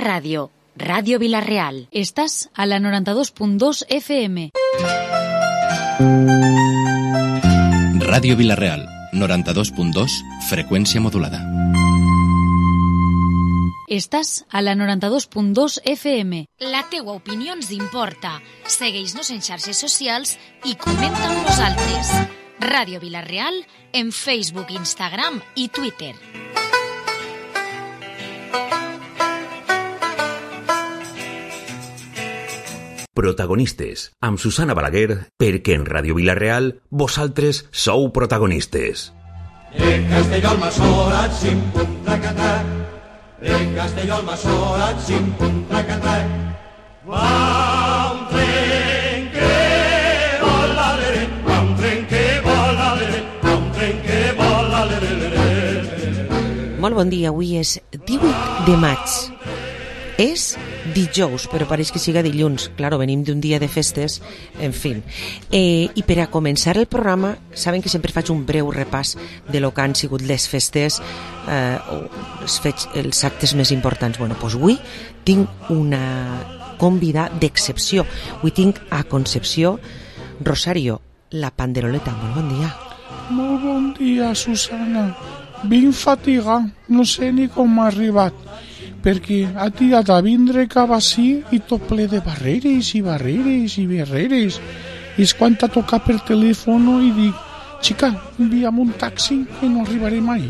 Ràdio Vila-real. Estàs a la 92.2 FM. Ràdio Vila-real, 92.2, freqüència modulada. Estàs a la 92.2 FM. La teua opinió ens importa. Segueix-nos en xarxes socials i comenta amb nosaltres. Ràdio Vila-real en Facebook, Instagram i Twitter. Protagonistes, amb Susana Balaguer, perquè en Ràdio Vila-real vosaltres sou protagonistes. De Castelló al Massorat, sim-pum, trac-trac. De Castelló al Massorat, sim-pum, trac-trac. Va un tren que vola, va un tren que vola, va un tren que vola. Molt bon dia, avui és 18 de maig. És dijous, però pareix que siga dilluns. Claro, venim d'un dia de festes, en fi. I per a començar el programa, saben que sempre faig un breu repàs de lo que han sigut les festes, els actes més importants. Bueno, doncs avui tinc una convida d'excepció. Avui tinc a Concepció Rosario, la panderoleta. Molt bon dia. Molt bon dia, Susana. Ben fatigat, no sé ni com m'ha arribat, perquè ha tirat a vindre cap així i tot ple de barreres i barreres i barreres. I és quan t'ha tocat per telèfon i dic, xica, envia'm un taxi que no arribaré mai.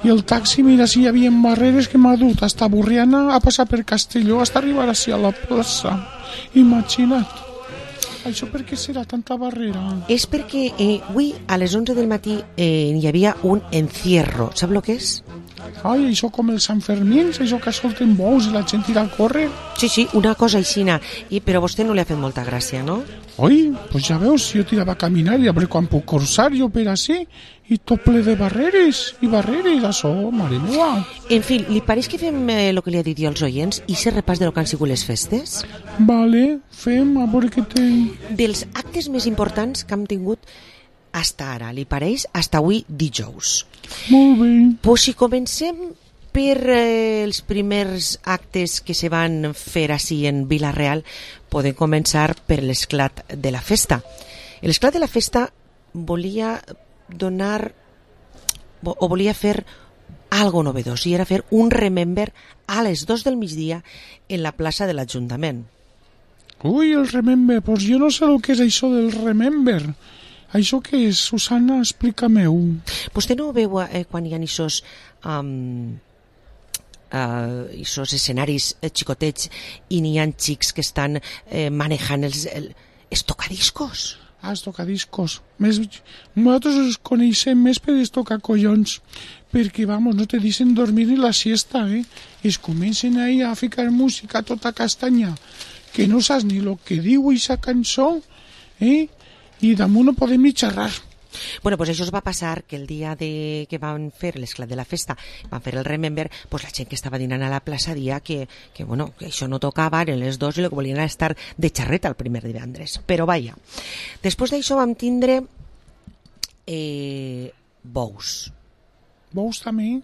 I el taxi, mira, si hi havia barreres que m'ha dut hasta Borriana a passar per Castelló hasta arribar així a la plaça. Imagina't. Això per què serà tanta barrera? És perquè avui a les 11 del matí hi havia un encierro. Sap el que és? Ai, això com els Sant Fermins, això que solten bous i la gent tira a córrer. Sí, una cosa aixina. Però a vostè no li ha fet molta gràcia, no? Oi, doncs ja veus, jo tirava a caminar i a veure quan puc cursar jo per així i tot ple de barreres i barreres, això, mare meva. En fi, li pareix que fem el que li ha dit jo als oients i se repàs de lo que han sigut les festes? Vale, fem, a veure què té. Dels actes més importants que hem tingut hasta ara, li pareix? Hasta avui dijous. Molt bé. Pues si comencem per els primers actes que se van fer així en Vila-real, podem començar per l'esclat de la festa. L'esclat de la festa volia donar o volia fer algo novedós i era fer un remember a les 2 del migdia en la plaça de l'Ajuntament. Ui, el remember, doncs jo no sé el que és això del remember. Això què és, Susana? Explica-me-ho. Vostè no ho veu quan hi ha aquests escenaris xicotets i n'hi ha xics que estan manejant els tocadiscos? Els tocadiscos. Nosaltres els coneixem més per els tocacollons, perquè, vamos, no te deixen dormir ni la siesta, Es comencen ahí a ficar música a tota castanya, que no saps ni el que diu aquesta cançó, i damunt no podem ni xerrar. Bueno, pues això es va passar que el dia que van fer l'esclat de la festa, van fer el remember, pues la gent que estava dinant a la plaça dia que això no tocava, eren les 2 i el que volien era estar de xarreta el primer divendres. Però vaja, després d'això vam tindre bous. Bous també?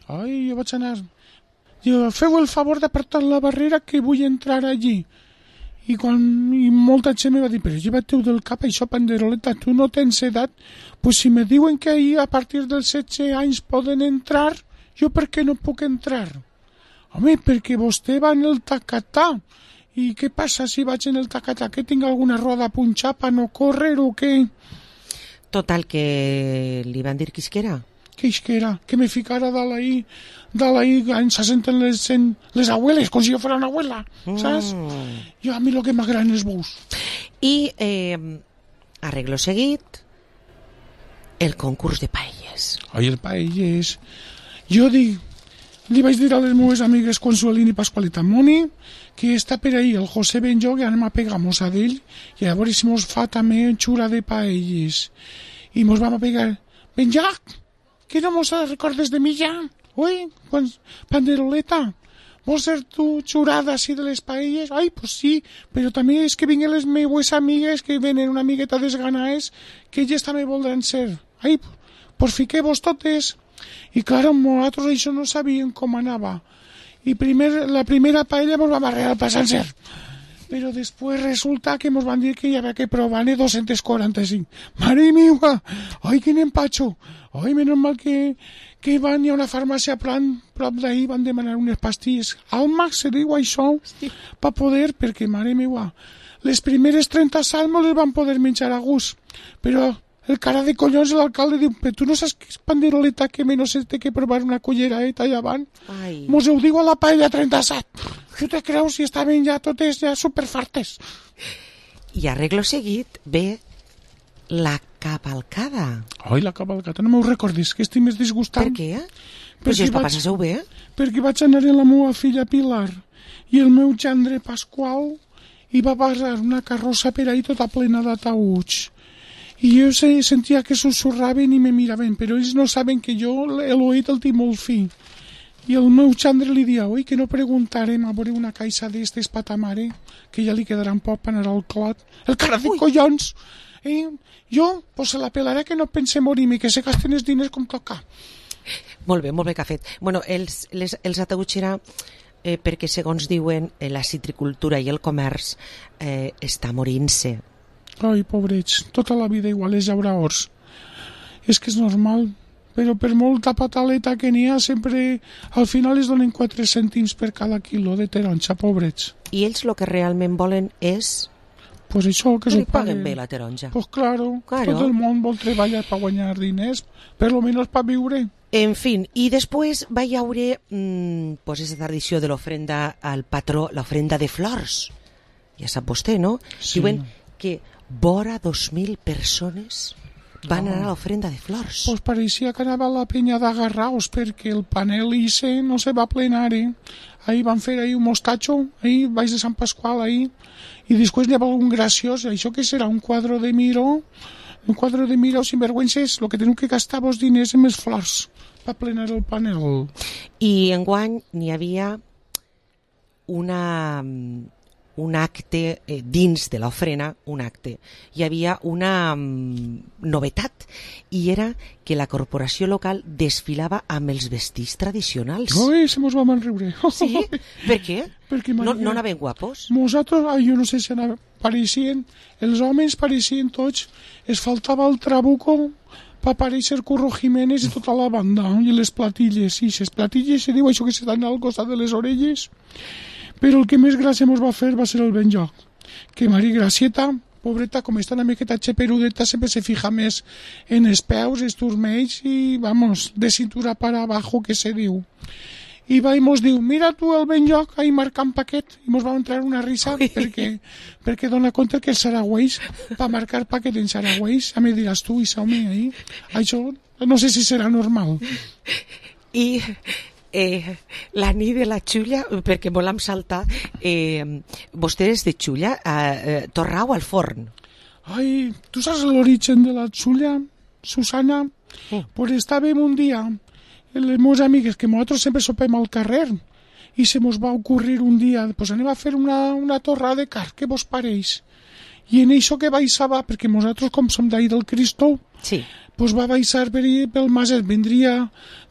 Ai, jo vaig anar... Feu el favor d'apartar la barrera que vull entrar allí. I molta gent me va dir, però lleva-te-ho del cap, això, panderoleta, tu no tens edat, pues si me diuen que ahir a partir dels 16 anys poden entrar, jo per què no puc entrar? Home, perquè vostè va en el tacatà, i què passa si vaig en el tacatà, que tinc alguna roda punxada per no córrer o què? Total, que li van dir qui era? Què era? Que me ficara d'ahí se senten les abueles, com si jo fos una abuela, saps? Jo a mi el que m'agraden els bous. I arreglo seguit el concurs de paelles. Ai, el paelles. Jo li vaig dir a les meves amigues Consuelina i Pasqualita Moni que està per ahí el José Benjo, que anem a pegar mossa d'ell, i a veure si mos fa també xura de paelles. I mos vam a pegar. Benjac, que no mos recordes de mi ja? Ui, panderoleta, vols ser tu xurada així de les paelles? Ai, pues sí, però també és que vinguen les meues amigues que venen una amigueta desganaes que elles també voldran ser. Ai, pues fiqueu-vos totes. I clar, nosaltres això no sabíem com anava. y la primera paella mos va barrer al passancer. Però després resulta que mos van dir que hi havia que provar-ne 245. Mare meva! Ai, quin empatxo! Ai, menys mal que van a una farmàcia prop d'ahir, van demanar unes pastilles. Almax se diu això, per poder, perquè, mare meva, les primeres 30 salmos les van poder menjar a gust, però el cara de collons l'alcalde diu, però tu no saps que és panderoleta que menys se té que provar una culleraeta allà avant? Ai. Mos ho diu a la paella 37. Tu te creus si estaven ja totes ja superfartes? I arreglo seguit ve la cavalcada. Ai, la cavalcada, no m'ho recordis, que estic més disgustant. Per què? Però si els papàs passeu bé. Perquè vaig anar amb la meva filla Pilar i el meu gendre Pasqual i va passar una carrossa per ahí tota plena d'ataüts. I jo sentia que susurraven i me miraven, però ells no saben que jo l'oït el tinc molt fi. I el meu gendre li dia, oi, que no preguntarem a veure una caixa d'estes pa ta mare, que ja li quedarà un poc per anar al clot. El cara de collons! Jo, pues se la pelaré que no pense morir-me, que se gasten els diners com toca. Molt bé que ha fet. Bueno, els ataüts era perquè, segons diuen, la citricultura i el comerç està morint-se. Ai, pobrets, tota la vida igual és llauraors. És que és normal, però per molta pataleta que n'hi ha, sempre al final es donen 4 cèntims per cada quilo de taronja, pobrets. I ells el que realment volen és... Pues això, que s'ho paguen bé la taronja. Pues claro, tot el món vol treballar per guanyar diners, per lo menos per viure. En fin, i després va hi haure pues esa tradició de l'ofrenda al patró, l'ofrenda de flors. Ja sap vostè, no? Sí. Diuen que vora 2.000 persones van anar a l'ofrenda de flors. Pues pareixia que anava a la penya d'Agarraos, perquè el panel ICE no se va plenar, Ahir van fer ahir un mostatxo, ahir baix de Sant Pasqual, ahir, i després n'hi ha algun graciós, això que serà un quadre de Miró sinvergüences, el que teniu que gastar vos diners en més flors per plenar el panel. I enguany n'hi havia un acte dins de l'ofrena, un acte. Hi havia una novetat, i era que la corporació local desfilava amb els vestits tradicionals. Ui, se mos vam enriure. Sí? Per què? Perquè no anaven guapos? Nosaltres, jo no sé si pareixien, els homes pareixien tots, es faltava el trabuco per aparèixer Curro Jiménez i tota la banda, i les platilles, i les platilles se diu això que se dan al costat de les orelles. Però el que més gràcia mos va fer va ser el benjoc, que Mari Gracieta, pobreta, com està una miqueta xeperudeta, sempre se fija més en els peus, els turmells i, vamos, de cintura para abajo, que se diu. I va i mos diu, mira tu el benjoc, ahí marcant paquet, i mos va entrar una risa perquè dona compte que els saragüells, per marcar paquet en saragüells, ja me diràs tu, i home, ahí, això no sé si serà normal. I... la nit de la xulla, perquè volem saltar, vostè és de xulla, torrau al forn. Ai, tu saps l'origen de la xulla, Susana? Pues estàvem un dia, les meves amigues, que nosaltres sempre sopem al carrer, i se mos va ocurrir un dia, pues anem a fer una torrada de carn, què vos pareix? I en això que baixava, perquè nosaltres com som d'ahir del Cristo, sí, pues va baixar pel Maset, vendria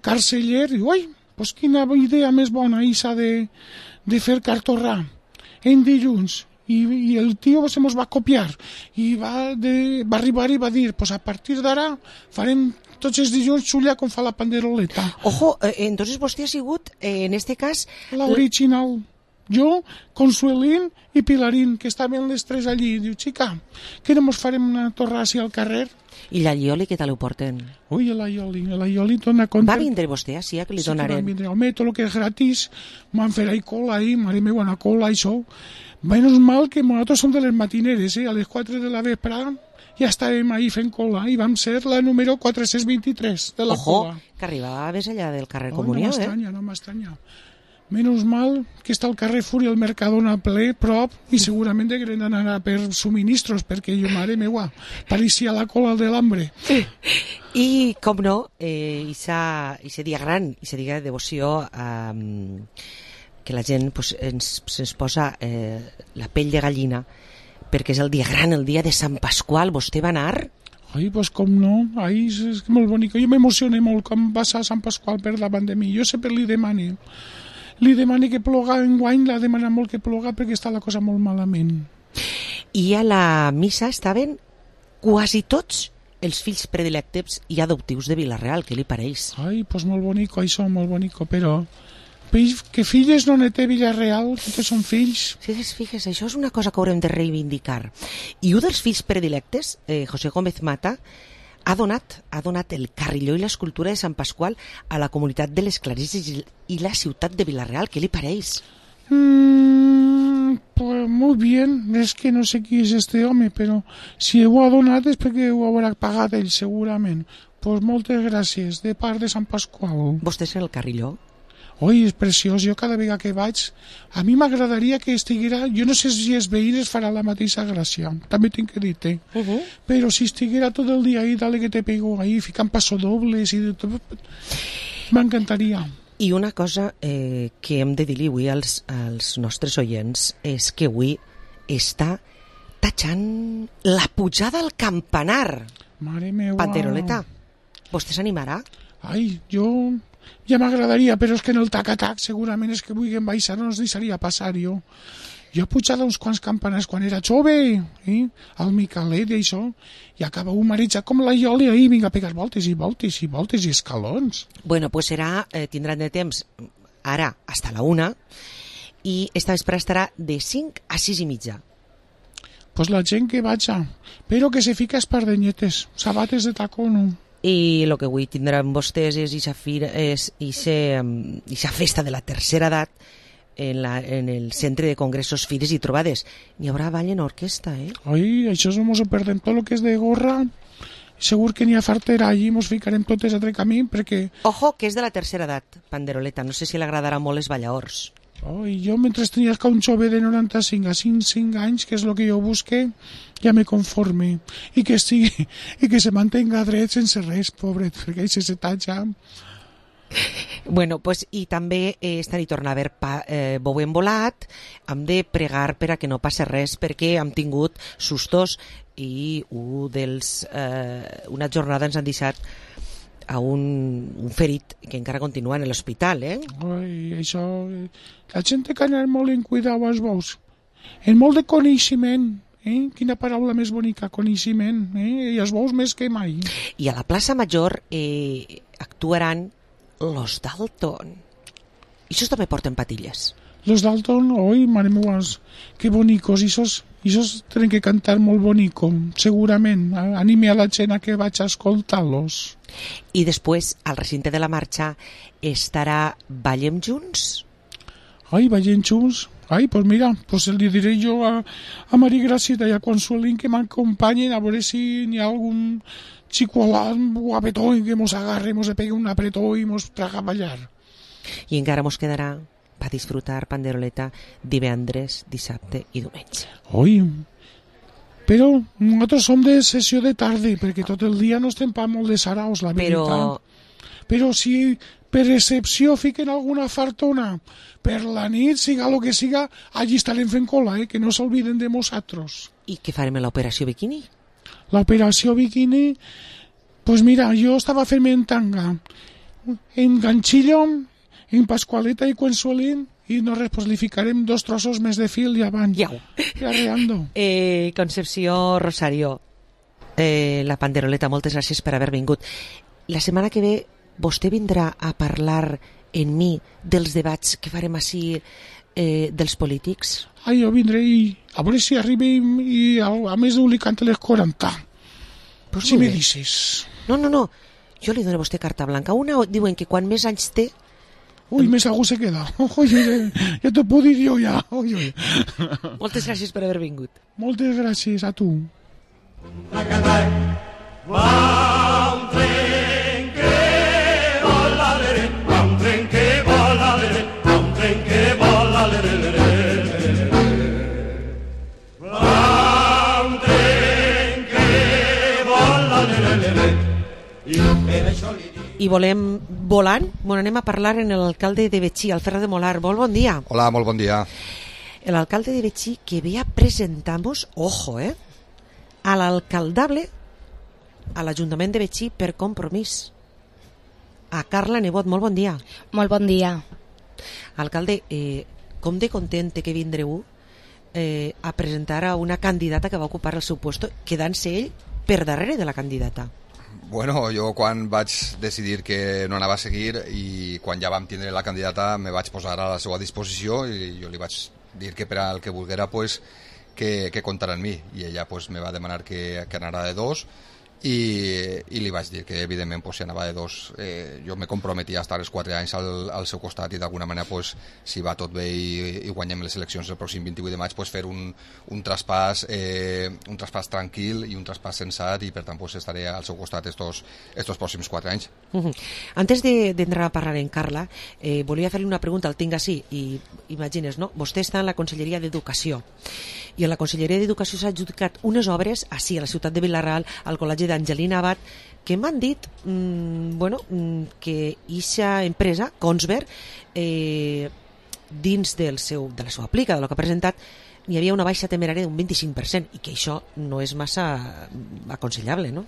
Carceller, i ui, pues quina idea més bona, Isa, de fer cartorrà en dilluns. I el tio se mos va copiar i va arribar i va dir, pues a partir d'ara farem tots els dilluns xulla com fa la panderoleta. Ojo, entonces vostè ha sigut, en este cas... l'original. Jo, Consuelín i Pilarín, que estaven les tres allí. Diu, xica, que no mos farem una torrada així al carrer? I l'allioli, què tal ho porten? Ui, l'allioli dona compte... Va vindre vostè, sí, que li donarem? Sí, va vindre. Home, tot el que és gratis, m'han fet ahí cola, mare meva, una cola, això. Menys mal que nosaltres som de les matineres, a les 4 de la vespre ja estàvem ahí fent cola, i vam ser la número 423 de la cola. Ojo, que arribaves allà del carrer Comunió, No m'estranya. Menys mal que està el Carrefour i el Mercadona ple, prop, i segurament degueren anar per subministros, perquè jo, mare meua, pareixia la cola de l'hambre. I, com no, ese dia gran, ese dia de devoció, que la gent pues, ens posa la pell de gallina, perquè és el dia gran, el dia de Sant Pasqual. Vostè va anar? Ai, pues com no, ai, és molt bonic. Jo m'emocioné molt quan va a Sant Pasqual per davant de mi. Jo sempre li demano. li demani que ploga enguany, l'ha demanat molt que ploga perquè està la cosa molt malament. I a la missa estaven quasi tots els fills predilectes i adoptius de Vila-real, què li pareix? Ai, pues molt bonico, això, molt bonico, però que filles no ne té Vila-real, que són fills. Figues, això és una cosa que haurem de reivindicar. I un dels fills predilectes, José Gómez Mata, ha donat el carrilló i l'escultura de Sant Pasqual a la comunitat de les Clarisses i la ciutat de Vila-real, què li pareix? Pues muy bien, es que no sé qui és este home, però si ho ha donat és perquè ho haurà pagat ell, segurament. Pues moltes gràcies, de part de Sant Pasqual. Vostè és el carrilló? Oi, és preciós, jo cada vegada que vaig, a mi m'agradaria que estiguera, jo no sé si els veïns farà la mateixa gràcia, també tinc que dir-te, però si estiguera tot el dia ahí, dale que te pego ahí, ficant passodobles i de tot, m'encantaria. I una cosa que hem de dir-li avui als nostres oients és que avui està tatxant la pujada al campanar. Mare meva. Panderoleta, vostè s'animarà? Ai, jo ja m'agradaria, però és que en el tac-a-tac segurament és que vulguem baixar, no ens deixaria passar jo. Jo he pujat uns quants campanars quan era jove, al Micalet i això, i acaba un marejat com la Ioli ahí, vinga a pegar voltes i voltes i voltes i escalons. Bueno, pues tindran de temps ara hasta la 1 i esta vespre estarà de 5 a 6 i mitja. Pues la gent que vaja, però que se fica espardenyetes, sabates de tacono. I el que avui tindran vostès és ixa festa de la tercera edat en el centre de congressos, fires i trobades. N'hi haurà ball en orquestra, Ai, això no mos ho perdem. Tot el que és de gorra, segur que n'hi ha fartera allí, mos ficarem totes a tre camí, perquè... Ojo, que és de la tercera edat, Panderoleta, no sé si li agradarà molt les ballaors. Ai, jo mentre tenia que un jove de 95 a 5 anys, que és el que jo busque, ja me conforme. I que estigui, i que se mantenga dret sense res, pobret, perquè ell se tatxa. Bueno, pues, i també esta nit torna a haver bou embolat. Hem de pregar per a que no passe res perquè hem tingut sustos i una jornada ens han deixat a un ferit que encara continua en l'hospital, Ai, això... La gent té que anar molt en cuidar als bous. En molt de coneixement, Quina paraula més bonica, coneixement, I els bous més que mai. I a la plaça Major actuaran los Dalton. I això també porten patilles. Los Dalton, oi, mare meva, que bonicos, i esos tenen que cantar molt bonico, segurament. Anime a la gent a que vaig a escoltar-los. I després, al recinte de la marxa, estarà Ballem Junts? Ai, Ballem Junts? Ai, pues mira, pues li diré jo a Maria Gracita i a Consuelín que m'acompanyen a veure si n'hi ha algun xicolat guapetó que mos agarre, mos pegue un apretó i mos traga a ballar. I encara mos quedarà per disfrutar Panderoleta divendres, dissabte i diumenge. Oi, però nosaltres som de sessió de tarda, perquè tot el dia no estem pa molt de saraos, la veritat. Però si per excepció fiquen alguna fartona per la nit, siga el que siga, allí estarem fent cola, que no s'olviden de nosaltres. I què farem en l'operació Bikini? L'operació Bikini, pues mira, jo estava fent en tanga, en ganchillo, en Pascualeta i Consuelín, i no res, pues li ficarem 2 trossos més de fil i avant. Iau. I arreando. Concepció Rosario, la Panderoleta, moltes gràcies per haver vingut. La setmana que ve vostè vindrà a parlar en mi dels debats que farem així dels polítics? Ai, jo vindré i a veure si arribem i a més d'un li canta les 40. Pues si me dices. No. Jo li dono a vostè carta blanca. Una diuen que quan més anys té... Ui, més algú se queda. Ja t'ho puc dir jo ja. Moltes gràcies per haver vingut. Moltes gràcies a tu. I volem volant, anem a parlar en l'alcalde de Betxí, el Ferrer de Molar. Molt bon dia. Hola, molt bon dia. L'alcalde de Betxí que ve a presentar-nos, ojo, a l'alcaldable a l'Ajuntament de Betxí per compromís. A Carla Nebot, molt bon dia. Molt bon dia. Alcalde, com de content té que vindreu a presentar a una candidata que va ocupar el seu puesto, quedant-se ell per darrere de la candidata? Bueno, jo quan vaig decidir que no anava a seguir i quan ja vam tindre la candidata me vaig posar a la seva disposició i jo li vaig dir que per al que volguera pues, que comptara en mi i ella pues, me va demanar que anara de 2 i li vaig dir que evidentment pues, si anava de 2 jo me comprometia a estar els 4 anys al seu costat i d'alguna manera pues, si va tot bé i guanyem les eleccions el pròxim 28 de maig pues, fer un traspàs tranquil i un traspàs sensat i per tant pues, estaré al seu costat estos pròxims 4 anys. Antes d'entrar a parlar en Carla, volia fer-li una pregunta, el tinc així, i imagines, no? Vostè està en la Conselleria d'Educació i en la Conselleria d'Educació s'ha adjudicat unes obres així a la ciutat de Vila-real, al Col·legi d'Angelina Abad, que m'han dit que eixa empresa, Kongsberg, dins de la seva aplica, del que ha presentat, hi havia una baixa temerària d'un 25% i que això no és massa aconsellable, no?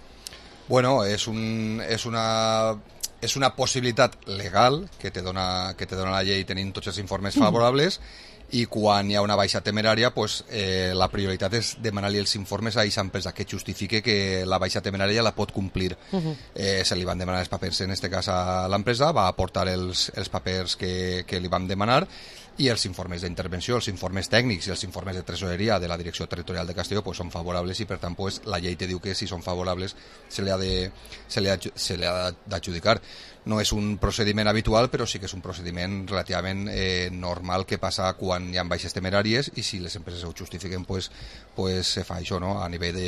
Bueno, és una possibilitat legal que te dona la llei tenint tots els informes favorables i quan hi ha una baixa temerària pues, la prioritat és demanar-li els informes a aquesta empresa que justifique que la baixa temerària la pot complir. Se li van demanar els papers en aquest cas a l'empresa, va aportar els papers que li vam demanar i els informes d'intervenció, els informes tècnics i els informes de tresoreria de la Direcció Territorial de Castelló pues, són favorables i per tant pues, la llei te diu que si són favorables se li ha d'adjudicar. No és un procediment habitual, però sí que és un procediment relativament normal que passa quan hi ha baixes temeràries i si les empreses ho justifiquen pues se fa això, no? A nivell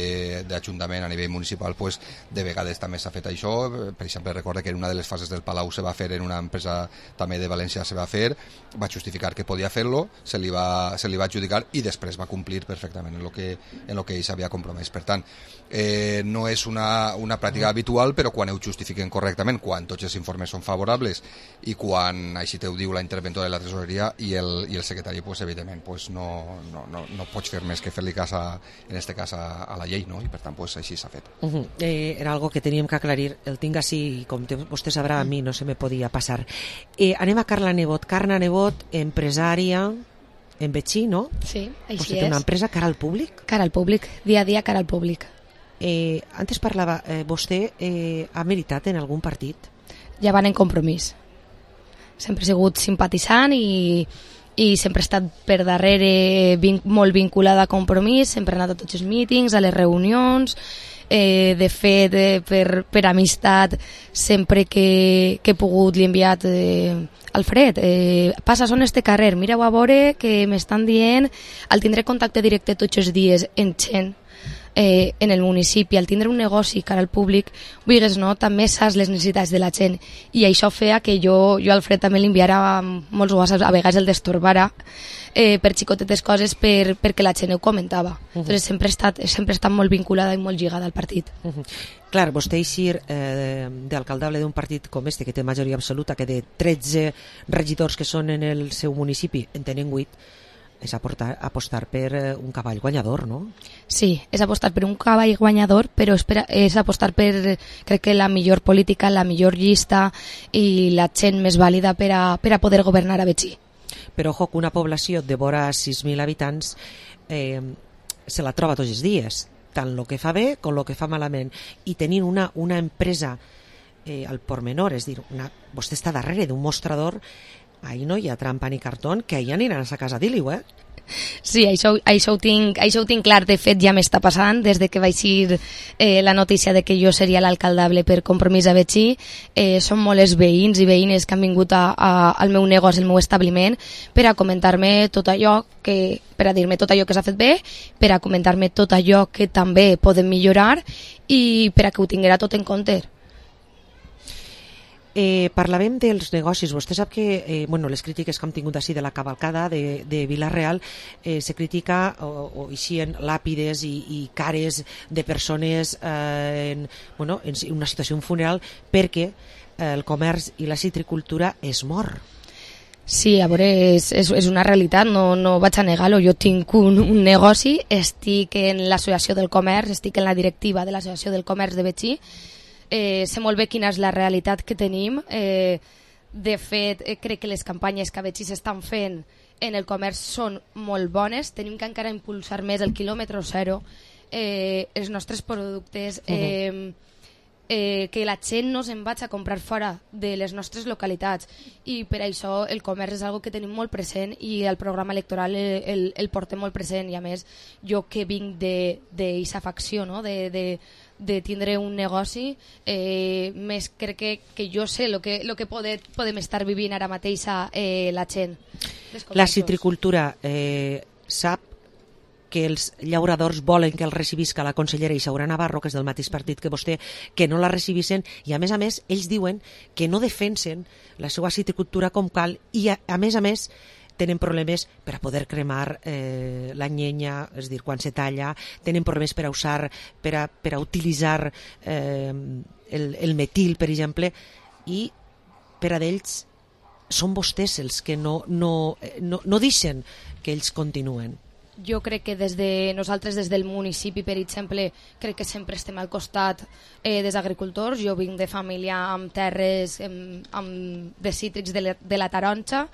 d'Ajuntament, a nivell municipal pues, de vegades també s'ha fet això. Per exemple, recorda que en una de les fases del Palau se va fer, en una empresa també de València se va fer, va justificar que podia fer-lo, se li va adjudicar i després va complir perfectament en lo que ell s'havia compromès. Per tant, no és una pràctica habitual, però quan ho justifiquen correctament, quan tots els informes són favorables i quan així te ho diu la interventora de la tresoreria i el secretari, pues, evidentment pues, no pots fer més que fer-li cas en este cas a la llei, no? I per tant pues, així s'ha fet. Era algo que teníem que aclarir, el tinc així i com vostè sabrà a mi no se me podia passar. Anem a Carla Nebot. Carla Nebot, empresària en Betxí, no? Sí, així vostè té una empresa cara al públic? Cara al públic, dia a dia cara al públic. Antes parlava, vostè ha militat en algun partit? Ja van en Compromís. Sempre he sigut simpatitzant i sempre he estat per darrere molt vinculada a Compromís, sempre he anat a tots els mítings, a les reunions, de fet, per amistat, sempre que he pogut li he enviat Alfred, passa a este carrer, mireu a veure que m'estan dient, al tindre contacte directe tots els dies en gent, en el municipi, al tindre un negoci cara al públic, vulguis no, també saps les necessitats de la gent i això feia que jo a Alfred també li enviara molts whatsapps, a vegades el destorbara per xicotetes coses perquè la gent ho comentava. Entonces sempre he estat molt vinculada i molt lligada al partit. Clar, vostè eixir d'alcaldable d'un partit com este que té majoria absoluta, que de 13 regidors que són en el seu municipi en tenen 8, és apostar per un cavall guanyador, no? Sí, és apostar per un cavall guanyador, però és apostar per, crec que la millor política, la millor llista i la gent més vàlida per a poder governar a Betxí. Però, ojo, que una població de vora 6.000 habitants se la troba tots els dies, tant el que fa bé com el que fa malament. I tenint una empresa al pormenor, és dir, vostè està darrere d'un mostrador, ahí no hi ha trampa ni cartón, que ahí aniran a sa casa a dir-li-ho, Sí, això ho tinc clar. De fet, ja m'està passant des de que vaig ir la notícia de que jo seria l'alcaldable per Compromís a Betxí. Són molt els veïns i veïnes que han vingut al meu negoci, al meu establiment, per a comentar-me tot allò per a dir-me tot allò que s'ha fet bé, per a comentar-me tot allò que també podem millorar i per a que ho tinguera tot en compte. Parlàvem dels negocis. Vostè sap que les crítiques que hem tingut així de la cavalcada de Vila-real se critica o eixien làpides i cares de persones en una situació, un funeral, perquè el comerç i la citricultura es mor. Sí, a veure, és una realitat, no vaig a negar-ho. Jo tinc un negoci, estic en l'associació del comerç, estic en la directiva de l'associació del comerç de Betxí. Sé molt bé quina és la realitat que tenim De fet, crec que les campanyes que a Betxí s'estan fent en el comerç són molt bones. Tenim que encara impulsar més el quilòmetre zero, els nostres productes, que la gent no se'n vagi a comprar fora de les nostres localitats, i per això el comerç és algo que tenim molt present i el programa electoral el portem molt present. I a més, jo que vinc d'aquesta facció, no? de tindre un negoci, més crec que jo sé el que podem estar vivint ara mateix la gent. La citricultura sap que els llauradors volen que el recibisca la consellera Isaura Navarro, que és del mateix partit que vostè, que no la recibissen, i a més, ells diuen que no defensen la seva citricultura com cal, i a més, tenen problemes per a poder cremar la llenya, és a dir, quan se talla, tenen problemes per a usar, per a utilitzar el metil, per exemple, i per a d'ells són vostès els que no deixen que ells continuen. Jo crec que nosaltres des del municipi, per exemple, crec que sempre estem al costat dels agricultors. Jo vinc de família amb terres de cítrics de la taronja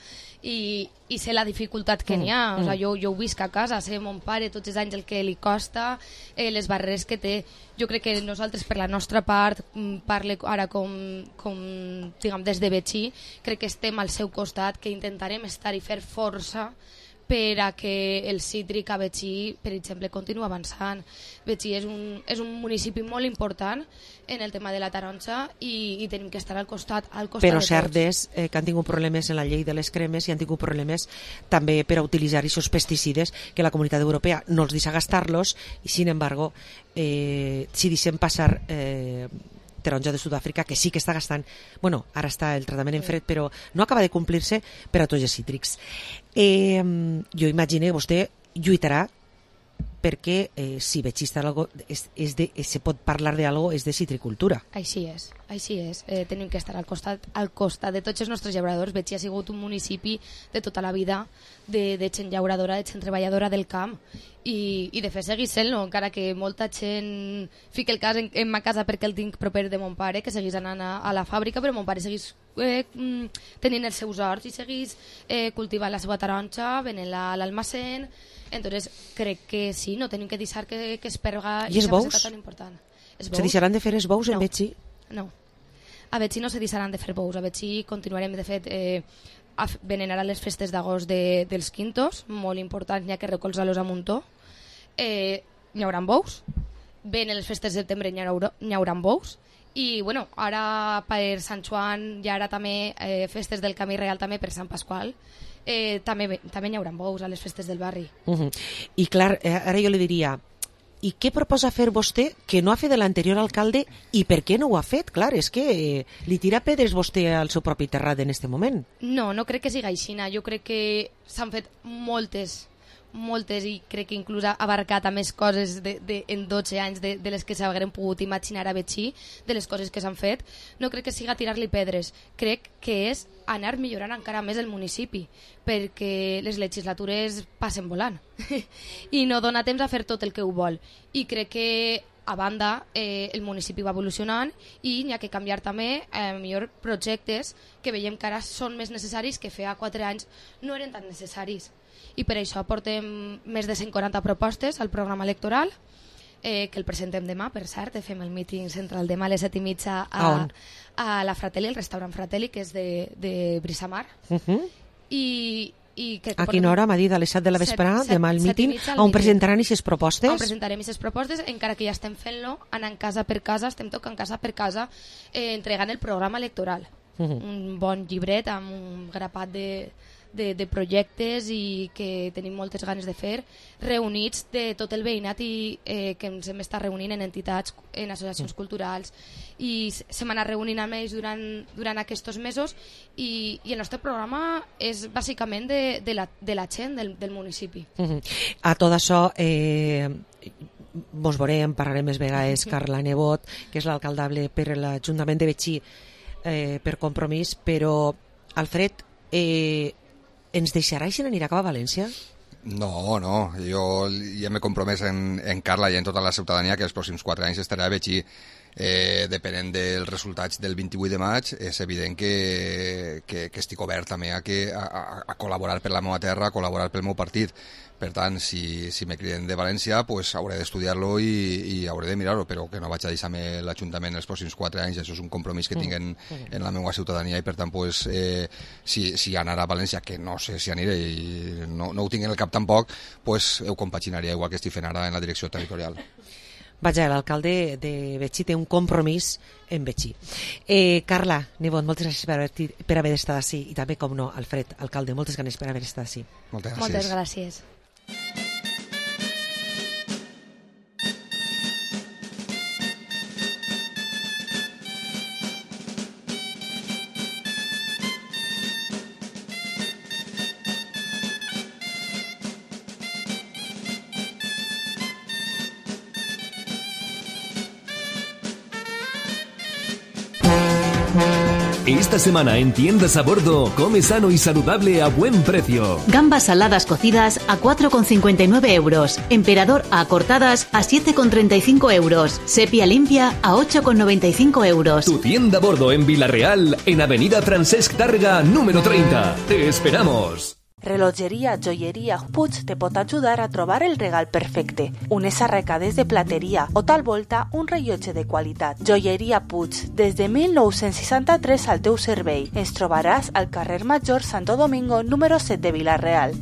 i sé la dificultat que n'hi ha. O sigui, jo ho visc a casa, sé mon pare tots els anys el que li costa, les barreres que té. Jo crec que nosaltres, per la nostra part, parle ara com diguem, des de Betxí, crec que estem al seu costat, que intentarem estar i fer força per a que el cítric a Betxí, per exemple, continua avançant. Betxí és un municipi molt important en el tema de la taronja i tenim que estar al costat però de cert tots. És que han tingut problemes en la llei de les cremes i han tingut problemes també per a utilitzar aquests pesticides que la Comunitat Europea no els deixa gastar-los, i sin embargo si deixem passar taronja de Sud-àfrica, que sí que està gastant, bueno, ara està el tractament en fred, però no acaba de complir-se per a tots els cítrics. Jo imagino que vostè lluitarà perquè si Betxí està algo, se pot parlar d'algo, és de citricultura. Així és. Tenim que estar al costat de tots els nostres llauradors. Betxí ha sigut un municipi de tota la vida de gent llauradora, de gent treballadora del camp, i de fet seguís sent-lo, encara que molta gent fica el cas en ma casa perquè el tinc proper de mon pare, que seguís anant a la fàbrica, però mon pare seguís tenint els seus horts i seguís cultivant la seva taronja, venent-la a l'almacén. Entonces crec que sí, no tenim que deixar que es perga i els bous? tan important. Se deixaran de fer els bous en Betxí? No, a Betxí no se deixaran de fer bous. A Betxí continuarem, de fet, venen ara les festes d'agost dels quintos, molt importants, n'hi ha que recolzar-los a muntó. N'hi haurà bous, venen les festes de setembre, n'hi haurà bous, i bueno, ara per Sant Joan i ara també festes del Camí Real, també per Sant Pasqual, també n'hi haurà bous a les festes del barri. I clar, ara jo li diria, i què proposa fer vostè que no ha fet l'anterior alcalde, i per què no ho ha fet? Clar, és que li tira pedres vostè al seu propi terrat en aquest moment. No crec que sigui així. Jo crec que s'han fet moltes, i crec que inclús ha abarcat a més coses en 12 anys de les que s'hagueren pogut imaginar a Betxí, de les coses que s'han fet. No crec que siga tirar-li pedres, crec que és anar millorant encara més el municipi, perquè les legislatures passen volant i no dona temps a fer tot el que ho vol, i crec que a banda el municipi va evolucionant i n'hi ha que canviar també millor projectes que veiem que ara són més necessaris, que fa 4 anys no eren tan necessaris, i per això portem més de 140 propostes al programa electoral, que el presentem demà, per cert, fem el míting central demà a les 7:30 a la Fratelli, el restaurant Fratelli, que és de Brisamar. I a quina hora m'ha dit? A les 7 de la vesprada, demà el míting, on presentaran aquestes propostes? On presentarem aquestes propostes, encara que ja estem fent-lo, anant casa per casa, estem tocant casa per casa, entregant el programa electoral. Un bon llibret amb un grapat de projectes i que tenim moltes ganes de fer, reunits de tot el veïnat i que ens hem estat reunint en entitats, en associacions culturals, i s'hem anat reunint amb ells durant aquests mesos, i el nostre programa és bàsicament de la gent del municipi. A tot això mos veurem, parlarem més vegades. Carla Nebot, que és l'alcaldable per l'Ajuntament de Betxí per Compromís, però Alfred, ens deixarà i se n'anirà cap a València? No, jo ja m'he compromès en Carla i en tota la ciutadania que els pròxims 4 anys estarà a Betxí. depenent dels resultats del 28 de maig, és evident que estic obert també a col·laborar per la meva terra, a col·laborar pel meu partit. Per tant, si me criden de València, pues hauré d'estudiar-lo i hauré de mirar-ho, però que no vaig a deixar-me l'Ajuntament els pròxims 4 anys. Això és un compromís que tinc en la meva ciutadania i, per tant, pues, si anar a València, que no sé si aniré i no ho tinc en el cap tampoc, pues ho compaginaria igual que estic fent ara en la direcció territorial. Vaja, l'alcalde de Betxí té un compromís en Betxí. Carla Nibon, moltes gràcies per haver estat així, i també, com no, Alfred, alcalde, moltes ganes per haver estat així. Moltes gràcies. Moltes gràcies. Esta semana en Tiendas a Bordo, come sano y saludable a buen precio. Gambas saladas cocidas a 4,59 euros. Emperador a cortadas a 7,35 euros. Sepia limpia a 8,95 euros. Tu tienda a bordo en Vila-real, en Avenida Francesc Tàrrega, número 30. Te esperamos. Relojeria Joieria Puig te pot ajudar a trobar el regal perfecte. Unes arracades de plateria o tal volta un rellotge de qualitat. Joieria Puig, des de 1963 al teu servei. Ens trobaràs al carrer Major Santo Domingo, número 7 de Vila-real.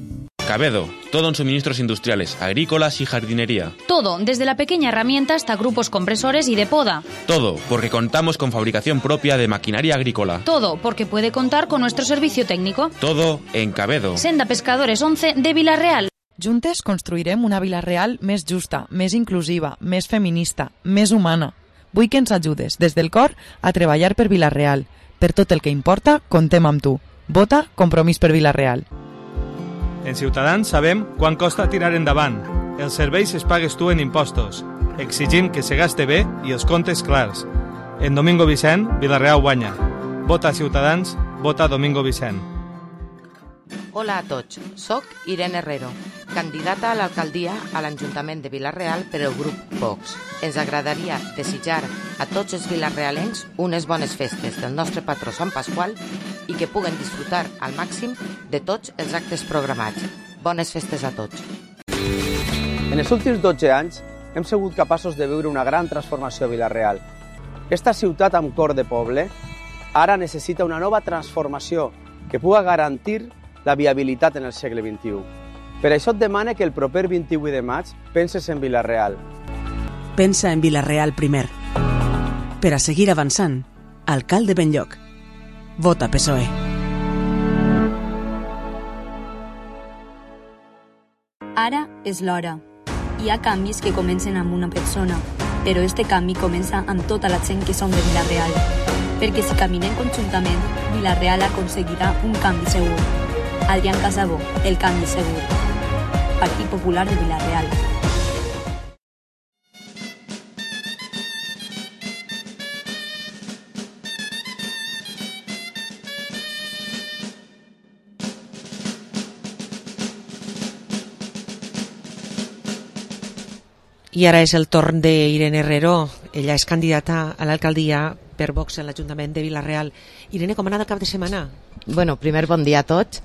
Cabedo, todo en suministros industriales, agrícolas y jardinería. Todo, desde la pequeña herramienta hasta grupos compresores y de poda. Todo, porque contamos con fabricación propia de maquinaria agrícola. Todo, porque puede contar con nuestro servicio técnico. Todo en Cabedo. Senda Pescadores 11 de Vila-real. Juntes construirem una Vila-real més justa, més inclusiva, més feminista, més humana. Vull que ens ajudes, des del cor, a treballar per Vila-real. Per tot el que importa, contem amb tu. Vota Compromís per Vila-real. En Ciutadans sabem quan costa tirar endavant. Els serveis es pagues tu en impostos. Exigim que se gaste bé i els comptes clars. En Domingo Vicent, Vila-real guanya. Vota Ciutadans, vota Domingo Vicent. Hola a tots, soc Irene Herrero, candidata a l'alcaldia a l'Ajuntament de Vila-real per el grup Vox. Ens agradaria desitjar a tots els vilarrealencs unes bones festes del nostre patró Sant Pasqual i que puguen disfrutar al màxim de tots els actes programats. Bones festes a tots. En els últims 12 anys hem sigut capaços de viure una gran transformació a Vila-real. Esta ciutat amb cor de poble ara necessita una nova transformació que pugui garantir la viabilitat en el segle XXI. Per això et demane que el proper 28 de maig penses en Vila-real. Pensa en Vila-real primer. Per a seguir avançant, alcalde Benlloc. Vota PSOE. Ara és l'hora. Hi ha canvis que comencen amb una persona, però este canvi comença amb tota la gent que som de Vila-real. Perquè si caminem conjuntament, Vila-real aconseguirà un canvi segur. Adrián Casabó, el canvi segur. Partit Popular de Vila-real. I ara és el torn d'Irene Herrero. Ella és candidata a l'alcaldia per Vox a l'Ajuntament de Vila-real. Irene, com ha anat el cap de setmana? Bueno, primer bon dia a tots.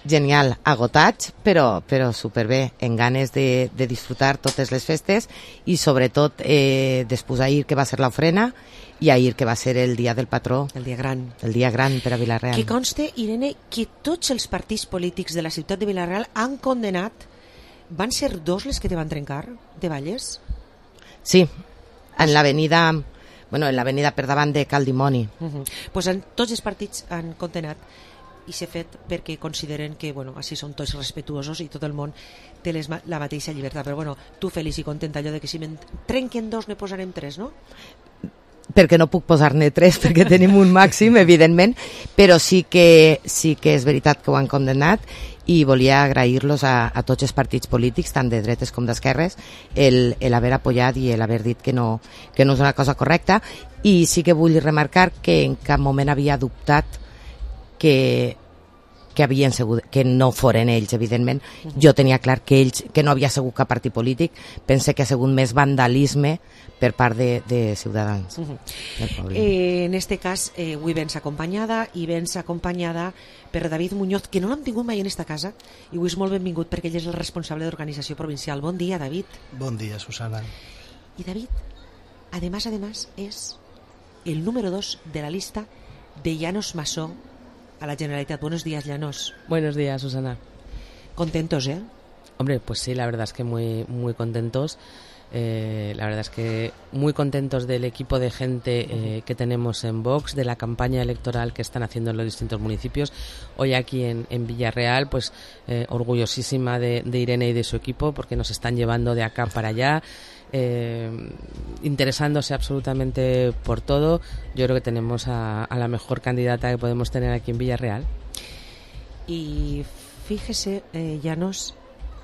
Genial, agotats, però superbé, en ganes de disfrutar totes les festes i sobretot després ahir que va ser l'ofrena i ahir que va ser el dia del patró. El dia gran. El dia gran per a Vila-real. Que conste, Irene, que tots els partits polítics de la ciutat de Vila-real han condenat. Van ser dos les que te van trencar, de Valles? Sí, en l'avenida per davant de Cal Dimoni. Pues tots els partits han condenat i s'ha fet perquè consideren que així són tots respetuosos i tot el món té la mateixa llibertat. Però tu feliç i contenta allò de que si me'n trenquen dos ne posarem tres, no? Perquè no puc posar-ne tres perquè tenim un màxim, evidentment, però sí que és veritat que ho han condemnat i volia agrair-los a tots els partits polítics, tant de dretes com d'esquerres, l'haver apoyat i l'haver dit que no és una cosa correcta. I sí que vull remarcar que en cap moment havia dubtat que havien sigut, que no foren ells, evidentment. Jo tenia clar que ells, que no havia sigut cap partit polític, pense que ha sigut més vandalisme per part de Ciutadans. En este cas, avui vens acompanyada per David Muñoz, que no l'hem tingut mai en esta casa, i avui és molt benvingut perquè ell és el responsable d'organització provincial. Bon dia, David. Bon dia, Susana. Y David, además, es el número 2 de la lista de Llanos Masó a la Generalitat. Buenos días, Llanos. Buenos días, Susana. Contentos, ¿eh? Hombre, pues sí, la verdad es que muy, muy contentos. La verdad es que muy contentos del equipo de gente que tenemos en Vox, de la campaña electoral que están haciendo en los distintos municipios. Hoy aquí en Villarreal, pues orgullosísima de Irene y de su equipo, porque nos están llevando de acá para allá, interesándose absolutamente por todo. Yo creo que tenemos a la mejor candidata que podemos tener aquí en Villarreal. Y fíjese, Llanos,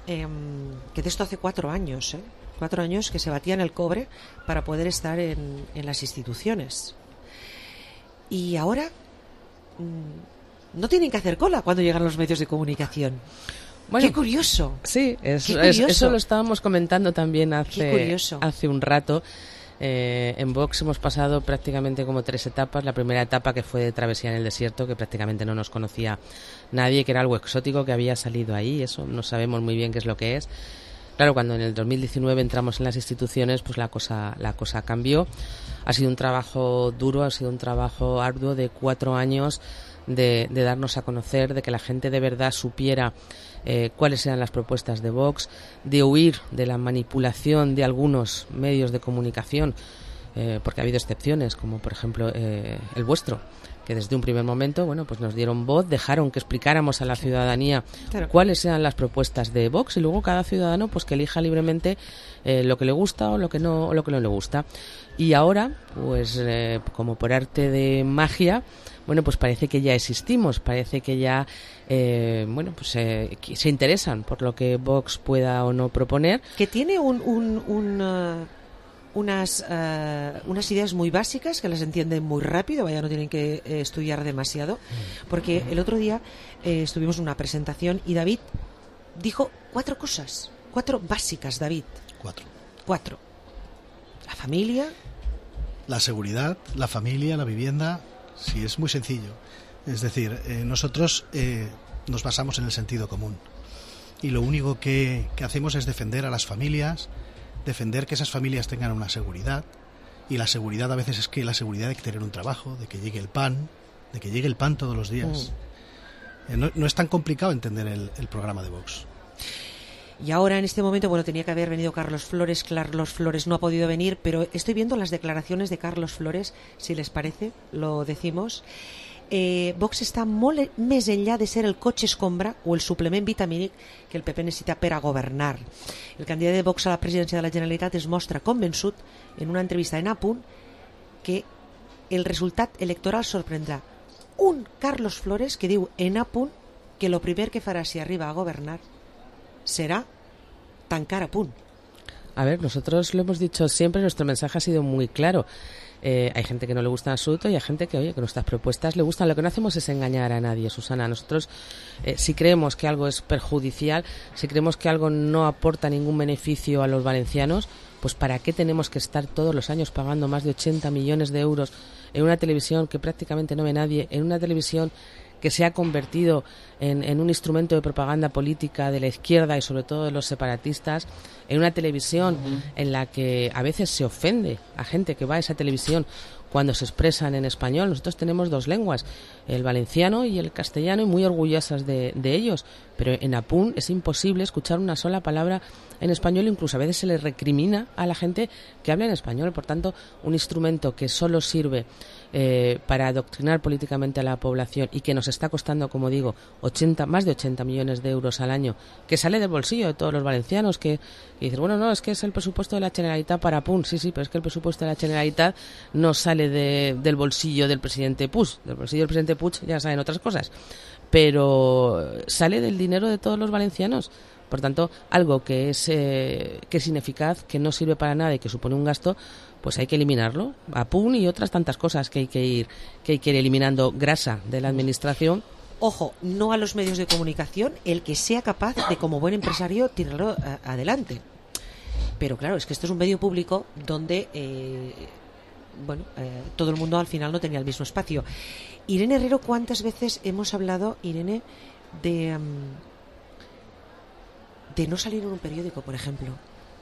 que de esto hace 4 años, 4 años que se batían el cobre para poder estar en las instituciones. Y ahora no tienen que hacer cola cuando llegan los medios de comunicación. Bueno, ¡qué curioso! Sí, eso lo estábamos comentando también hace un rato. En Vox hemos pasado prácticamente como 3 etapas. La primera etapa, que fue de travesía en el desierto, que prácticamente no nos conocía nadie, que era algo exótico que había salido ahí. Eso no sabemos muy bien qué es lo que es. Claro, cuando en el 2019 entramos en las instituciones, pues la cosa cambió. Ha sido un trabajo duro, ha sido un trabajo arduo de 4 años de darnos a conocer, de que la gente de verdad supiera cuáles eran las propuestas de Vox, de huir de la manipulación de algunos medios de comunicación, porque ha habido excepciones, como por ejemplo el vuestro, que desde un primer momento, bueno, pues nos dieron voz, dejaron que explicáramos a la ciudadanía cuáles eran las propuestas de Vox, y luego cada ciudadano pues que elija libremente lo que le gusta o lo que no le gusta. Y ahora, pues como por arte de magia, bueno, pues parece que ya existimos, parece que ya se interesan por lo que Vox pueda o no proponer. Que tiene unas ideas muy básicas, que las entienden muy rápido, vaya, no tienen que estudiar demasiado, porque el otro día estuvimos en una presentación y David dijo 4 cosas, 4 básicas, David. 4. La familia, la seguridad, la familia, la vivienda. Sí, es muy sencillo. Es decir, nosotros nos basamos en el sentido común, y lo único que hacemos es defender a las familias, defender que esas familias tengan una seguridad, y la seguridad a veces es que la seguridad de tener un trabajo, de que llegue el pan todos los días. No es tan complicado entender el programa de Vox. Y ahora en este momento, bueno, tenía que haber venido Carlos Flores no ha podido venir, pero estoy viendo las declaraciones de Carlos Flores, si les parece, lo decimos. Vox està molt més enllà de ser el cotxe escombra o el suplement vitamínic que el PP necessita per a governar. El candidat de Vox a la presidència de la Generalitat es mostra convençut en una entrevista en Apunt que el resultat electoral sorprendrà. Un Carlos Flores que diu en Apunt que lo primer que farà si arriba a governar será tancar Apunt. A ver, nosotros lo hemos dicho siempre, nuestro mensaje ha sido muy claro. Hay gente que no le gusta en absoluto y hay gente que, oye, que nuestras propuestas le gustan. Lo que no hacemos es engañar a nadie, Susana. Nosotros, si creemos que algo es perjudicial, si creemos que algo no aporta ningún beneficio a los valencianos, pues ¿para qué tenemos que estar todos los años pagando más de 80 millones de euros en una televisión que prácticamente no ve nadie, en una televisión que se ha convertido en un instrumento de propaganda política de la izquierda y sobre todo de los separatistas, en una televisión en la que a veces se ofende a gente que va a esa televisión cuando se expresan en español? Nosotros tenemos 2 lenguas, el valenciano y el castellano, y muy orgullosas de ellos, pero en Apunt es imposible escuchar una sola palabra en español, incluso a veces se le recrimina a la gente que habla en español. Por tanto, un instrumento que solo sirve para adoctrinar políticamente a la población y que nos está costando, como digo, más de 80 millones de euros al año, que sale del bolsillo de todos los valencianos, que dicen, bueno, no, es que es el presupuesto de la Generalitat para Apunt. Sí, pero es que el presupuesto de la Generalitat no sale del bolsillo del presidente Puig. Del bolsillo del presidente Puig ya saben otras cosas, pero sale del dinero de todos los valencianos. Por tanto, algo que es ineficaz, que no sirve para nada y que supone un gasto, pues hay que eliminarlo. Apunt y otras tantas cosas que hay que ir eliminando, grasa de la administración. Ojo, no a los medios de comunicación, el que sea capaz de, como buen empresario, tirarlo adelante. Pero claro, es que esto es un medio público donde todo el mundo al final no tenía el mismo espacio. Irene Herrero, ¿cuántas veces hemos hablado, Irene, de no salir en un periódico, por ejemplo,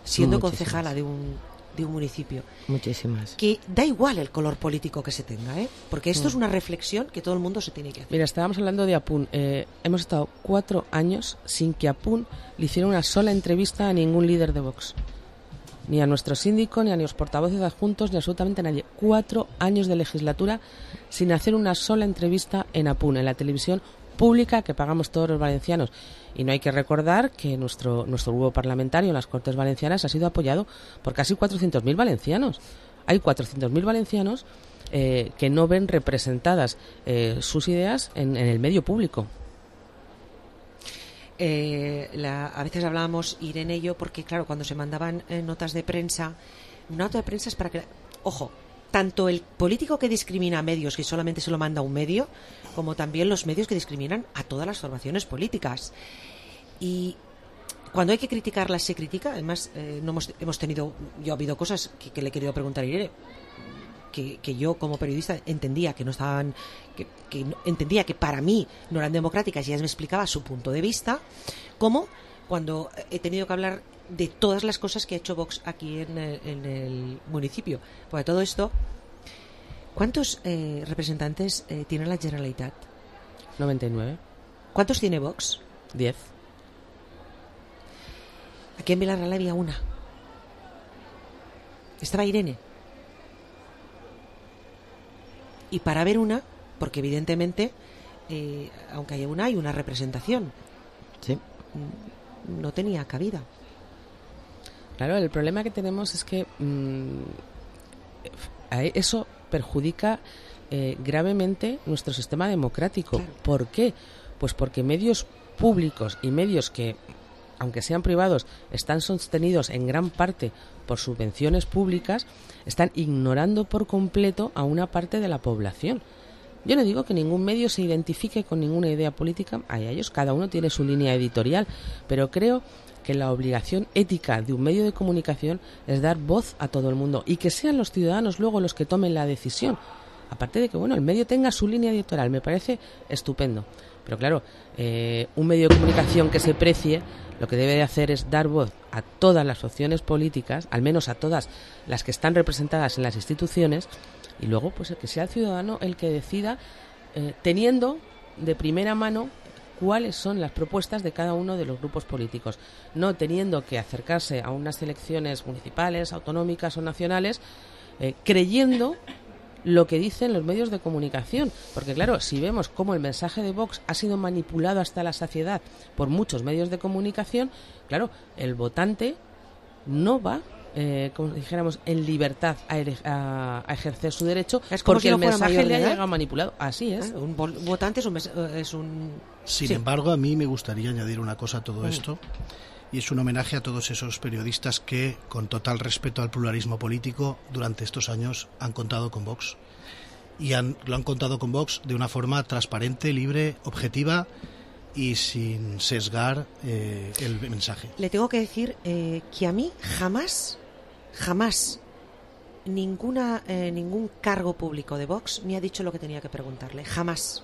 siendo concejala de un municipio? Muchísimas. Que da igual el color político que se tenga, porque esto es una reflexión que todo el mundo se tiene que hacer. Mira, estábamos hablando de Apun. Hemos estado 4 años sin que Apun le hiciera una sola entrevista a ningún líder de Vox. Ni a nuestro síndico, ni a los portavoces adjuntos, ni absolutamente a nadie. 4 años de legislatura sin hacer una sola entrevista en Apun, en la televisión pública que pagamos todos los valencianos. Y no hay que recordar que nuestro grupo parlamentario en las Cortes Valencianas ha sido apoyado por casi 400.000 valencianos. Hay 400.000 valencianos que no ven representadas sus ideas en el medio público. A veces hablábamos, Irene y yo, porque claro, cuando se mandaban notas de prensa, una nota de prensa es para que, ojo, tanto el político que discrimina a medios, que solamente se lo manda a un medio, como también los medios que discriminan a todas las formaciones políticas. Y cuando hay que criticarlas, se critica. Además, ha habido cosas que le he querido preguntar a Irene, que yo como periodista entendía que no estaban, que entendía que para mí no eran democráticas, y ella me explicaba su punto de vista, como cuando he tenido que hablar de todas las cosas que ha hecho Vox aquí en el municipio. Porque todo esto, ¿cuántos representantes tiene la Generalitat? 99. ¿Cuántos tiene Vox? 10. Aquí en Vilarreal había una. Estaba Irene. Y para ver una, porque evidentemente, aunque haya una, hay una representación. Sí. No tenía cabida. Claro, el problema que tenemos es que eso perjudica gravemente nuestro sistema democrático. Claro. ¿Por qué? Pues porque medios públicos y medios que, aunque sean privados, están sostenidos en gran parte por subvenciones públicas, están ignorando por completo a una parte de la población. Yo no digo que ningún medio se identifique con ninguna idea política, a ellos cada uno tiene su línea editorial, pero creo que la obligación ética de un medio de comunicación es dar voz a todo el mundo y que sean los ciudadanos luego los que tomen la decisión. Aparte de que el medio tenga su línea editorial, me parece estupendo. Pero claro, un medio de comunicación que se precie, lo que debe de hacer es dar voz a todas las opciones políticas, al menos a todas las que están representadas en las instituciones, y luego pues que sea el ciudadano el que decida, teniendo de primera mano cuáles son las propuestas de cada uno de los grupos políticos, no teniendo que acercarse a unas elecciones municipales, autonómicas o nacionales, creyendo lo que dicen los medios de comunicación, porque claro, si vemos cómo el mensaje de Vox ha sido manipulado hasta la saciedad por muchos medios de comunicación, claro, el votante no va, como dijéramos, en libertad a ejercer su derecho, porque el mensaje le ha llegado manipulado. Así es. Un votante es un... Sin embargo, a mí me gustaría añadir una cosa a todo esto, y es un homenaje a todos esos periodistas que, con total respeto al pluralismo político, durante estos años han contado con Vox. Y lo han contado con Vox de una forma transparente, libre, objetiva y sin sesgar el mensaje. Le tengo que decir que a mí jamás ningún cargo público de Vox me ha dicho lo que tenía que preguntarle. Jamás.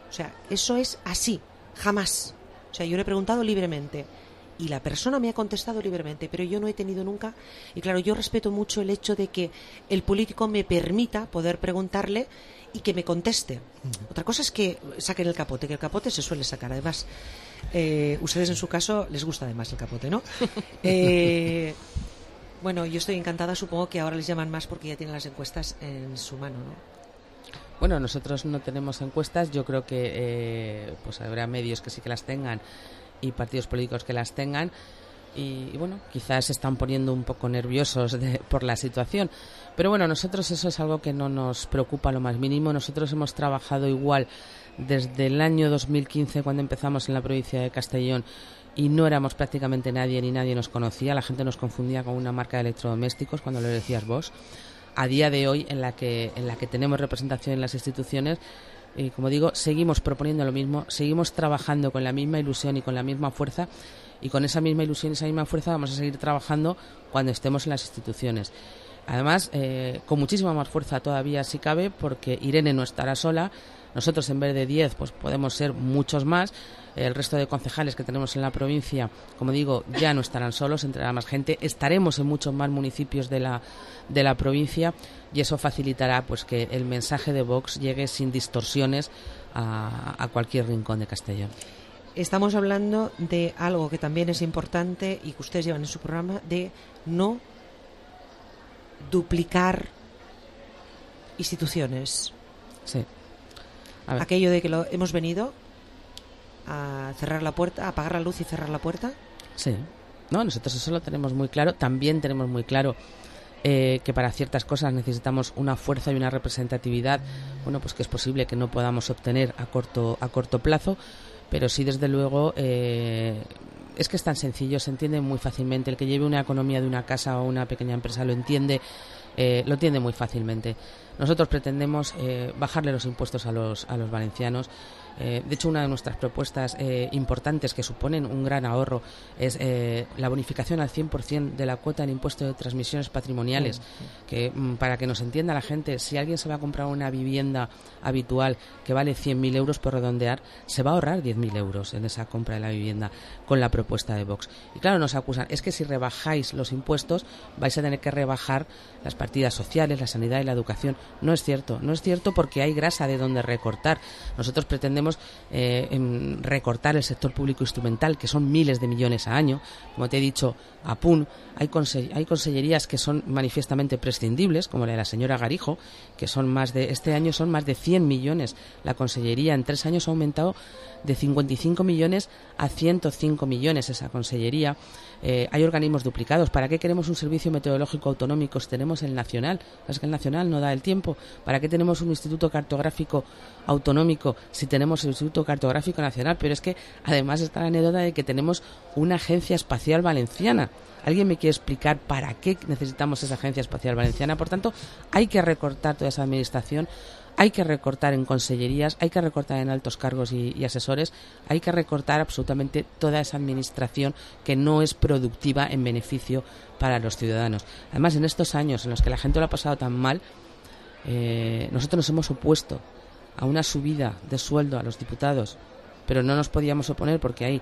O sea, eso es así. Jamás. O sea, yo le he preguntado libremente y la persona me ha contestado libremente, pero yo no he tenido nunca, y claro, yo respeto mucho el hecho de que el político me permita poder preguntarle y que me conteste. Otra cosa es que saquen el capote, que el capote se suele sacar. Además, ustedes en su caso les gusta además el capote, ¿no? Bueno, yo estoy encantada, supongo que ahora les llaman más porque ya tienen las encuestas en su mano, ¿no? Bueno, nosotros no tenemos encuestas, yo creo que pues habrá medios que sí que las tengan y partidos políticos que las tengan, y bueno, quizás se están poniendo un poco nerviosos por la situación, pero bueno, nosotros eso es algo que no nos preocupa lo más mínimo. Nosotros hemos trabajado igual desde el año 2015, cuando empezamos en la provincia de Castellón, y no éramos prácticamente nadie, ni nadie nos conocía, la gente nos confundía con una marca de electrodomésticos cuando lo decías vos. A día de hoy, en la que tenemos representación en las instituciones, Y como digo, seguimos proponiendo lo mismo, seguimos trabajando con la misma ilusión y con la misma fuerza, y con esa misma ilusión y esa misma fuerza vamos a seguir trabajando cuando estemos en las instituciones. Además, con muchísima más fuerza todavía si cabe, porque Irene no estará sola. Nosotros, en vez de 10, pues podemos ser muchos más. El resto de concejales que tenemos en la provincia, como digo, ya no estarán solos, entrará más gente. Estaremos en muchos más municipios de la provincia, y eso facilitará pues que el mensaje de Vox llegue sin distorsiones a cualquier rincón de Castellón. Estamos hablando de algo que también es importante y que ustedes llevan en su programa, de no duplicar instituciones. Sí. Aquello de que hemos venido a cerrar la puerta, a apagar la luz y cerrar la puerta. Sí. No, nosotros eso lo tenemos muy claro. También tenemos muy claro que para ciertas cosas necesitamos una fuerza y una representatividad, bueno, pues que es posible que no podamos obtener a corto plazo, pero sí, desde luego, es que es tan sencillo, se entiende muy fácilmente. El que lleve una economía de una casa o una pequeña empresa lo entiende muy fácilmente. Nosotros pretendemos bajarle los impuestos a los valencianos. De hecho, una de nuestras propuestas importantes, que suponen un gran ahorro, es la bonificación al 100% de la cuota del impuesto de transmisiones patrimoniales, que para que nos entienda la gente, si alguien se va a comprar una vivienda habitual que vale 100.000 euros, por redondear, se va a ahorrar 10.000 euros en esa compra de la vivienda con la propuesta de Vox. Y claro, nos acusan, es que si rebajáis los impuestos vais a tener que rebajar las partidas sociales, la sanidad y la educación. No es cierto porque hay grasa de donde recortar. Nosotros pretendemos recortar el sector público instrumental, que son miles de millones a año. Como te he dicho, APUN, hay consellerías que son manifiestamente prescindibles, como la de la señora Garijo, que este año son más de 100 millones. La consellería en 3 años ha aumentado de 55 millones a 105 millones esa consellería. Hay organismos duplicados. ¿Para qué queremos un servicio meteorológico autonómico si tenemos el nacional? Es que el nacional no da el tiempo. ¿Para qué tenemos un instituto cartográfico autonómico si tenemos el Instituto Cartográfico Nacional? Pero es que además está la anécdota de que tenemos una agencia espacial valenciana. ¿Alguien me quiere explicar para qué necesitamos esa agencia espacial valenciana? Por tanto, hay que recortar toda esa administración. Hay que recortar en consellerías, hay que recortar en altos cargos y asesores, hay que recortar absolutamente toda esa administración que no es productiva en beneficio para los ciudadanos. Además, en estos años en los que la gente lo ha pasado tan mal, nosotros nos hemos opuesto a una subida de sueldo a los diputados, pero no nos podíamos oponer porque ahí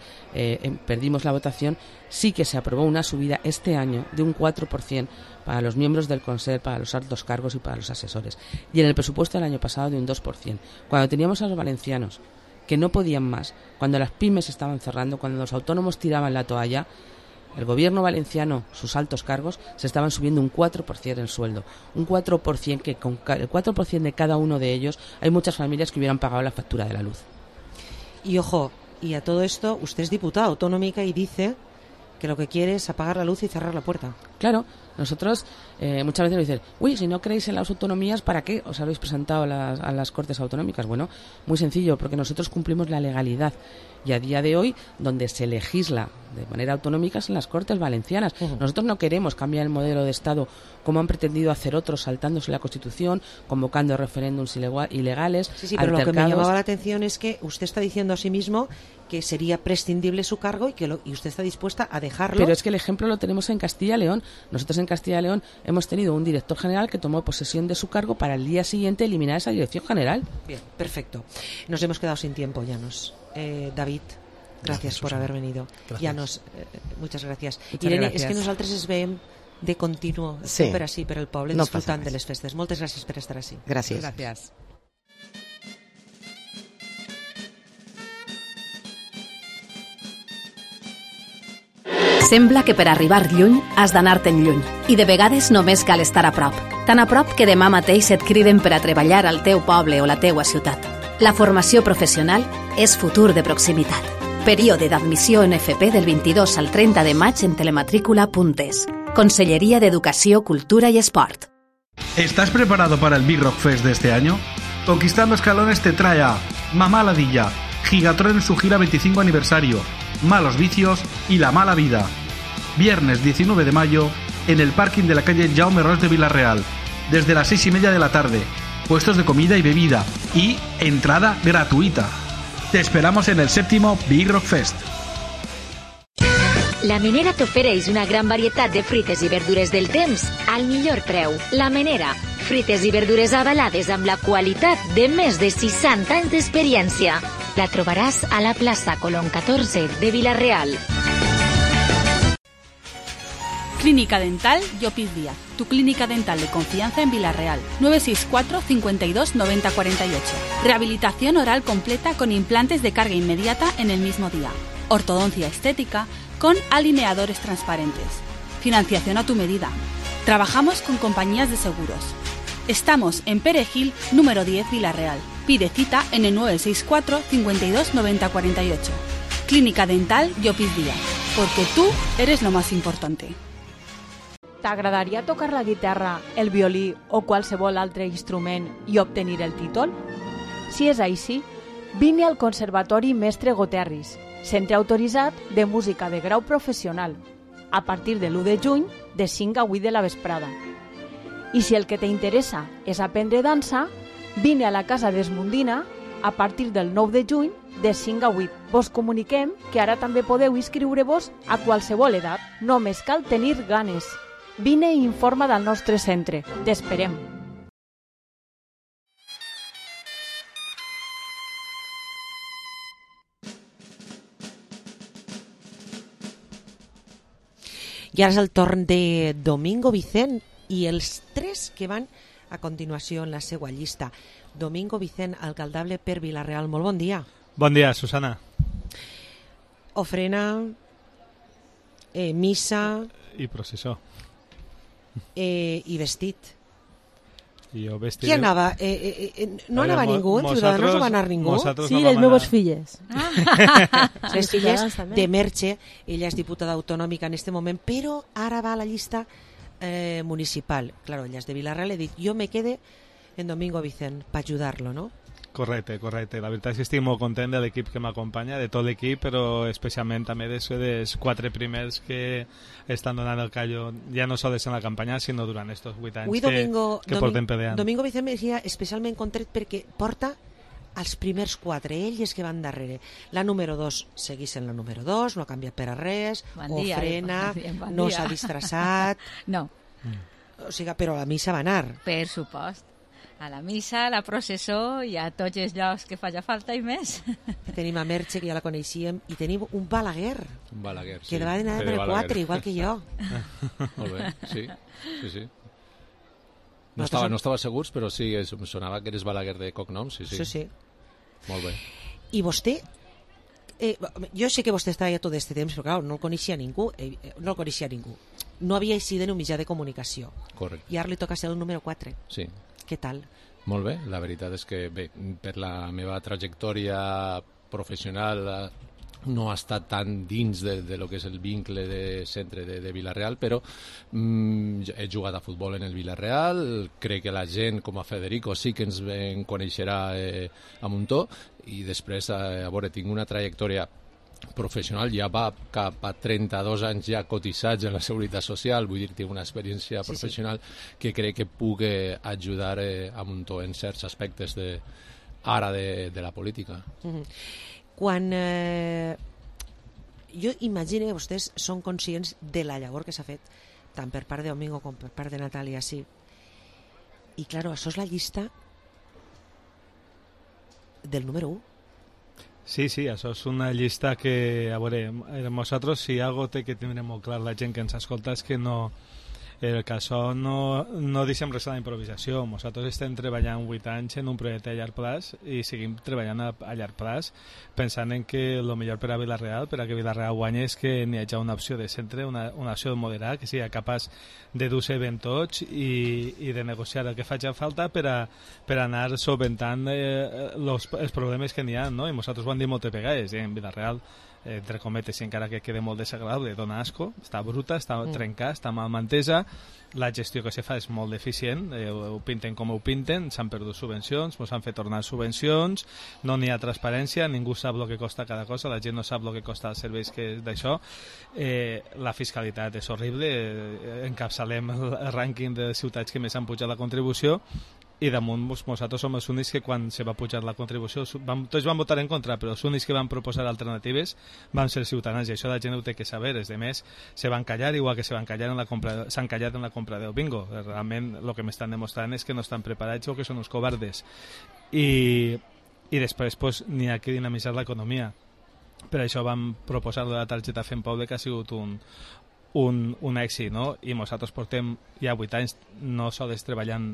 perdimos la votación. Sí que se aprobó una subida este año de un 4% para los miembros del Consell, para los altos cargos y para los asesores. Y en el presupuesto del año pasado de un 2%. Cuando teníamos a los valencianos que no podían más, cuando las pymes estaban cerrando, cuando los autónomos tiraban la toalla, el gobierno valenciano, sus altos cargos, se estaban subiendo un 4% el sueldo. Un 4% que con el 4% de cada uno de ellos hay muchas familias que hubieran pagado la factura de la luz. Y ojo, y a todo esto, usted es diputada autonómica y dice que lo que quiere es apagar la luz y cerrar la puerta. Claro, nosotros muchas veces nos dicen, uy, si no creéis en las autonomías, ¿para qué os habéis presentado a las Cortes Autonómicas? Bueno, muy sencillo, porque nosotros cumplimos la legalidad. Y a día de hoy, donde se legisla de manera autonómica es en las Cortes Valencianas. Nosotros no queremos cambiar el modelo de Estado como han pretendido hacer otros, saltándose la Constitución, convocando referéndums ilegales. Sí, pero lo que me llamaba la atención es que usted está diciendo a sí mismo que sería prescindible su cargo y usted está dispuesta a dejarlo. Pero es que el ejemplo lo tenemos en Castilla y León. Nosotros en Castilla y León hemos tenido un director general que tomó posesión de su cargo para el día siguiente eliminar esa dirección general. Bien, perfecto. Nos hemos quedado sin tiempo, Llanos. David, gracias por haber venido. Llanos, muchas gracias. Irene, és que nosaltres es veiem de continuo, sempre així per el poble, disfrutant de les festes. Moltes gràcies per estar així. Gràcies. Gràcies. Sembla que per arribar lluny has d'anar-te'n lluny i de vegades només cal estar a prop. Tan a prop que demà mateix et criden per a treballar al teu poble o la teua ciutat. La formació professional és futur de proximitat. Període d'admissió en FP del 22 al 30 de maig en telematrícula.es. Consellería de Educació, Cultura y Esport. ¿Estás preparado para el Big Rock Fest de este año? Conquistando Escalones te trae a Mamá Ladilla, Gigatron en su gira 25 aniversario, Malos Vicios y La Mala Vida. Viernes 19 de mayo en el parking de la calle Jaume Ros de Villarreal, desde las 6:30 de la tarde. puestos de comida y bebida y entrada gratuita. Te esperamos en el 7º Big Rock Fest. La Menera t'ofereix una gran varietat de fruites i verdures del temps al millor preu. La Menera, fruites i verdures avalades amb la qualitat de més de 60 anys d'experiència. La trobaràs a la plaça Colón 14 de Vila-real. Clínica Dental Llopis Díaz, tu clínica dental de confianza en Vila-real. 964 52 90 48. Rehabilitación oral completa con implantes de carga inmediata en el mismo día. Ortodoncia estética con alineadores transparentes. Financiación a tu medida. Trabajamos con compañías de seguros. Estamos en Perejil, número 10, Vila-real. Pide cita en el 964 52 90 48. Clínica Dental Llopis Díaz, porque tú eres lo más importante. T'agradaria tocar la guitarra, el violí o qualsevol altre instrument i obtenir el títol? Si és així, vine al Conservatori Mestre Goterris, centre autoritzat de música de grau professional, a partir de l'1 de juny de 5 a 8 de la vesprada. I si el que t'interessa és aprendre dansa, vine a la Casa d'Esmundina a partir del 9 de juny de 5 a 8. Vos comuniquem que ara també podeu inscriure-vos a qualsevol edat. Només cal tenir ganes. Vine i informa del nostre centre. T'esperem. I ara és el torn de Domingo Vicent i els tres que van a continuació en la seva llista. Domingo Vicent, alcaldable per Vila-real. Molt bon dia. Bon dia, Susana. Ofrena, missa... I processó. I vestit. I jo vestit... Qui anava? No anava ningú? En Ciudadanos no va anar ningú? Sí, les meves filles. Les filles de Merche. Ella és diputada autonòmica en este moment, però ara va a la llista municipal. Claro, ella és de Vila-real. He dit, jo me quede en Domingo Vicent para ayudarlo, ¿no? Correcte. La veritat és que estic molt content de l'equip que m'acompanya, de tot l'equip, però especialment també dels 4 primers que estan donant el callo, ja no sols en la campanya, sinó durant aquests 8 anys que portem peleant. Domingo Vicent me decía especialment content perquè porta els primers 4, ells que van darrere. La número 2 seguís en la número 2, no ha canviat per a res, ofrena, no s'ha disfressat... No. O sigui, però a la missa va anar. Per supost. A la missa, a la processó i a tots els llocs que faci falta i més. Tenim a Merche, que ja la coneixíem, i tenim un Balaguer. Un Balaguer, sí. Que va anar per el 4, igual que jo. Molt bé, sí. No estava segurs, però sí, em sonava que eres Balaguer de cognom, sí. Sí. Molt bé. I vostè... jo sé que vostè estava ja tot aquest temps, però clar, no el coneixia ningú. No havia sigut en un mitjà de comunicació. Correcte. I ara li toca ser el número 4. Sí. Què tal? Molt bé, la veritat és que bé, per la meva trajectòria professional no ha estat tan dins de lo que és el vincle de centre de Vila-real, però he jugat a futbol en el Vila-real, crec que la gent com a Federico sí que ens coneixerà a Muntó, i després, a veure, tinc una trajectòria professional, ja va cap a 32 anys ja cotitzats en la Seguretat Social, vull dir, tinc una experiència professional que crec que puc ajudar a Muntó en certs aspectes ara de la política. Quan jo imagino que vostès són conscients de la llavor que s'ha fet tant per part de Domingo com per part de Natàlia, sí, i claro, això és la llista del número 1. Sí, això és una llista que, a veure, nosaltres si algo té que tindre molt clar la gent que ens escolta és que no, el que això no deixem res a la improvisació. Nosaltres estem treballant 8 anys en un projecte a llarg plaç i seguim treballant a llarg plaç pensant en que el millor per a Vila-real, per a que Vila-real guanyi, és que n'hi hagi una opció de centre, una opció moderada, que sigui capaç de dur-se ben tots i de negociar el que faci falta per anar solventant els problemes que n'hi ha, no? I nosaltres ho hem dit moltes vegades, en Vila-real, entre cometes, i encara que quede molt desagradable, dona asco, està bruta, està trencada, està mal mantesa, la gestió que se fa és molt deficient, ho pinten com ho pinten, s'han perdut subvencions, ens han fet tornar subvencions, no n'hi ha transparència, ningú sap el que costa cada cosa, la gent no sap el que costa els serveis d'això, la fiscalitat és horrible, encapçalem el rànquing de ciutats que més han pujat la contribució, i damunt nosaltres som els únics que quan se va pujar la contribució tots van votar en contra, però els únics que van proposar alternatives van ser ciutadans, i això la gent ho té que saber. Els demés se van callar, igual que s'han callat en la compra del bingo. Realment el que m'estan demostrant és que no estan preparats o que són uns covardes, i després pues, n'hi ha que dinamitzar l'economia. Per això vam proposar la targeta Fem Poble, que ha sigut un èxit, no? I nosaltres portem ja 8 anys no sols treballant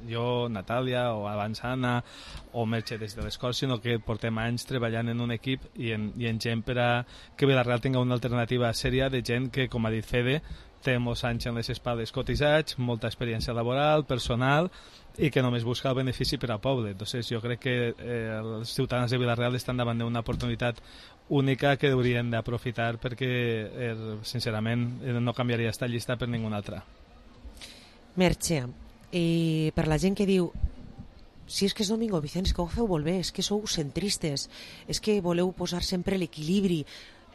jo, Natàlia, o abans Anna, o Merche des de les Corts, sinó que portem anys treballant en un equip i en gent per a que Vilareal tinga una alternativa sèria de gent que, com ha dit Fede, té molts anys en les espades cotitzats, molta experiència laboral, personal, i que només busca el benefici per al poble. Entonces, jo crec que els ciutadans de Vilareal estan davant d'una oportunitat única que haurien d'aprofitar, perquè, sincerament, no canviaria esta llista per ninguna altra. Merche, i per la gent que diu si és que és Domingo Vicent, és que ho feu molt bé, és que sou centristes, és que voleu posar sempre l'equilibri,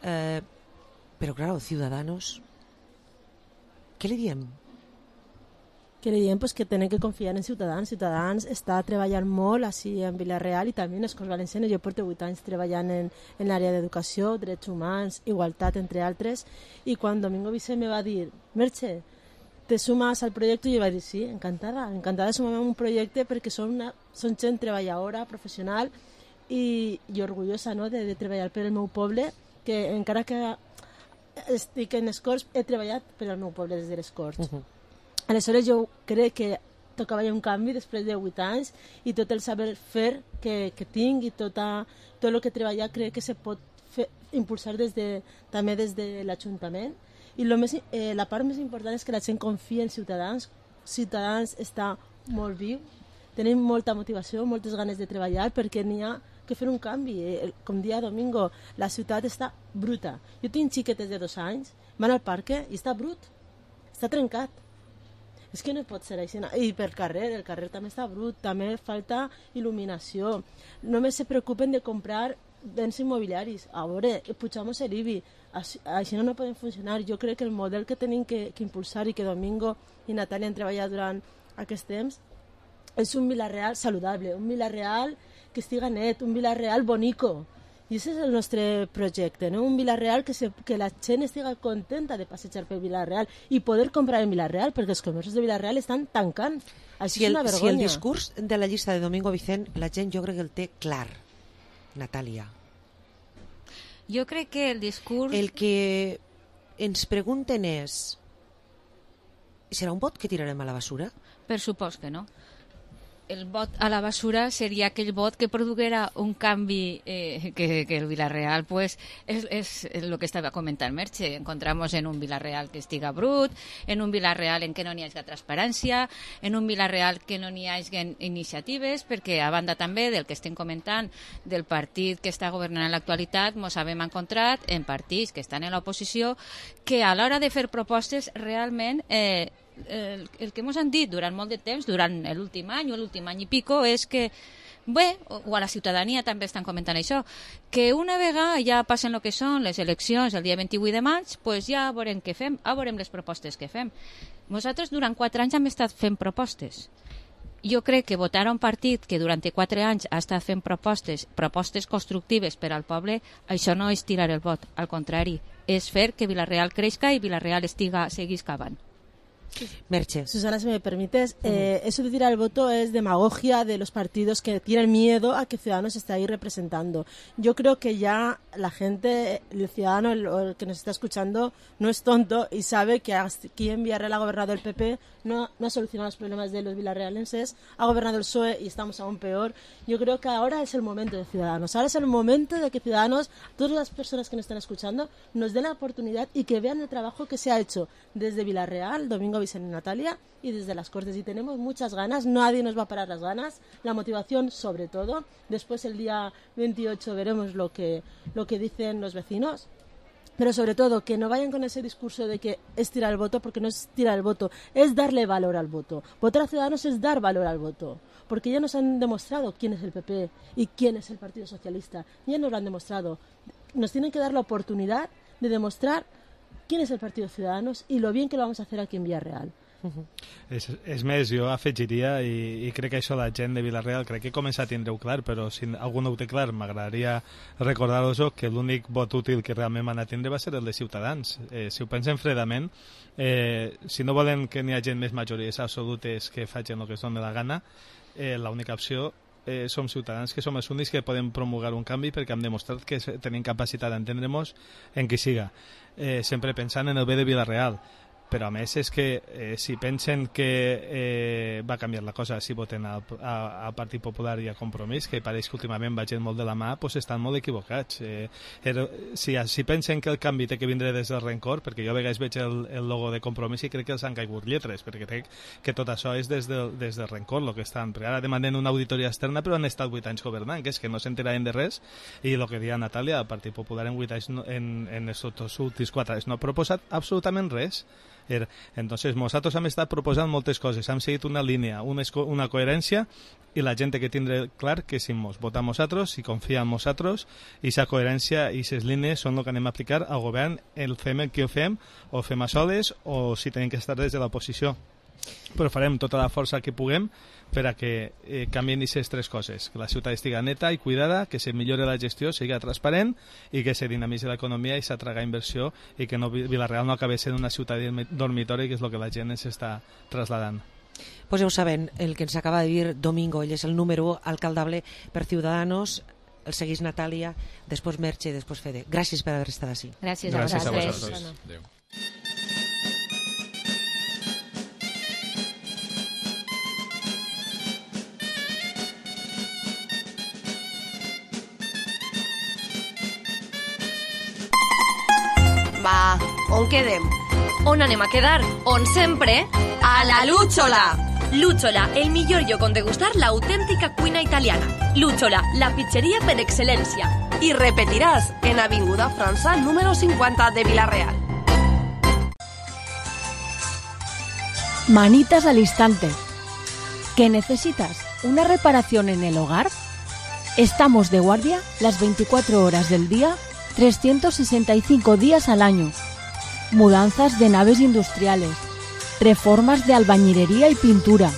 però clar, Ciudadanos, què li diem? Que li diem pues, que tenen que confiar en Ciutadans. Ciutadans està treballant molt així en Vilareal i també en les Corts Valencianes. Jo porto 8 anys treballant en l'àrea d'educació, drets humans, igualtat, entre altres, i quan Domingo Vicent me va dir Merche, te sumas al projecte, i jo vaig dir sí, encantada de sumar a un projecte perquè són gent treballadora, professional i orgullosa, no, de treballar per el meu poble, que encara que estic en les Corts he treballat per al meu poble des de les Corts. Aleshores jo crec que tocava ja un canvi després de 8 anys i tot el saber fer que tinc i tot el que he treballat crec que se pot impulsar també des de l'Ajuntament. I la part més important és que la gent confia en Ciutadans. Ciutadans està molt viu, tenim molta motivació, moltes ganes de treballar perquè n'hi ha que fer un canvi. Com dia Domingo, la ciutat està bruta. Jo tinc xiquetes de 2 anys, van al parc i està brut, està trencat. És que no pot ser així. I per el carrer també està brut, també falta il·luminació. Només se preocupen de comprar béns immobiliaris. A veure, pujamos el IBI. Així no poden funcionar. Jo crec que el model que tenim que impulsar i que Domingo i Natàlia han treballat durant aquest temps és un Vilareal saludable, un Vilareal que estiga net, un Vilareal bonico. I aquest és el nostre projecte, no? Un Vilareal que la gent estiga contenta de passejar per Vilareal i poder comprar en Vilareal, perquè els comerços de Vilareal estan tancant. Així és una vergonya. Si el discurs de la llista de Domingo Vicent, la gent jo crec que el té clar, Natàlia. Jo crec que el discurs... El que ens pregunten és... ¿Serà un vot que tirarem a la basura? Per supost que no. El vot a la basura seria aquell vot que produguera un canvi que el Vilareal pues, és el que estava comentant Merche. Encontramos en un Vilareal que estiga brut, en un Vilareal en què no n'hi hagi transparència, en un Vilareal que no n'hi hagi iniciatives, perquè a banda també del que estem comentant del partit que està governant en l'actualitat, mos hem encontrat en partits que estan en l'oposició que a l'hora de fer propostes realment el que ens han dit durant molt de temps, durant l'últim any o l'últim any i pico, és que bé, o a la ciutadania també estan comentant això, que una vegada ja passen el que són les eleccions el dia 28 de maig, pues ja veurem què fem, veurem les propostes que fem. Nosaltres durant 4 anys hem estat fent propostes. Jo crec que votar a un partit que durant 4 anys ha estat fent propostes constructives per al poble, això no és tirar el vot, al contrari, és fer que Vilareal creixca i Vilareal seguís cavant. Merche. Susana, si me permites, eso de tirar el voto es demagogia de los partidos que tienen miedo a que Ciudadanos esté ahí representando. Yo creo que ya la gente, el ciudadano, el que nos está escuchando, no es tonto y sabe que aquí en Villarreal ha gobernado el PP, no ha solucionado los problemas de los vilarrealenses, ha gobernado el PSOE y estamos aún peor. Yo creo que ahora es el momento de Ciudadanos. Ahora es el momento de que Ciudadanos, todas las personas que nos están escuchando, nos den la oportunidad y que vean el trabajo que se ha hecho desde Vilareal, Domingo Vicent y Natàlia, y desde las Cortes, y tenemos muchas ganas, nadie nos va a parar las ganas, la motivación sobre todo. Después el día 28 veremos lo que dicen los vecinos, pero sobre todo que no vayan con ese discurso de que es tirar el voto, porque no es tirar el voto, es darle valor al voto. Votar a Ciudadanos es dar valor al voto, porque ya nos han demostrado quién es el PP y quién es el Partido Socialista, ya nos lo han demostrado. Nos tienen que dar la oportunidad de demostrar quién es el Partido Ciudadanos y lo bien que lo vamos a hacer aquí en Villarreal. És més, jo afegiria, i crec que això la gent de Vila-real crec que comença a tindre-ho clar, però si algú no ho té clar, m'agradaria recordar-vos que l'únic vot útil que realment van a tindre va ser el de Ciutadans. Si ho pensen fredament, si no volen que n'hi hagi més majories absolutes que facin el que es doni la gana, l'única opció som Ciutadans, que som els únics que podem promulgar un canvi, perquè hem demostrat que tenim capacitat d'entendre-nos en qui siga, sempre pensant en el bé de Vila-real. Però a més és que si pensen que va canviar la cosa si voten al Partit Popular i a Compromís, que pareix que últimament va gent molt de la mà, doncs estan molt equivocats. Si pensen que el canvi té que vindre des del rencor, perquè jo a vegades veig el logo de Compromís i crec que els han caigut lletres, perquè crec que tot això és des del rencor el que estan. Perquè ara demanen una auditoria externa, però han estat 8 anys governant, que és que no s'enteraven de res, i el que deia Natàlia, el Partit Popular en 8 anys, en els últims 4 anys no ha proposat absolutament res. Entonces nosaltres hem estat proposant moltes coses, hem seguit una línia, una coherència, i la gent té que tindre clar que si ens votem nosaltres, si confia en nosaltres, i aquesta coherència i aquestes línies són el que anem a aplicar al govern, el fem el que ho fem, o fem a soles, o si tenim que estar des de l'oposició. Però farem tota la força que puguem per a que canvien aquestes 3 coses, que la ciutat estigui neta i cuidada, que se millore la gestió, sigui transparent, i que se dinamitzi l'economia i s'atraga inversió, i que Vila-real no acabi sent una ciutat dormitori, que és el que la gent ens està trasladant. Pues ja ho saben, el que ens acaba de dir Domingo, ell és el número 1 alcaldable per Ciudadanos, el seguís Natàlia, després Merche i després Fede. Gràcies per haver estat així. Gràcies a vosaltres. Adéu. Va, on quedem? On anem a quedar? On sempre? A la Lúchola! Lúchola, el millor lloc on degustar l'autèntica cuina italiana. Lúchola, la pizzeria per excel·lència. I repetiràs en Avinguda França número 50 de Vila-real. Manitas al instante. ¿Qué necesitas? ¿Una reparación en el hogar? Estamos de guardia las 24 horas del día, 365 días al año. Mudanzas de naves industriales, reformas de albañilería y pintura,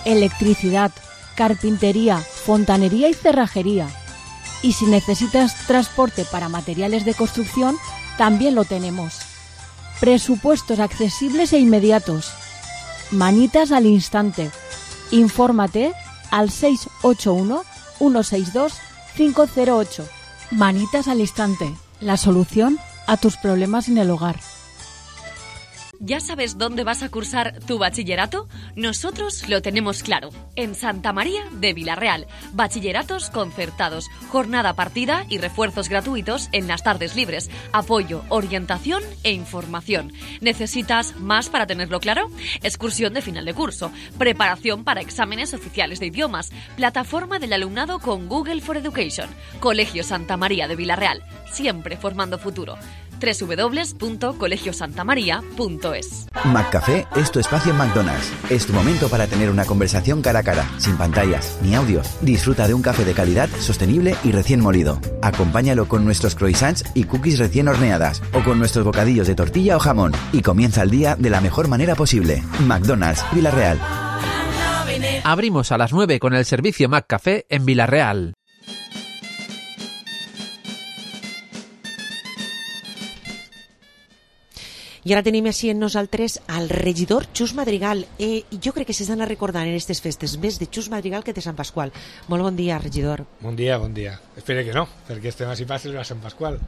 electricidad, carpintería, fontanería y cerrajería. Y si necesitas transporte para materiales de construcción, también lo tenemos. Presupuestos accesibles e inmediatos. Manitas al instante. Infórmate al 681 162 508. Manitas al instante, la solución a tus problemas en el hogar. ¿Ya sabes dónde vas a cursar tu bachillerato? Nosotros lo tenemos claro. En Santa María de Vila-real. Bachilleratos concertados, jornada partida y refuerzos gratuitos en las tardes libres. Apoyo, orientación e información. ¿Necesitas más para tenerlo claro? Excursión de final de curso. Preparación para exámenes oficiales de idiomas. Plataforma del alumnado con Google for Education. Colegio Santa María de Vila-real. Siempre formando futuro. www.colegiosantamaria.es. McCafé es tu espacio en McDonald's. Es tu momento para tener una conversación cara a cara, sin pantallas ni audios. Disfruta de un café de calidad, sostenible y recién molido. Acompáñalo con nuestros croissants y cookies recién horneadas, o con nuestros bocadillos de tortilla o jamón, y comienza el día de la mejor manera posible. McDonald's, Vila-real. Abrimos a las 9 con el servicio McCafé en Vila-real. I ara tenim així en nosaltres al regidor Xus Madrigal. Jo crec que s'han de recordar en aquestes festes més de Xus Madrigal que de Sant Pasqual. Molt bon dia, regidor. Bon dia, bon dia. Espero que no, perquè estem així passes a Sant Pasqual.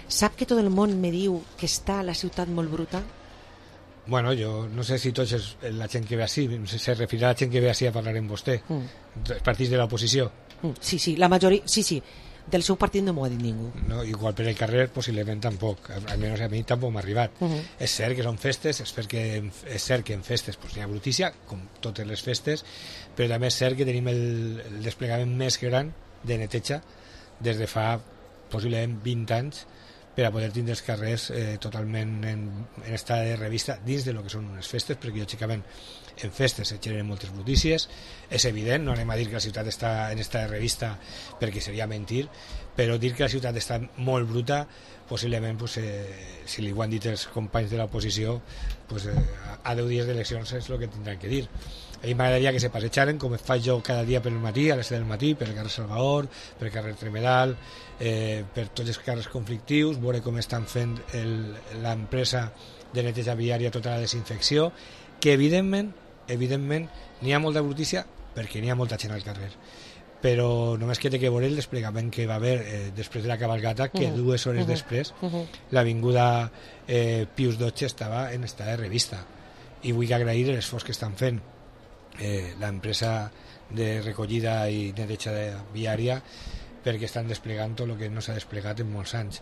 Sap que tot el món me diu que està la ciutat molt bruta? Bueno, jo no sé si tots la gent que ve així, se referirà a la gent que ve així a parlar amb vostè, els partits de l'oposició. Sí, la majoria, sí. Del seu partit no m'ho ha dit ningú. No, igual per el carrer possiblement tampoc, almenys a mi tampoc m'ha arribat. És cert que són festes, és cert que en festes hi ha brutícia, com totes les festes, però també és cert que tenim el desplegament més gran de neteja des de fa possiblement 20 anys, per a poder tindre els carrers totalment en estat de revista dins de lo que són unes festes, perquè lògicament en festes se generen moltes brutícies, és evident, no anem a dir que la ciutat està en estat de revista perquè seria mentir, però dir que la ciutat està molt bruta, possiblement, si li ho han dit els companys de l'oposició, a 10 dies d'eleccions és el que tindran que dir. A mi m'agradaria que se passejaren, com faig jo cada dia per el matí, a les 7 del matí, per el carrer Salvador, per el carrer Tremedal, per tots els carrers conflictius, veure com estan fent l'empresa de neteja viària tota la desinfecció, que evidentment n'hi ha molta brutícia perquè n'hi ha molta gent al carrer, però només que té que veure el desplegament que va haver després de la cabalgata, que 2 hores després l'avinguda Pius XII estava en estat de revista, i vull agrair l'esforç que estan fent l'empresa de recollida i neteja viària, perquè estan desplegant tot el que no s'ha desplegat en molts anys.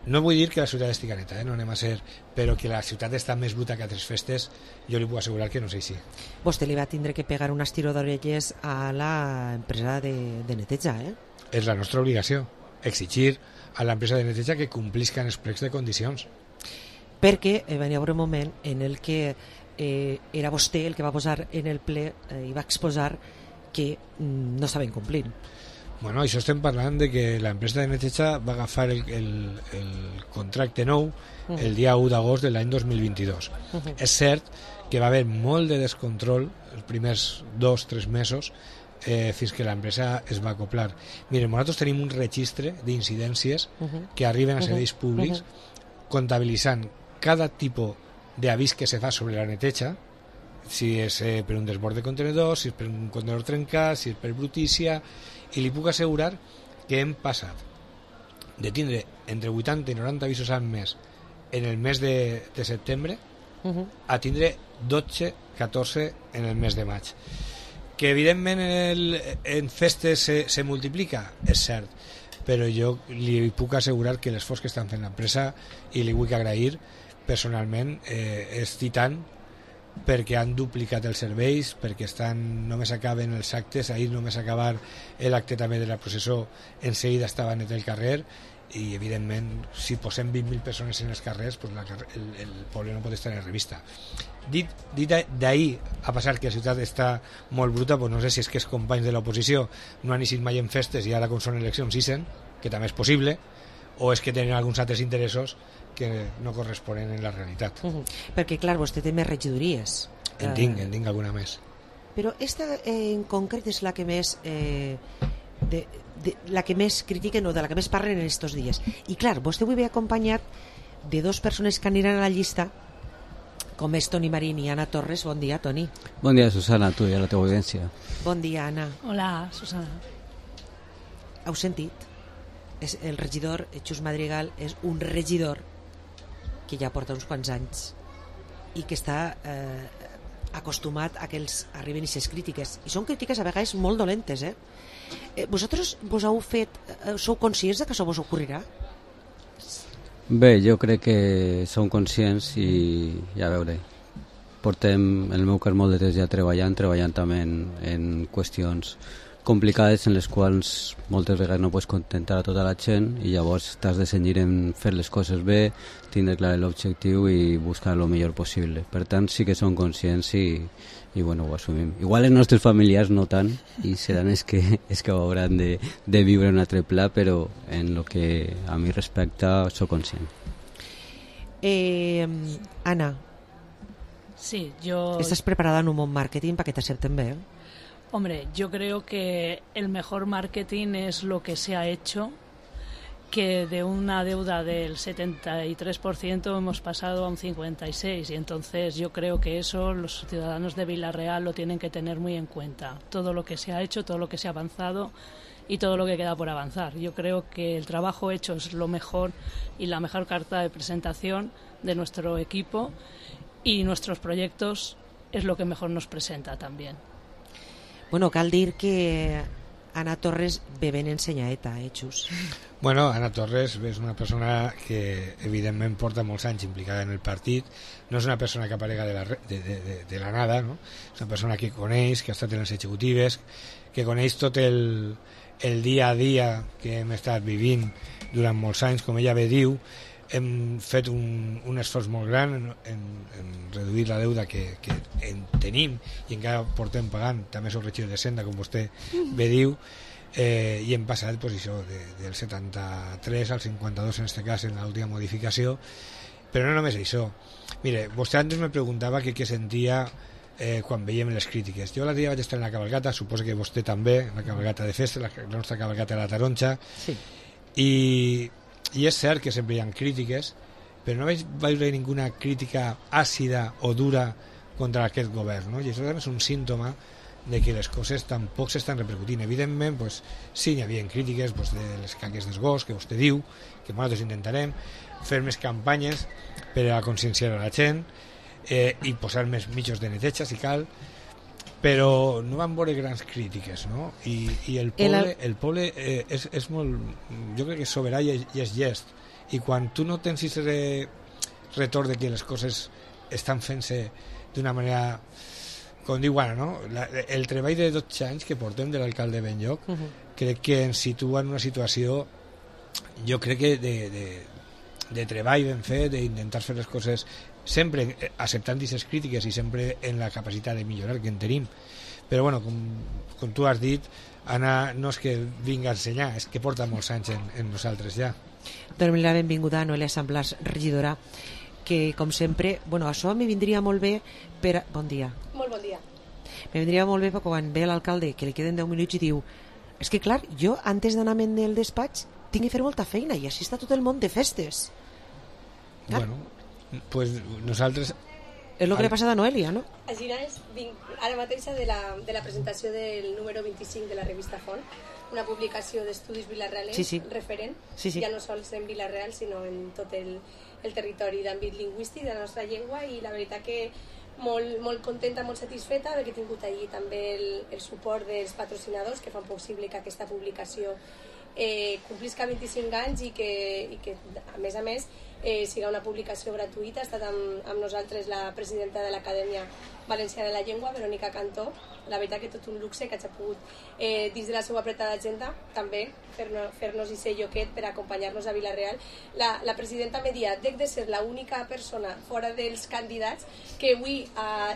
No vull dir que la ciutat estigui neta, no anem a ser, però que la ciutat està més bruta que altres festes, jo li puc assegurar que no és així. Vostè li va tindre que pegar un estiró d'orelles a l'empresa de neteja, És la nostra obligació, exigir a l'empresa de neteja que complisquen els plecs de condicions. Perquè venia un moment en el que era vostè el que va posar en el ple i va exposar que no estaven complint. Bueno, això estem parlant de que l'empresa de neteja va agafar el contracte nou el dia 1 d'agost de l'any 2022. És cert que va haver molt de descontrol els primers 2-3 mesos fins que l'empresa es va acoplar. Miren, nosaltres tenim un registre d'incidències que arriben a serveis públics comptabilitzant cada tipus d'avís que se fa sobre la neteja, si és per un desbord de contenedors, si és per un contenedor trencat, si és per brutícia, i li puc assegurar que hem passat de tindre entre 80 i 90 avisos al mes en el mes de setembre a tindre 12-14 en el mes de maig. Que evidentment en festes se multiplica, és cert, però jo li puc assegurar que l'esforç que estan fent l'empresa, i li vull agrair personalment, és titant, perquè han duplicat els serveis, perquè només acaben els actes, ahir només acabar l'acte també de la processó, en seguida estava net el carrer, i evidentment si posem 20.000 persones en els carrers, el poble no pot estar en revista. Dit d'ahir a passar que la ciutat està molt bruta, no sé si és que els companys de l'oposició no han eixit mai en festes i ara com són eleccions ixen, que també és possible, o és que tenen alguns altres interessos que no corresponen en la realitat. Perquè, clar, vostè té més regidories. En tinc alguna més. Però esta en concret és la que més la que més critiquen o de la que més parlen en estos dies. I clar, vostè avui ve acompanyat de 2 persones que aniran a la llista, com és Toni Marín i Anna Torres. Bon dia, Toni. Bon dia, Susana, a tu i a la teva audiència. Bon dia, Anna. Hola, Susana. Heu sentit? El regidor Xus Madrigal és un regidor que ja porta uns quants anys i que està acostumat a que els arriben aquestes crítiques, i són crítiques a vegades molt dolentes. Vosaltres sou conscients que això vos ocorrirà? Bé, jo crec que som conscients i ja veure, portem el meu cas molt de temps ja treballant també en qüestions complicades en les quals moltes vegades no pots contentar a tota la gent, i llavors t'has de cenyir en fer les coses bé, tindre clar l'objectiu i buscar el millor possible. Per tant, sí que som conscients i bueno, ho assumim. Igual els nostres familiars no tant, i seran els que ho hauran de viure en un altre pla, però en el que a mi respecta soc conscient. Anna, sí, yo... ¿estás preparada en un buen marketing para que te acepten bien? Hombre, yo creo que el mejor marketing es lo que se ha hecho, que de una deuda del 73% hemos pasado a un 56%, y entonces yo creo que eso los ciudadanos de Vila-real lo tienen que tener muy en cuenta. Todo lo que se ha hecho, todo lo que se ha avanzado y todo lo que queda por avanzar. Yo creo que el trabajo hecho es lo mejor y la mejor carta de presentación de nuestro equipo, y nuestros proyectos es lo que mejor nos presenta también. Bueno, cal dir que Anna Torres ve ben ensenyadeta, Xus? Bueno, Anna Torres és una persona que evidentment porta molts anys implicada en el partit, no és una persona que aparega de la nada, no? És una persona que coneix, que ha estat en les executives, que coneix tot el el dia a dia que hem estat vivint durant molts anys, com ella bé diu, hem fet un esforç molt gran en reduir la deuda que en tenim i encara portem pagant, també sóc regidor de Senda, com vostè bé diu, i hem passat pues, això, del 73 al 52 en aquest cas en l'última modificació, però no només això. Mire, vostè antes me preguntava què sentia quan veiem les crítiques. Jo l'altre dia vaig estar en la cabalgata, suposo que vostè també, en la cabalgata de festa, la nostra cabalgata de la Taronja, sí. I és cert que sempre hi ha crítiques, però no vaig veure ninguna crítica àcida o dura contra aquest govern, no? I això també és un símptoma de que les coses tampoc s'estan repercutint. Evidentment, pues, sí, hi havia crítiques pues, de les caques dels gos, que vostè diu, que nosaltres intentarem fer més campanyes per a conscienciar a la gent i posar més mitjos de neteja, si cal, però no van veure grans crítiques, no? I el poble és molt, jo crec que és soberà i és llest, i quan tu no tens aquest retorn de que les coses estan fent-se d'una manera, com diu Anna, no? El treball de 12 anys que portem de l'alcalde Benlloc crec que ens situa en una situació, jo crec que de treball ben fet, d'intentar fer les coses sempre acceptant aquestes crítiques i sempre en la capacitat de millorar que en tenim, però bueno, com tu has dit, Anna, no és que vinga a ensenyar, és que porta molts anys en nosaltres ja. Donem la benvinguda a Noelia Samblàs, regidora, que com sempre, bueno, això me vindria molt bé per... Bon dia. Molt bon dia. Me vindria molt bé perquè quan ve l'alcalde que li queden 10 minuts i diu és que clar, jo antes d'anar-me'n del despatx tinc que fer molta feina i així està tot el món de festes. Clar. Bueno, pues nosaltres... És el que li ha passat a Noelia, no? Així vinc ara mateix de la presentació del número 25 de la revista Font, una publicació d'estudis vilarealens referent, ja no sols en Vila-real, sinó en tot el territori d'àmbit lingüístic de la nostra llengua, i la veritat que molt contenta, molt satisfeta perquè he tingut allí també el suport dels patrocinadors que fan possible que aquesta publicació complisca 25 anys i que a més siga una publicació gratuïta. Ha estat amb nosaltres la presidenta de l'Acadèmia Valenciana de la Llengua, Verónica Cantó. La veritat que tot un luxe que hagi pogut dins de la seva apretada agenda també fer-nos i ser lloquet per acompanyar-nos a Vila-real. La presidenta m'ha dit de ser l'única persona fora dels candidats que avui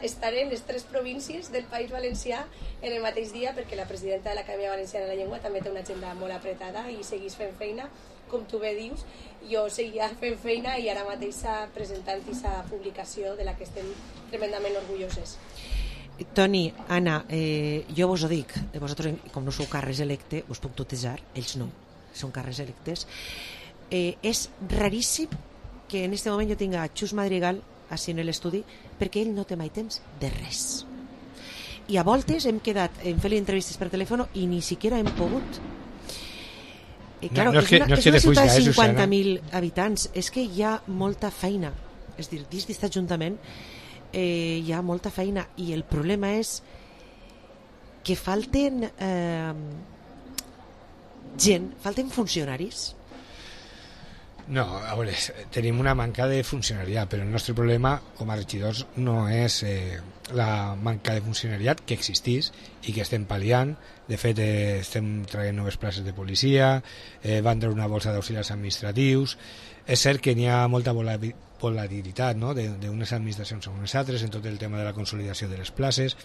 estarem les 3 províncies del País Valencià en el mateix dia, perquè la presidenta de l'Acadèmia Valenciana de la Llengua també té una agenda molt apretada i segueix fent feina, com tu bé dius. Jo seguia fent feina i ara mateix presentant aquesta publicació de la que estem tremendament orgulloses. Toni, Anna, jo vos ho dic, vosaltres com no sou càrrecs electe us puc tutejar, ells no, són càrrecs electes. És raríssim que en aquest moment jo tinga Xus Madrigal així en l'estudi, perquè ell no té mai temps de res, i a voltes hem quedat en fer entrevistes per telèfon i ni siquiera hem pogut. Claro, és una ciutat de 50.000 habitants, és que hi ha molta feina, és dir, dins d'aquest ajuntament hi ha molta feina, i el problema és que falten falten funcionaris. No, a veure, tenim una manca de funcionariat, però el nostre problema com a regidors no és la manca de funcionariat, que existís i que estem pal·liant. De fet, estem traient noves places de policia, van treure una bolsa d'auxiliars administratius. És cert que n'hi ha molta volatilitat, no?, d'unes administracions a unes altres en tot el tema de la consolidació de les places,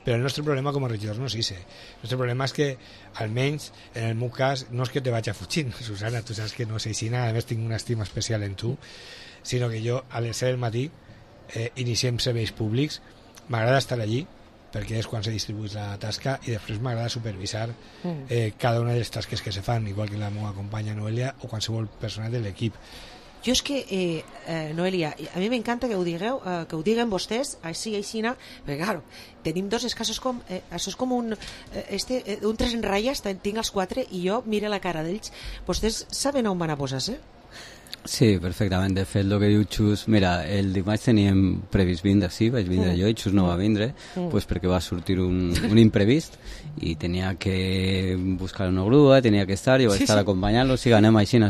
però el nostre problema com a regidors no és això. El nostre problema és que, almenys en el meu cas, no és que te vaig a fugir, Susana, tu saps que no és així, a més tinc una estima especial en tu, sinó que jo a les 7 del matí iniciem serveis públics, m'agrada estar allí perquè és quan se distribueix la tasca, i després m'agrada supervisar cada una de les tasques que se fan, igual que la meva companya Noelia o qualsevol persona de l'equip. Jo és que, Noelia, a mi m'encanta que ho digueu, que ho diguen vostès, així, perquè, clar, tenim dos escassos com... això és com un 3 en ratlles, tinc els 4, i jo miro la cara d'ells. Vostès saben on van a posar-se? Sí, perfectament. De fet, el que diu Xus, mira, el dimarts teníem previst vindre, sí, vaig vindre jo i Xus no va vindre, pues perquè va sortir un imprevist i tenia que buscar una grua, tenia que estar, jo vaig estar acompanyant-lo, sí, anem així.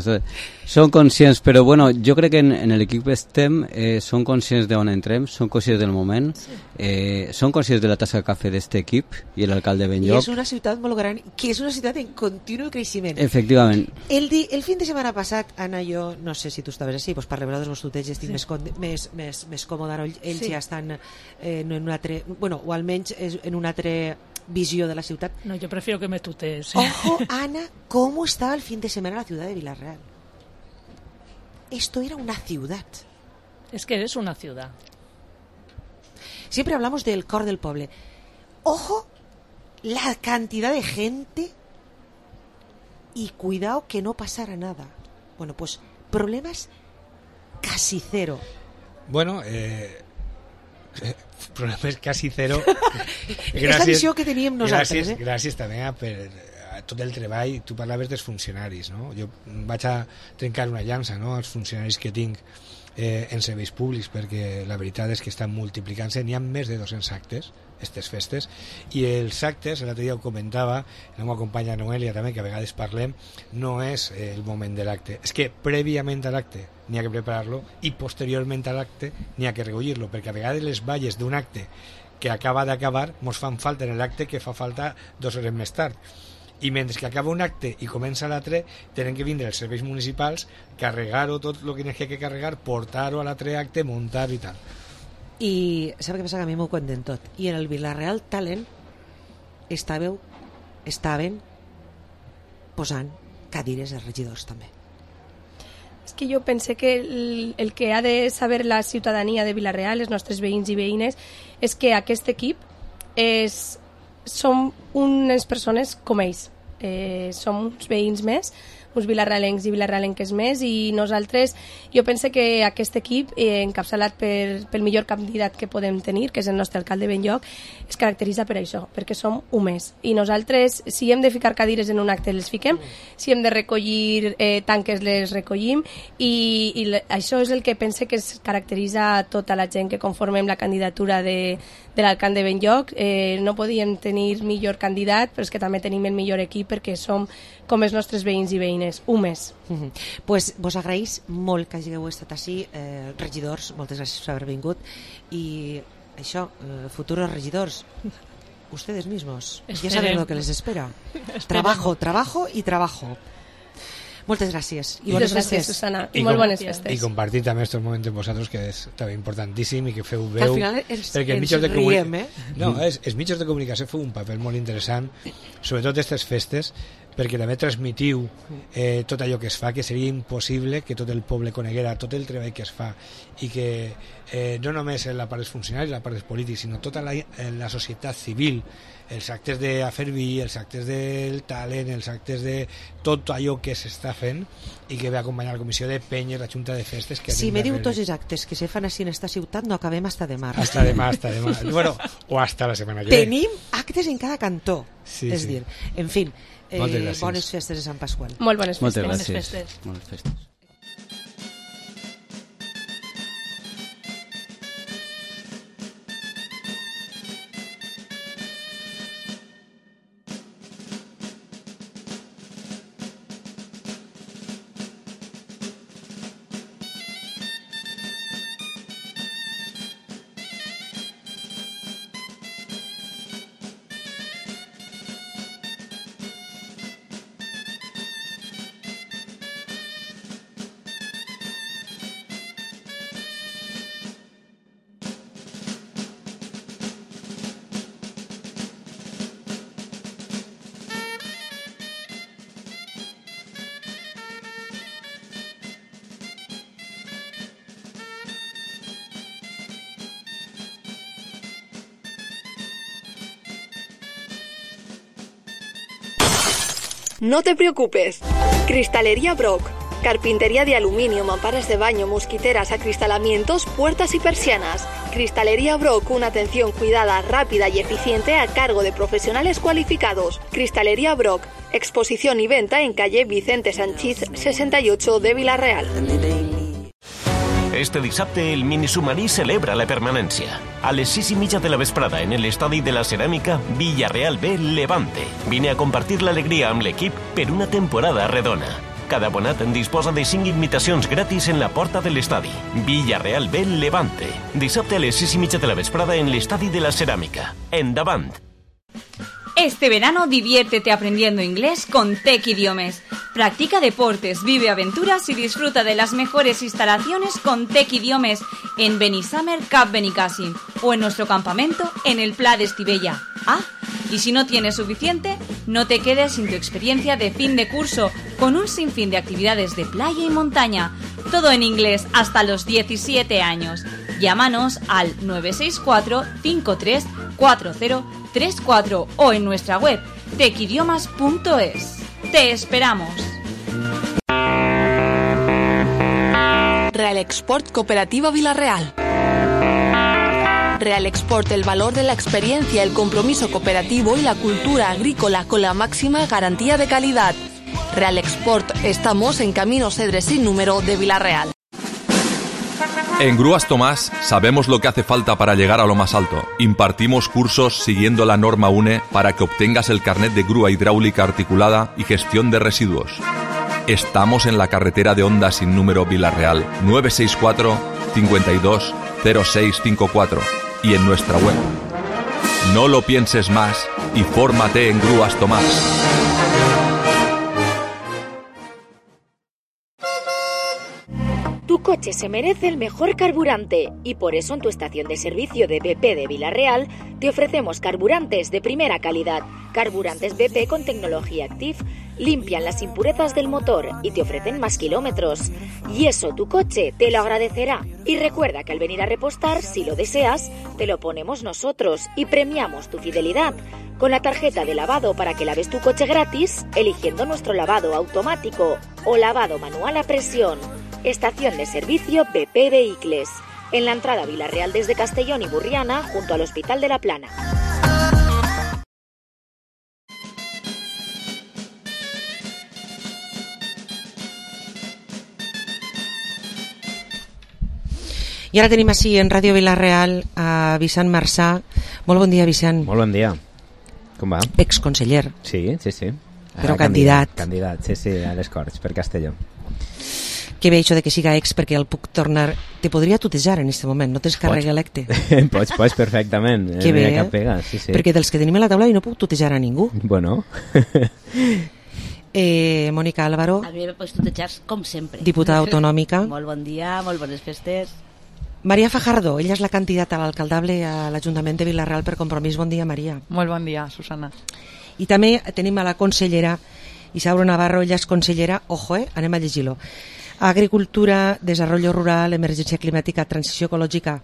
Són conscients, però bueno, jo crec que en l'equip estem, són conscients d'on entrem, són conscients del moment, són conscients de la tassa de cafè d'aquest equip i l'alcalde Benlloc. I és una ciutat molt gran, que és una ciutat en continu creixement. Efectivament. El fin de setmana passat, Anna, jo no sé si tu estaves així, doncs per rebre dels tutets estic més còmode, ells ja estan en un altre, bueno, o almenys en una altra visió de la ciutat. No, yo prefiero que me tutees. Ojo, Ana, ¿cómo estaba el fin de semana la ciudad de Villarreal? Esto era una ciudad. Es que es una ciudad. Siempre hablamos del core del pueblo. Ojo, la cantidad de gente y cuidado que no pasara nada. Bueno, pues problemas casi cero. Bueno, problemes quasi zero. És la visió que teníem nosaltres. Gràcies també a tot el treball. Tu parlaves dels funcionaris, no? Jo vaig a trencar una llança, no?, als funcionaris que tinc en serveis públics, perquè la veritat és que estan multiplicant-se. N'hi ha més de 200 actes, aquestes festes, i els actes, l'altre dia ho comentava la meva companya Noelia també, que a vegades parlem, no és el moment de l'acte, és que prèviament a l'acte n'hi ha que preparar-lo i posteriorment a l'acte n'hi ha que recollir-lo, perquè a vegades les valles d'un acte que acaba d'acabar mos fan falta en l'acte que fa falta 2 hores més tard, i mentre que acaba un acte i comença l'altre tenen que vindre els serveis municipals, carregar-ho tot el que n'hi ha que carregar, portar-ho a l'altre acte, muntar-ho i tal. I sap què passa? Que a mi m'ho cuenten tot. I en el Villarreal Talent estaven posant cadires de regidors també. És que jo pense que el que ha de saber la ciutadania de Villarreal, els nostres veïns i veïnes, és que aquest equip som unes persones com ells. Som uns veïns més, uns vilarrealencs i vilarrealenques més, i nosaltres, jo penso que aquest equip, encapçalat pel millor candidat que podem tenir, que és el nostre alcalde Benlloc, es caracteritza per això, perquè som humans. I nosaltres, si hem de ficar cadires en un acte, les fiquem, si hem de recollir tanques, les recollim, i això és el que pense que es caracteritza tota la gent que conformem la candidatura de l'alcalde Benlloc. No podíem tenir millor candidat, però és que també tenim el millor equip perquè som com els nostres veïns i veïnes, humans. Pues vos agraïs molt que hàgiu estat així, regidors, moltes gràcies per haver vingut, i això, futuros regidors, ustedes mismos, ya saben lo que les espera. Trabajo y trabajo. Moltes gràcies. I bones festes, Susana. I molt bones festes. I compartir també aquests moments amb vosaltres, que és també importantíssim, i que feu veu... Al final ens riem, No, els mitjans de comunicació feu un paper molt interessant, sobretot aquestes festes, perquè també transmitiu tot allò que es fa, que seria impossible que tot el poble coneguera tot el treball que es fa, i que no només la part dels funcionaris, la part dels polítics, sinó tota la societat civil, els actes de fer vi, els actes del talent, els actes de tot allò que s'està fent i que ve a acompanyar la comissió de penyes, la junta de festes... Si me diu tots els actes que se fan així en esta ciutat, no acabem hasta demà. Hasta demà. Bueno, o hasta la setmana que ve. Tenim actes en cada cantó. Sí, és dir, en fi, bones festes de Sant Pasqual. Molt bones festes. Moltes gràcies. Bones festes. No te preocupes. Cristalería Brock. Carpintería de aluminio, mamparas de baño, mosquiteras, acristalamientos, puertas y persianas. Cristalería Brock, una atención cuidada, rápida y eficiente a cargo de profesionales cualificados. Cristalería Brock, Exposición y venta en calle Vicente Sanchís 68 de Vila-real. Este dissabte el Minisubmarí celebra la permanència. A les 6:30 de la vesprada en l'estadi de la Ceràmica, Villarreal B Levante. Vine a compartir l'alegria amb l'equip per una temporada redona. Cada abonat disposa de 5 invitacions gratis en la porta de l'estadi. Villarreal B Levante. Dissabte a les 6:30 de la vesprada en l'estadi de la Ceràmica. Endavant! Este verano diviértete aprendiendo inglés con Tec Idiomes. Practica deportes, vive aventuras y disfruta de las mejores instalaciones con Tec Idiomes en Benissamer Cap Benicàssim o en nuestro campamento en el Pla de Estivella. Ah, y si no tienes suficiente, no te quedes sin tu experiencia de fin de curso con un sinfín de actividades de playa y montaña. Todo en inglés hasta los 17 años. Llámanos al 964 53 4034 o en nuestra web tecidiomas.es. ¡Te esperamos! Real Export Cooperativa Vila-real. Real Export, el valor de la experiencia, el compromiso cooperativo y la cultura agrícola con la máxima garantía de calidad. Real Export, estamos en Camino Cedres sin número de Vila-real. En Grúas Tomás sabemos lo que hace falta para llegar a lo más alto. Impartimos cursos siguiendo la norma UNE para que obtengas el carnet de grúa hidráulica articulada y gestión de residuos. Estamos en la carretera de Onda sin número Vila-real 964 52 0654 y en nuestra web. No lo pienses más y fórmate en Grúas Tomás. Tu coche se merece el mejor carburante y por eso en tu estación de servicio de BP de Vila-real te ofrecemos carburantes de primera calidad. Carburantes BP con tecnología Active limpian las impurezas del motor y te ofrecen más kilómetros. Y eso tu coche te lo agradecerá. Y recuerda que al venir a repostar, si lo deseas, te lo ponemos nosotros y premiamos tu fidelidad con la tarjeta de lavado para que laves tu coche gratis eligiendo nuestro lavado automático o lavado manual a presión. Estación de servicio BP Vehicles, en la entrada a Vila-real desde Castellón y Burriana, junto al Hospital de la Plana. I ara tenim així en Ràdio Vila-real a Vicent Marçà. Molt bon dia, Vicent. Molt bon dia. Com va? Exconseller. Sí, sí, sí. Però candidat. Candidat, sí, sí, a les Corts, per Castelló. Que bé això de que siga ex, perquè el puc tornar... Te podria tutejar en aquest moment, no tens càrrec electe. Pots, perfectament. Que bé, cap pega, sí, sí. Perquè dels que tenim a la taula i no puc tutejar a ningú. Bueno. Mònica Álvaro. A mi me pots tutejar com sempre. Diputada autonòmica. Molt bon dia, molt bones festes. Maria Fajardo, ella és la candidata a l'alcaldable a l'Ajuntament de Vila-real per Compromís. Bon dia, Maria. Molt bon dia, Susana. I també tenim a la consellera Isauro Navarro, ella és consellera, ojo, anem a llegir-lo. Agricultura, Desarrollo Rural, Emergència Climàtica, Transició Ecològica.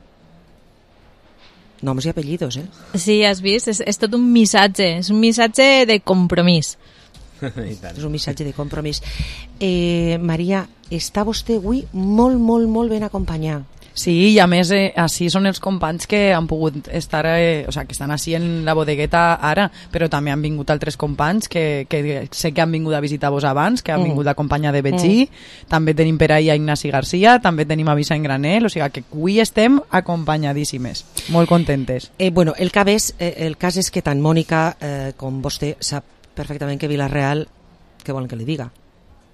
Noms i apellidos, Sí, has vist? És tot un missatge. És un missatge de compromís. És un missatge de compromís. Maria, està vostè avui molt ben acompanyada. Sí, i a més així són els companys que han pogut estar, o sea, que estan així en la bodegueta ara, però també han vingut altres companys que sé que han vingut a visitar-vos abans, que han vingut d'acompanyar de Betxí, també tenim per ahí a Ignasi Garcia, també tenim a Vicent Granel, o sigui que avui estem acompanyadíssimes, molt contentes. Bueno, el cas és que tant Mònica com vostè sap perfectament que Vila-real, què volen que li diga?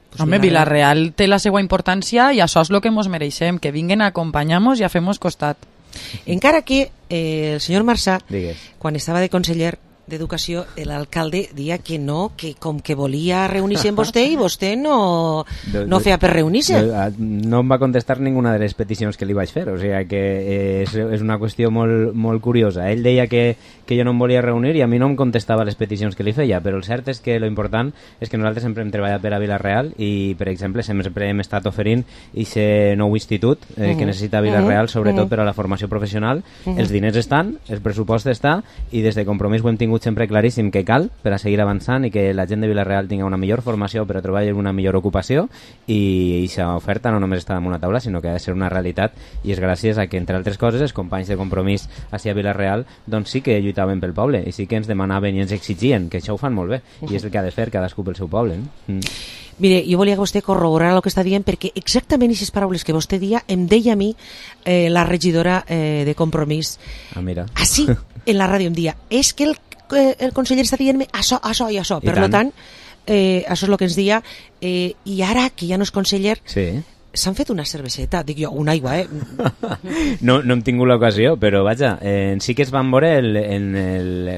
Pues home, Vila-real té la seva importància i això és el que ens mereixem, que vinguen a acompanyar-nos i a fer-nos costat. Encara que el senyor Marçà, quan estava de conseller d'Educació, l'alcalde dia que no, que com que volia reunir-se amb vostè i vostè no feia per reunir-se. No em va contestar ninguna de les peticions que li vaig fer, o sigui que és una qüestió molt curiosa. Ell deia que jo no em volia reunir i a mi no em contestava les peticions que li feia, però el cert és que l'important és que nosaltres sempre hem treballat per a Vila-real i, per exemple, sempre hem estat oferint aquest nou institut que necessita Vila-real, sobretot per a la formació professional. Els diners estan, el pressupost està i des de Compromís ho hem tingut tingut sempre claríssim que cal per a seguir avançant i que la gent de Vila-real tingui una millor formació per a trobar una millor ocupació, i aquesta oferta no només està damunt la taula, sinó que ha de ser una realitat, i és gràcies a que, entre altres coses, els companys de Compromís a Vila-real doncs sí que lluitaven pel poble i sí que ens demanaven i ens exigien, que això ho fan molt bé, i és el que ha de fer cadascú pel seu poble. Mire, jo volia que vostè corroborar el que està dient, perquè exactament aquestes paraules que vostè dia em deia a mi la regidora de Compromís. Mira. Així, en la ràdio em dia, és que el conseller està dient-me això i això. Per tant, això és el que ens dia, i ara que ja no és conseller, s'han fet una cerveseta, dic jo, una aigua, No hem tingut l'ocasió, però vaja, sí que es van veure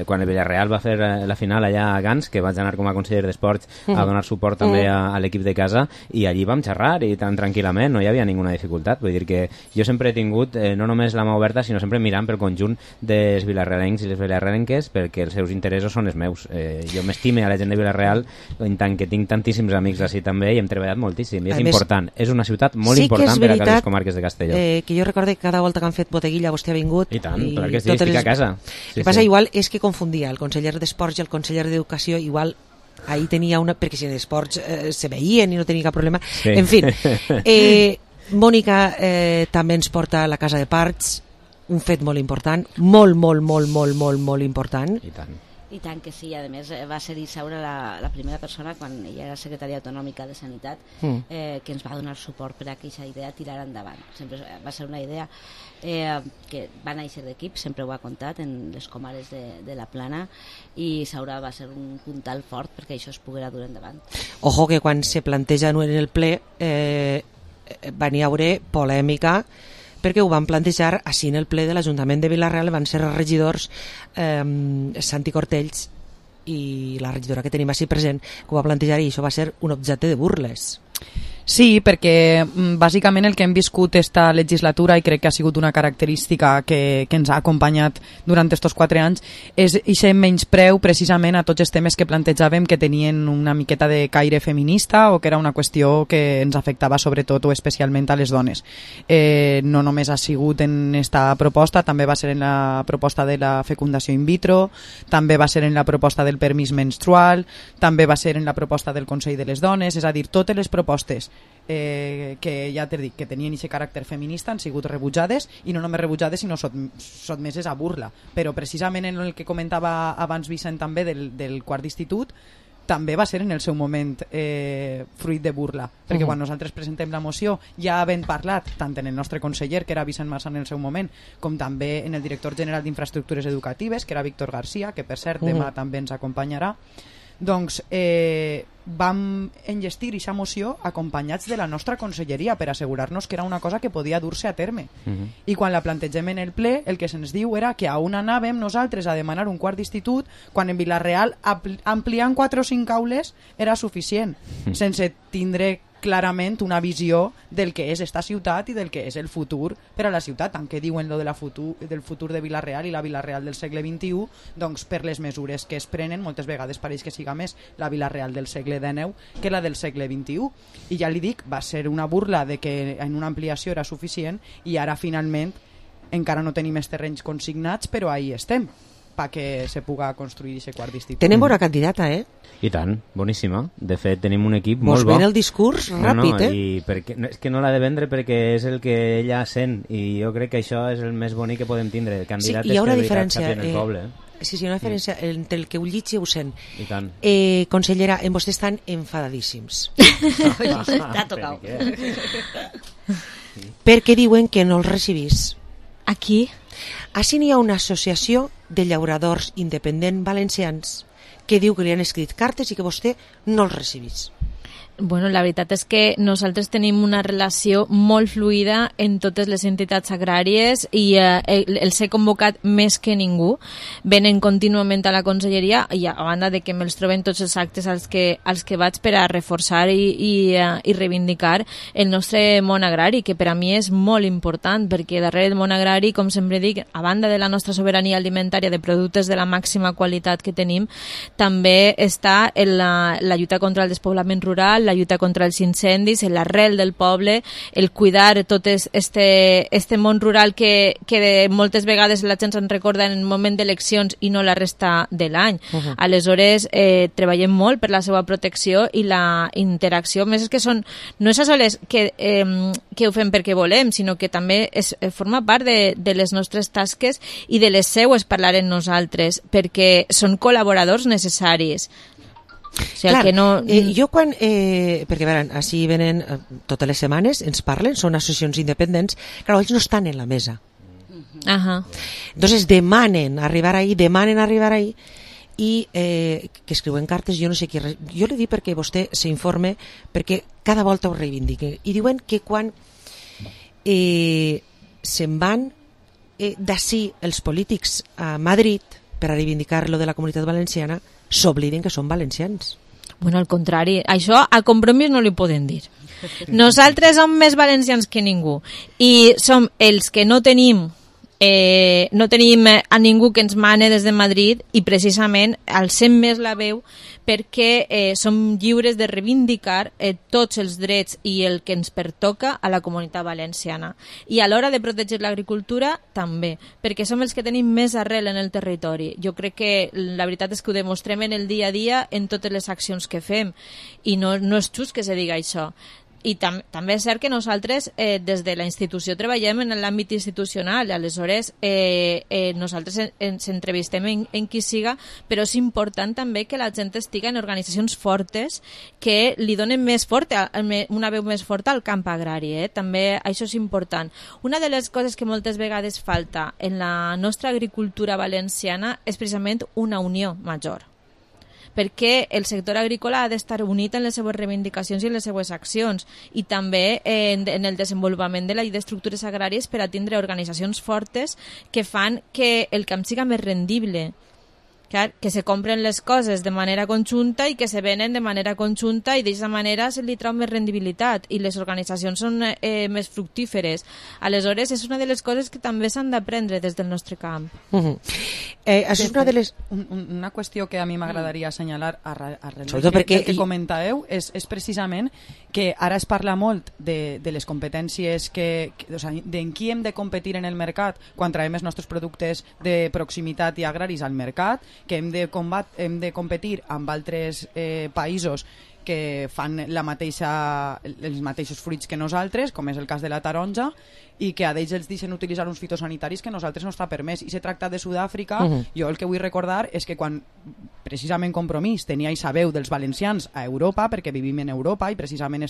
quan el Villarreal va fer la final allà a Gans, que vaig anar com a conseller d'Esports a donar suport també a l'equip de casa, i allí vam xerrar i tan tranquil·lament, no hi havia ninguna dificultat. Vull dir que jo sempre he tingut no només la mà oberta, sinó sempre mirant pel conjunt dels vilarrealencs i les vilarrealenques, perquè els seus interessos són els meus. Jo m'estime a la gent de Vila-real, en tant que tinc tantíssims amics així també, i hem treballat moltíssim, i és important. És una ciutat molt important per a les comarques de Castelló. Que jo recorde que cada volta que han fet boteguilla vostè ha vingut. I tant, clar que sí, estic a casa. El que passa igual és que confundia el conseller d'Esports i el conseller d'Educació, igual ahí tenia una... perquè si en Esports se veien i no tenia cap problema. En fi, Mònica també ens porta a la Casa de Parts, un fet molt important, molt important. I tant que sí, a més va ser Isaura la primera persona, quan ella era secretària autonòmica de Sanitat, que ens va donar suport per a aquesta idea tirar endavant. Sempre va ser una idea que va néixer d'equip, sempre ho ha contat en les comares de la Plana, i Isaura va ser un puntal fort perquè això es poguera dur endavant. Ojo que quan se planteja en el ple van hi haure polèmica, perquè ho van plantejar així en el ple de l'Ajuntament de Vila-real, van ser els regidors Santi Cortells i la regidora que tenim així present, que ho va plantejar, i això va ser un objecte de burles. Sí, perquè bàsicament el que hem viscut esta legislatura, i crec que ha sigut una característica que ens ha acompanyat durant aquests 4 anys, és aquest menyspreu precisament a tots els temes que plantejàvem que tenien una miqueta de caire feminista, o que era una qüestió que ens afectava sobretot o especialment a les dones. No només ha sigut en esta proposta, també va ser en la proposta de la fecundació in vitro, també va ser en la proposta del permís menstrual, també va ser en la proposta del Consell de les Dones, és a dir, totes les propostes que ja t'he dit que tenien aquest caràcter feminista han sigut rebutjades, i no només rebutjades sinó sotmeses a burla. Però precisament en el que comentava abans Vicent també del quart d'institut, també va ser en el seu moment fruit de burla, perquè quan nosaltres presentem la moció ja havent parlat tant en el nostre conseller, que era Vicent Massà en el seu moment, com també en el director general d'Infraestructures Educatives, que era Víctor García, que per cert demà també ens acompanyarà. Doncs vam enllestir aquesta moció acompanyats de la nostra conselleria per assegurar-nos que era una cosa que podia dur-se a terme. I quan la plantegem en el ple, el que se'ns diu era que a on anàvem nosaltres a demanar un quart d'institut, quan en Vila-real ampliant 4 o 5 aules era suficient, sense tindre clarament una visió del que és esta ciutat i del que és el futur per a la ciutat, tant que diuen lo de del futur de Vila-real i la Vila-real del segle XXI, doncs per les mesures que es prenen moltes vegades pareix que siga més la Vila-real del segle XIX que la del segle XXI. I ja li dic, va ser una burla de que en una ampliació era suficient, i ara finalment encara no tenim els terrenys consignats, però ahí estem perquè se puga construir aquest quart d'institut. Tenim bona candidata, I tant, boníssima. De fet, tenim un equip molt bo. Mos ven el discurs ràpid, i és que no l'ha de vendre perquè és el que ella sent, i jo crec que això és el més bonic que podem tindre. El candidat hi ha una diferència, el poble. Sí, hi ha una diferència entre el que ho llig i ho sent. I tant. Consellera, en vostè estan enfadadíssims. T'ha tocat. Perquè diuen que no els recibís. Aquí? Així n'hi ha una associació de llauradors independents valencians que diu que li han escrit cartes i que vostè no els recibís. Bueno, la veritat és que nosaltres tenim una relació molt fluida en totes les entitats agràries i els he convocat més que ningú. Venen contínuament a la conselleria i a banda de que me'ls troben tots els actes als que vaig per a reforçar i reivindicar el nostre món agrari, que per a mi és molt important, perquè darrere del món agrari, com sempre dic, a banda de la nostra sobirania alimentària de productes de la màxima qualitat que tenim, també està la lluita contra el despoblament rural, la la lluita contra els incendis, l'arrel del poble, el cuidar tot este món rural que moltes vegades la gent se'n recorda en el moment d'eleccions i no la resta de l'any. Aleshores, treballem molt per la seva protecció i la interacció. Més és que no és a soles que ho fem perquè volem, sinó que també forma part de les nostres tasques i de les seues parlar en nosaltres, perquè són col·laboradors necessaris. O sigui, clar, que no... jo quan... perquè veran, així venen totes les setmanes, ens parlen, són associacions independents, clar, ells no estan en la mesa. Entonces demanen arribar ahí i que escriuen cartes, jo no sé qui... Jo li dic perquè vostè s'informe, perquè cada volta ho reivindiquen. I diuen que quan se'n van d'ací els polítics a Madrid per a reivindicar lo de la Comunitat Valenciana, s'obliden que són valencians. Bueno, al contrari, això a Compromís no li poden dir. Nosaltres som més valencians que ningú i som els que no tenim a ningú que ens mane des de Madrid i precisament alcem més la veu perquè som lliures de reivindicar tots els drets i el que ens pertoca a la Comunitat Valenciana. I a l'hora de protegir l'agricultura també, perquè som els que tenim més arrel en el territori. Jo crec que la veritat és que ho demostrem en el dia a dia en totes les accions que fem i no és just que se diga això. I també és cert que nosaltres des de la institució treballem en l'àmbit institucional, aleshores nosaltres ens entrevistem en qui siga, però és important també que la gent estigui en organitzacions fortes que li donen una veu més forta al camp agrari, també això és important. Una de les coses que moltes vegades falta en la nostra agricultura valenciana és precisament una unió major, perquè el sector agrícola ha d'estar unit en les seves reivindicacions i en les seves accions i també en el desenvolupament de la llei d'estructures agràries per a tindre organitzacions fortes que fan que el camp siga més rendible. Clar, que se compren les coses de manera conjunta i que se venen de manera conjunta i d'aquesta manera se li trau més rendibilitat i les organitzacions són més fructíferes. Aleshores, és una de les coses que també s'han d'aprendre des del nostre camp. Això és una de les... Una qüestió que a mi m'agradaria assenyalar arrel perquè... que comentàveu és precisament que ara es parla molt de les competències o sigui, d'en qui hem de competir en el mercat quan traiem els nostres productes de proximitat i agraris al mercat, que hem de competir amb altres països que fan els mateixos fruits que nosaltres, com és el cas de la taronja, i que a d'ells els deixen utilitzar uns fitosanitaris que a nosaltres no està permès. I se tracta de Sud-àfrica, jo el que vull recordar és que quan precisament Compromís tenia aquesta veu dels valencians a Europa, perquè vivim en Europa i precisament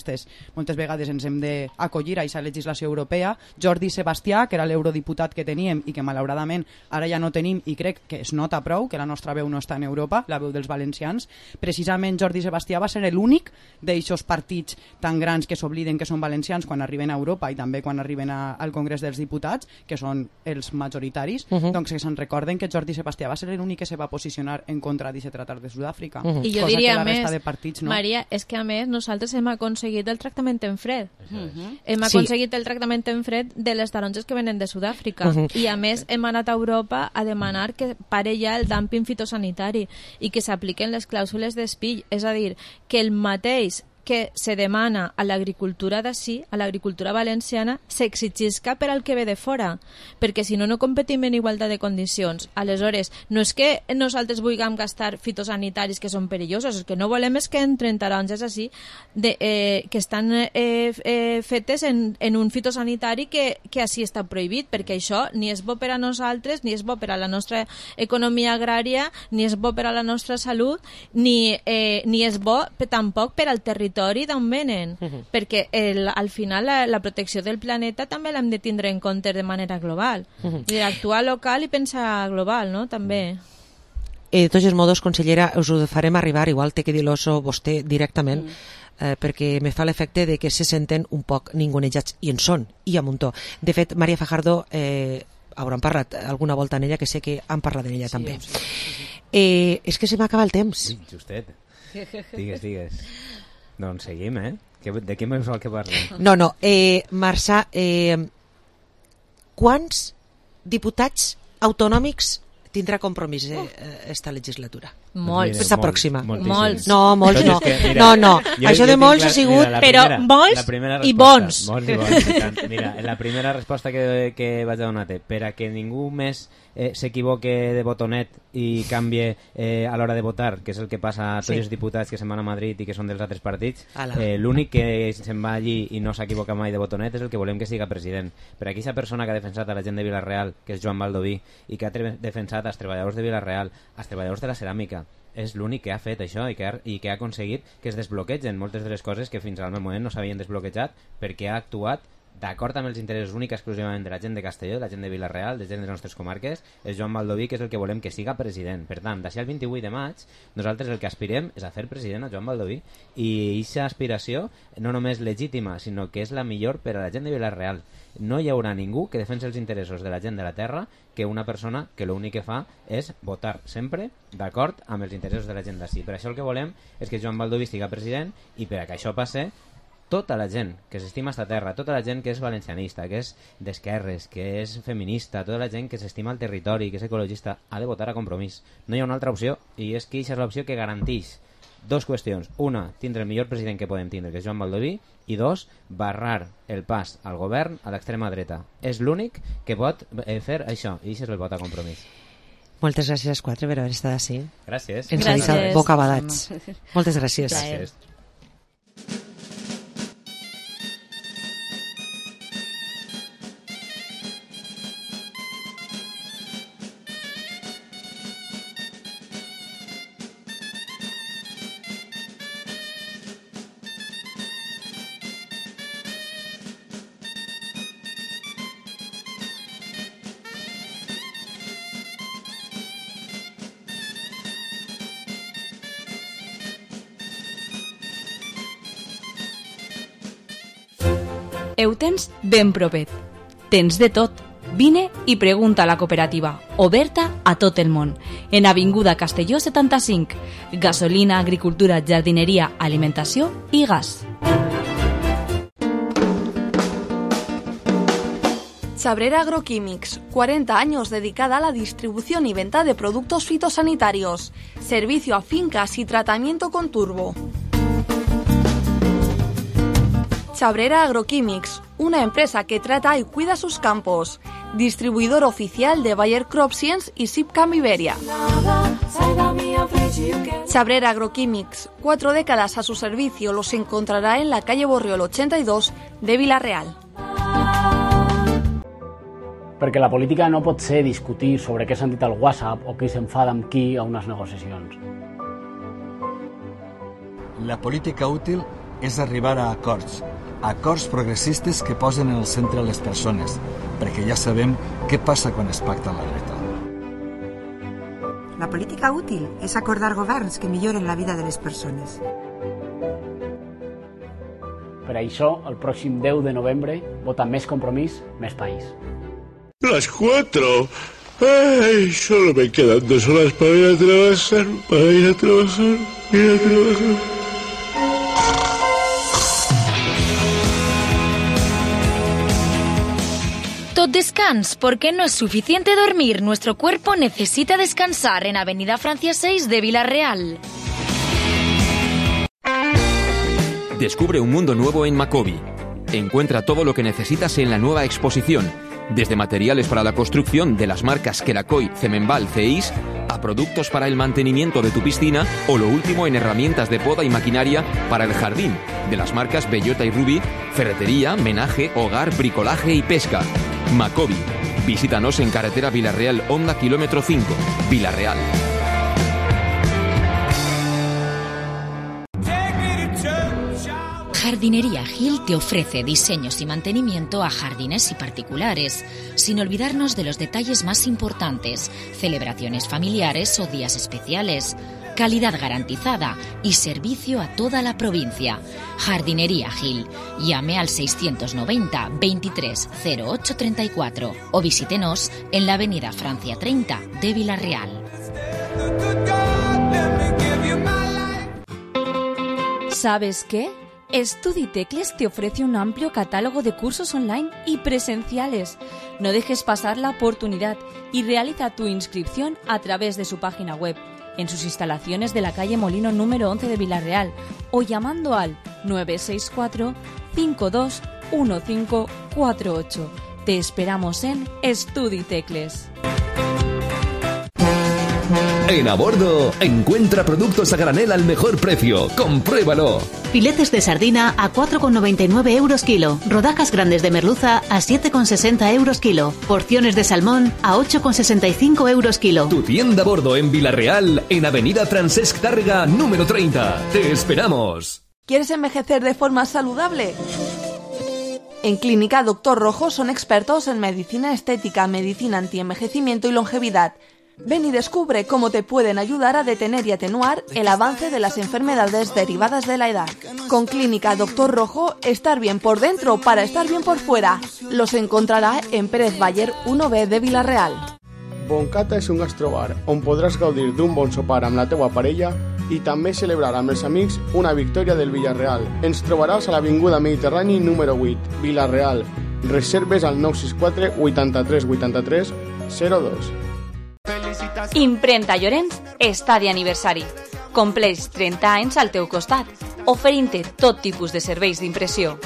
moltes vegades ens hem d'acollir a aquesta legislació europea, Jordi Sebastià, que era l'eurodiputat que teníem i que malauradament ara ja no tenim i crec que es nota prou que la nostra veu no està en Europa, la veu dels valencians, precisament Jordi Sebastià va ser l'únic d'aixòs partits tan grans que s'obliden que són valencians quan arriben a Europa i també quan arriben al Congrés dels Diputats, que són els majoritaris, doncs que se'n recorden que Jordi Sebastià va ser l'únic que se va posicionar en contra d'aquest tractat de Sud-àfrica. I jo diria a més, partits, no? Maria, és que a més nosaltres hem aconseguit el tractament en fred. Hem aconseguit el tractament en fred de les taronges que venen de Sud-àfrica i a més hem anat a Europa a demanar que pare ja el dumping fitosanitari i que s'apliquen les clàusules d'espill, és a dir, que el mateix que se demana a l'agricultura d'ací, a l'agricultura valenciana, s'exigisca per al que ve de fora, perquè si no, no competim en igualtat de condicions. Aleshores, no és que nosaltres vulguem gastar fitosanitaris que són perillosos, el que no volem és que entren taronges així que estan fetes en un fitosanitari que així està prohibit, perquè això ni és bo per a nosaltres, ni és bo per a la nostra economia agrària, ni és bo per a la nostra salut, ni és bo tampoc per al territori d'on venen, perquè al final la protecció del planeta també l'hem de tindre en compte de manera global. Actuar local i pensar global, no? També. De tots els modos, consellera, us ho farem arribar, igual té que dir-lo vostè directament, perquè me fa l'efecte de que se senten un poc ningunejats, i en són, i a muntó. De fet, Maria Fajardo hauran parlat alguna volta en ella, que sé que han parlat d'ella també. És que se m'acaba el temps. Justet. Digues. Doncs seguim, De què més vol que parlem? No, Marçà, quants diputats autonòmics tindrà compromís esta legislatura. Molts. Esta pròxima. Molts. No, molts no. No. Això de molts ha sigut... Però molts i bons. Mira, la primera resposta que vaig a donar-te, per a que ningú més s'equivoque de botonet i canvie a l'hora de votar, que és el que passa a tots els diputats que se'n van a Madrid i que són dels altres partits, l'únic que se'n va allí i no s'equivoca mai de botonet és el que volem que siga president. Per aquella persona que ha defensat a la gent de Vila-real, que és Joan Baldoví, i que ha defensat als treballadors de Vila-real, als treballadors de la ceràmica, és l'únic que ha fet això i que ha aconseguit que es desbloquegen moltes de les coses que fins al moment no s'havien desbloquejat, perquè ha actuat d'acord amb els interessos únics exclusivament de la gent de Castelló, de la gent de Vila-real, de gent de les nostres comarques. És Joan Baldoví, que és el que volem que siga president. Per tant, d'ací al 28 de maig, nosaltres el que aspirem és a fer president a Joan Baldoví, i aquesta aspiració no només legítima, sinó que és la millor per a la gent de Vila-real. No hi haurà ningú que defensi els interessos de la gent de la terra que una persona que l'únic que fa és votar sempre d'acord amb els interessos de la gent d'ací. Per això el que volem és que Joan Baldoví siga president, i per a que això passe, tota la gent que s'estima esta terra, tota la gent que és valencianista, que és d'esquerres, que és feminista, tota la gent que s'estima el territori, que és ecologista, ha de votar a Compromís. No hi ha una altra opció, i és que aquesta és l'opció que garanteix dos qüestions. Una, tindre el millor president que podem tindre, que és Joan Baldoví, i dos, barrar el pas al govern a l'extrema dreta. És l'únic que pot fer això, i això és el vot a Compromís. Moltes gràcies als quatre per haver estat així. Gràcies. Ens ha deixat bocabadats. Moltes gràcies. Gràcies. Ho tens ben propet. Tens de tot. Vine i pregunta a la cooperativa, oberta a tot el món, en Avinguda Castelló 75. Gasolina, agricultura, jardineria, alimentació i gas. Chabrera Agroquímics, 40 años dedicada a la distribución y venta de productos fitosanitarios. Servicio a fincas y tratamiento con turbo. Chabrera Agroquímics, una empresa que trata y cuida sus campos. Distribuidor oficial de Bayer Crop Science y Sipcam Iberia. Chabrera Agroquímics, 4 décadas a su servicio, los encontrará en la calle Borriol 82 de Vila-real. Perquè la política no pot ser discutir sobre què s'han dit al WhatsApp o qui s'enfada amb qui a unes negociacions. La política útil és arribar a acords progressistes que posen en el centre les persones, perquè ja sabem què passa quan es pacta la dreta. La política útil és acordar governs que milloren la vida de les persones. Per això, el pròxim 10 de novembre, vota Més Compromís, Més País. Las 4. Ay, solo me quedan 2 horas para ir a trabajar, Tot descans, porque no es suficiente dormir. Nuestro cuerpo necesita descansar en Avenida Francia 6 de Vila-real. Descubre un mundo nuevo en Macobi. Encuentra todo lo que necesitas en la nueva exposición, desde materiales para la construcción de las marcas Kerakoy, Cemenbal, CEIS, a productos para el mantenimiento de tu piscina o lo último en herramientas de poda y maquinaria para el jardín, de las marcas Bellota y Ruby, ferretería, menaje, hogar, bricolaje y pesca. Macobi. Visítanos en carretera Vila-real, Honda kilómetro 5, Vila-real. Jardinería Gil te ofrece diseños y mantenimiento a jardines y particulares, sin olvidarnos de los detalles más importantes, celebraciones familiares o días especiales, calidad garantizada y servicio a toda la provincia. Jardinería Gil. Llame al 690 23 08 34 o visítenos en la avenida Francia 30 de Vila-real. ¿Sabes qué? StudiTecles te ofrece un amplio catálogo de cursos online y presenciales. No dejes pasar la oportunidad y realiza tu inscripción a través de su página web, en sus instalaciones de la calle Molino número 11 de Vila-real o llamando al 964 521548. Te esperamos en StudiTecles. En A Bordo, encuentra productos a granel al mejor precio. ¡Compruébalo! Filetes de sardina a 4,99 euros kilo. Rodajas grandes de merluza a 7,60 euros kilo. Porciones de salmón a 8,65 euros kilo. Tu tienda A Bordo en Vila-real, en Avenida Francesc Tàrrega, número 30. ¡Te esperamos! ¿Quieres envejecer de forma saludable? En Clínica Doctor Rojo son expertos en medicina estética, medicina antienvejecimiento y longevidad. Ven y descubre cómo te pueden ayudar a detener y atenuar el avance de las enfermedades derivadas de la edad. Con Clínica Doctor Rojo, estar bien por dentro para estar bien por fuera. Los encontrarà en Pérez Baller 1B de Vila-real. Boncata és un gastrobar on podràs gaudir d'un bon sopar amb la teua parella i també celebrar amb els amics una victòria del Villarreal. Ens trobaràs a l'Avinguda Mediterrani número 8, Vila-real. Reserves al 964 83 83 02. Imprenta Llorenç està d'aniversari. Compleix 30 anys al teu costat, oferint-te tot tipus de serveis d'impressió.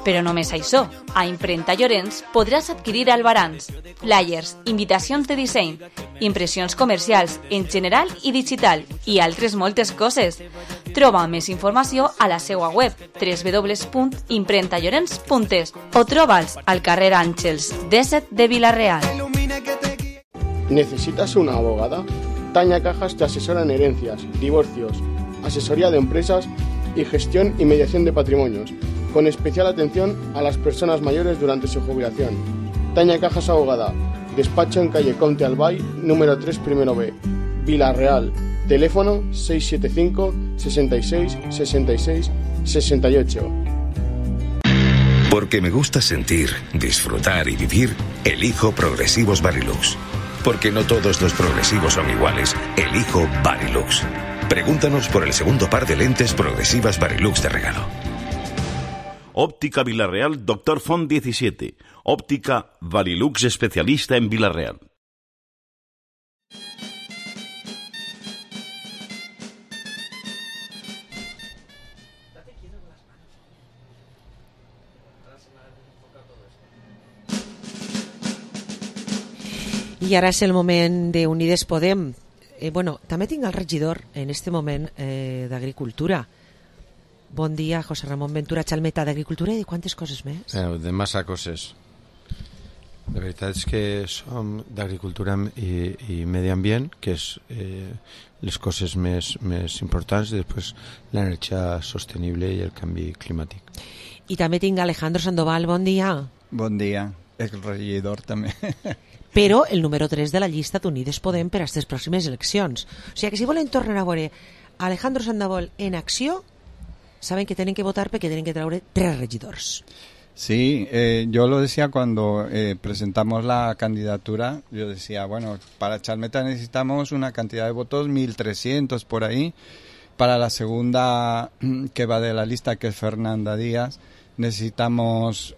Però només això, a Imprenta Llorenç podràs adquirir albarans, flyers, invitacions de disseny, impressions comercials en general i digital i altres moltes coses. Troba més informació a la seva web www.imprentallorenç.es o troba'ls al carrer Àngels 17 de Vila-real. ¿Necesitas una abogada? Tania Cajas te asesora en herencias, divorcios, asesoría de empresas y gestión y mediación de patrimonios, con especial atención a las personas mayores durante su jubilación. Tania Cajas Abogada, despacho en calle Comte Albay, número 3, primero B, Vila-real, teléfono 675 66 66 68. Porque me gusta sentir, disfrutar y vivir, elijo Progresivos Varilux. Porque no todos los progresivos son iguales, elijo Varilux. Pregúntanos por el segundo par de lentes progresivas Varilux de regalo. Óptica Vila-real, Doctor Font 17. Óptica Varilux, especialista en Vila-real. I ara és el moment d'Unides Podem. També tinc el regidor en este moment d'Agricultura. Bon dia, José Ramón Ventura Chalmeta, d'Agricultura i de quantes coses més? De massa coses. La veritat és que som d'Agricultura i Medi Ambient, que és les coses més importants, i després l'energia sostenible i el canvi climàtic. I també tinc Alejandro Sandoval, bon dia. Bon dia, el regidor també. Però el número 3 de la llista d'Unides Podem per a aquestes pròximes eleccions. O sigui que si volen tornar a veure Alejandro Sandoval en acció, saben que tenen que votar perquè tenen que traure 3 regidors. Sí, yo lo decía cuando presentamos la candidatura, yo decía, bueno, para Chalmeta necesitamos una cantidad de votos, 1.300 por ahí. Para la segunda que va de la lista, que es Fernanda Díaz, necesitamos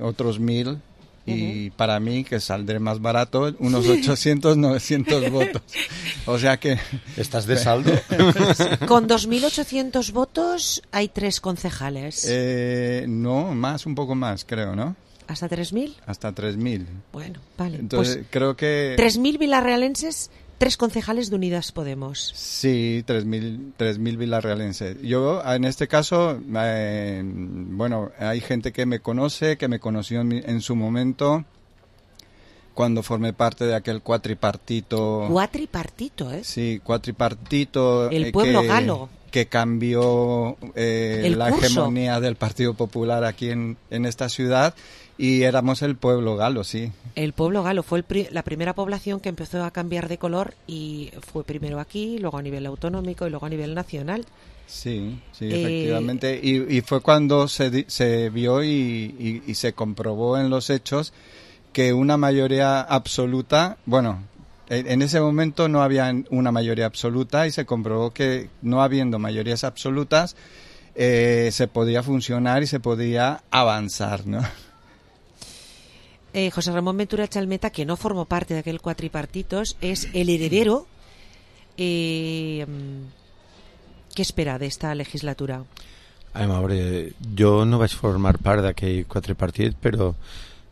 otros 1.000. Y para mí, que saldré más barato, unos 800, 900 votos. O sea que... ¿Estás de saldo? Con 2.800 votos hay 3 concejales. No, un poco más, creo, ¿no? ¿Hasta 3.000? Hasta 3.000. Bueno, vale. Entonces, pues creo que... 3.000 vilarrealenses, 3 concejales de Unidas Podemos. Sí, 3.000 vilarrealenses. Yo, en este caso, hay gente que me conoce, que me conoció en su momento, cuando formé parte de aquel cuatripartito. ¿Cuatripartito, eh? Sí, cuatripartito. El pueblo galo. Que cambió la hegemonía del Partido Popular aquí en esta ciudad, y éramos el pueblo galo, sí. El pueblo galo fue la primera población que empezó a cambiar de color, y fue primero aquí, luego a nivel autonómico y luego a nivel nacional. Sí, efectivamente. Y fue cuando se vio y se comprobó en los hechos que una mayoría absoluta, en ese momento no había una mayoría absoluta, y se comprobó que no habiendo mayorías absolutas, se podía funcionar y se podía avanzar, ¿no? José Ramón Ventura Chalmeta, que no formó parte de aquel cuatripartitos, es el heredero. ¿Qué espera d'esta legislatura? A veure, jo no vaig formar part d'aquell quatripartit, però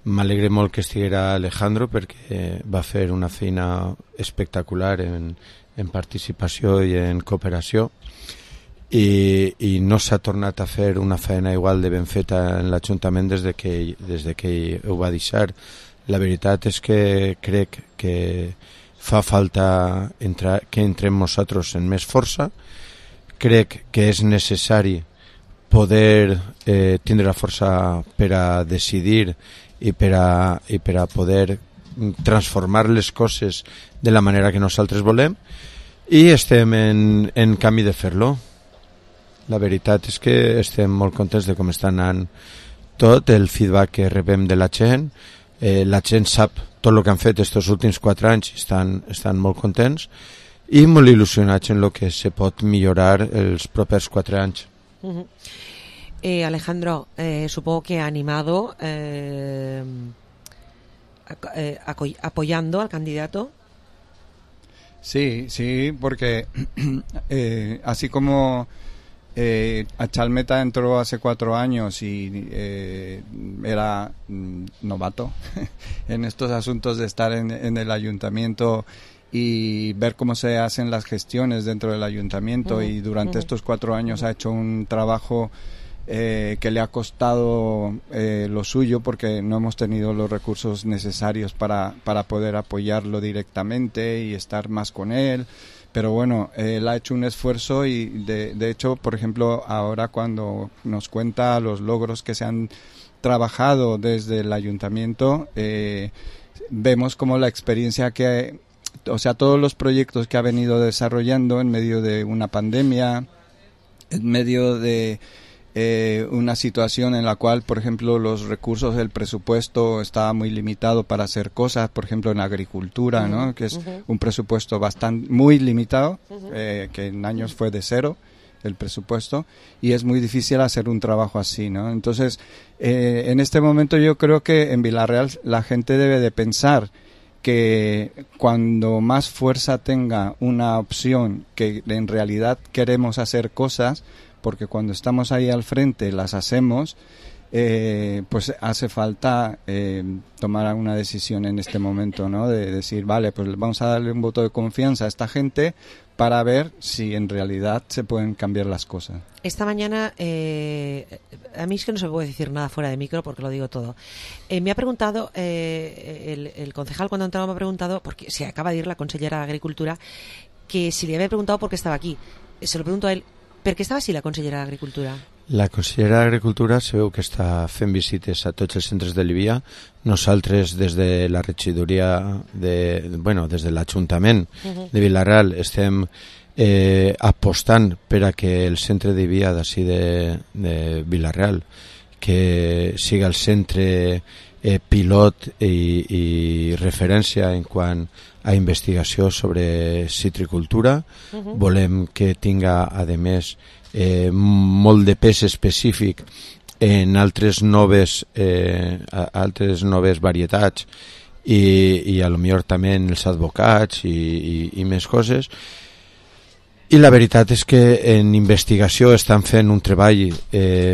m'alegre molt que estiguera Alejandro perquè va fer una feina espectacular en participació i en cooperació i no s'ha tornat a fer una feina igual de ben feta en l'Ajuntament des de que ho va deixar. La veritat és que crec que fa falta que entrem nosaltres en més força. Crec que és necessari poder tindre la força per a decidir i per a poder transformar les coses de la manera que nosaltres volem i estem en camí de fer-lo. La veritat és que estem molt contents de com està anant tot, el feedback que rebem de la gent. La gent sap tot el que han fet aquests últims 4 anys i estan molt contents i molt il·lusionats en el que se pot millorar els propers 4 anys. Alejandro, supongo que ha animado apoyando al candidato. Sí, porque así como a Chalmeta entró hace 4 años y era novato en estos asuntos de estar en el ayuntamiento y ver cómo se hacen las gestiones dentro del ayuntamiento y durante estos 4 años ha hecho un trabajo que le ha costado lo suyo porque no hemos tenido los recursos necesarios para poder apoyarlo directamente y estar más con él, pero bueno, él ha hecho un esfuerzo y de hecho, por ejemplo, ahora cuando nos cuenta los logros que se han trabajado desde el ayuntamiento, vemos como la experiencia todos los proyectos que ha venido desarrollando en medio de una pandemia, en medio de una situación en la cual, por ejemplo, los recursos del presupuesto estaba muy limitado para hacer cosas, por ejemplo, en agricultura, ¿no? Que es un presupuesto muy limitado, que en años fue de 0 el presupuesto, y es muy difícil hacer un trabajo así, ¿no? Entonces, en este momento yo creo que en Vila-real la gente debe de pensar que cuando más fuerza tenga una opción que en realidad queremos hacer cosas, porque cuando estamos ahí al frente las hacemos, pues hace falta tomar una decisión en este momento, ¿no? De decir, vale, pues vamos a darle un voto de confianza a esta gente para ver si en realidad se pueden cambiar las cosas. Esta mañana, a mí es que no se me puede decir nada fuera de micro porque lo digo todo. Me ha preguntado, el concejal cuando entraba me ha preguntado, porque se acaba de ir la consellera de Agricultura, que si le había preguntado por qué estaba aquí. Se lo pregunto a él, ¿per què estava així la consellera d'Agricultura? La consellera d'Agricultura se veu que està fent visites a tots els centres de Livia. Nosaltres, des de la regidoria, des de l'Ajuntament de Vila-real, estem apostant per a que el centre de Livia d'ací de Vila-real, que siga el centre pilot i referència en quant a investigació sobre citricultura. Volem que tinga, a més, molt de pes específic en altres noves varietats i a lo millor també en els advocats i més coses. I la veritat és que en investigació estan fent un treball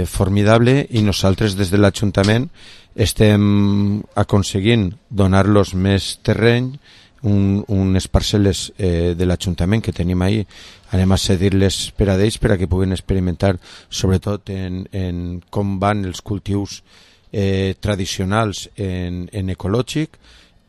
formidable i nosaltres des de l'Ajuntament estem aconseguint donar-los més terreny, unes parcel·les de l'Ajuntament que tenim ahí, anem a cedir-les per a ells per a que puguin experimentar sobretot en com van els cultius tradicionals en ecològic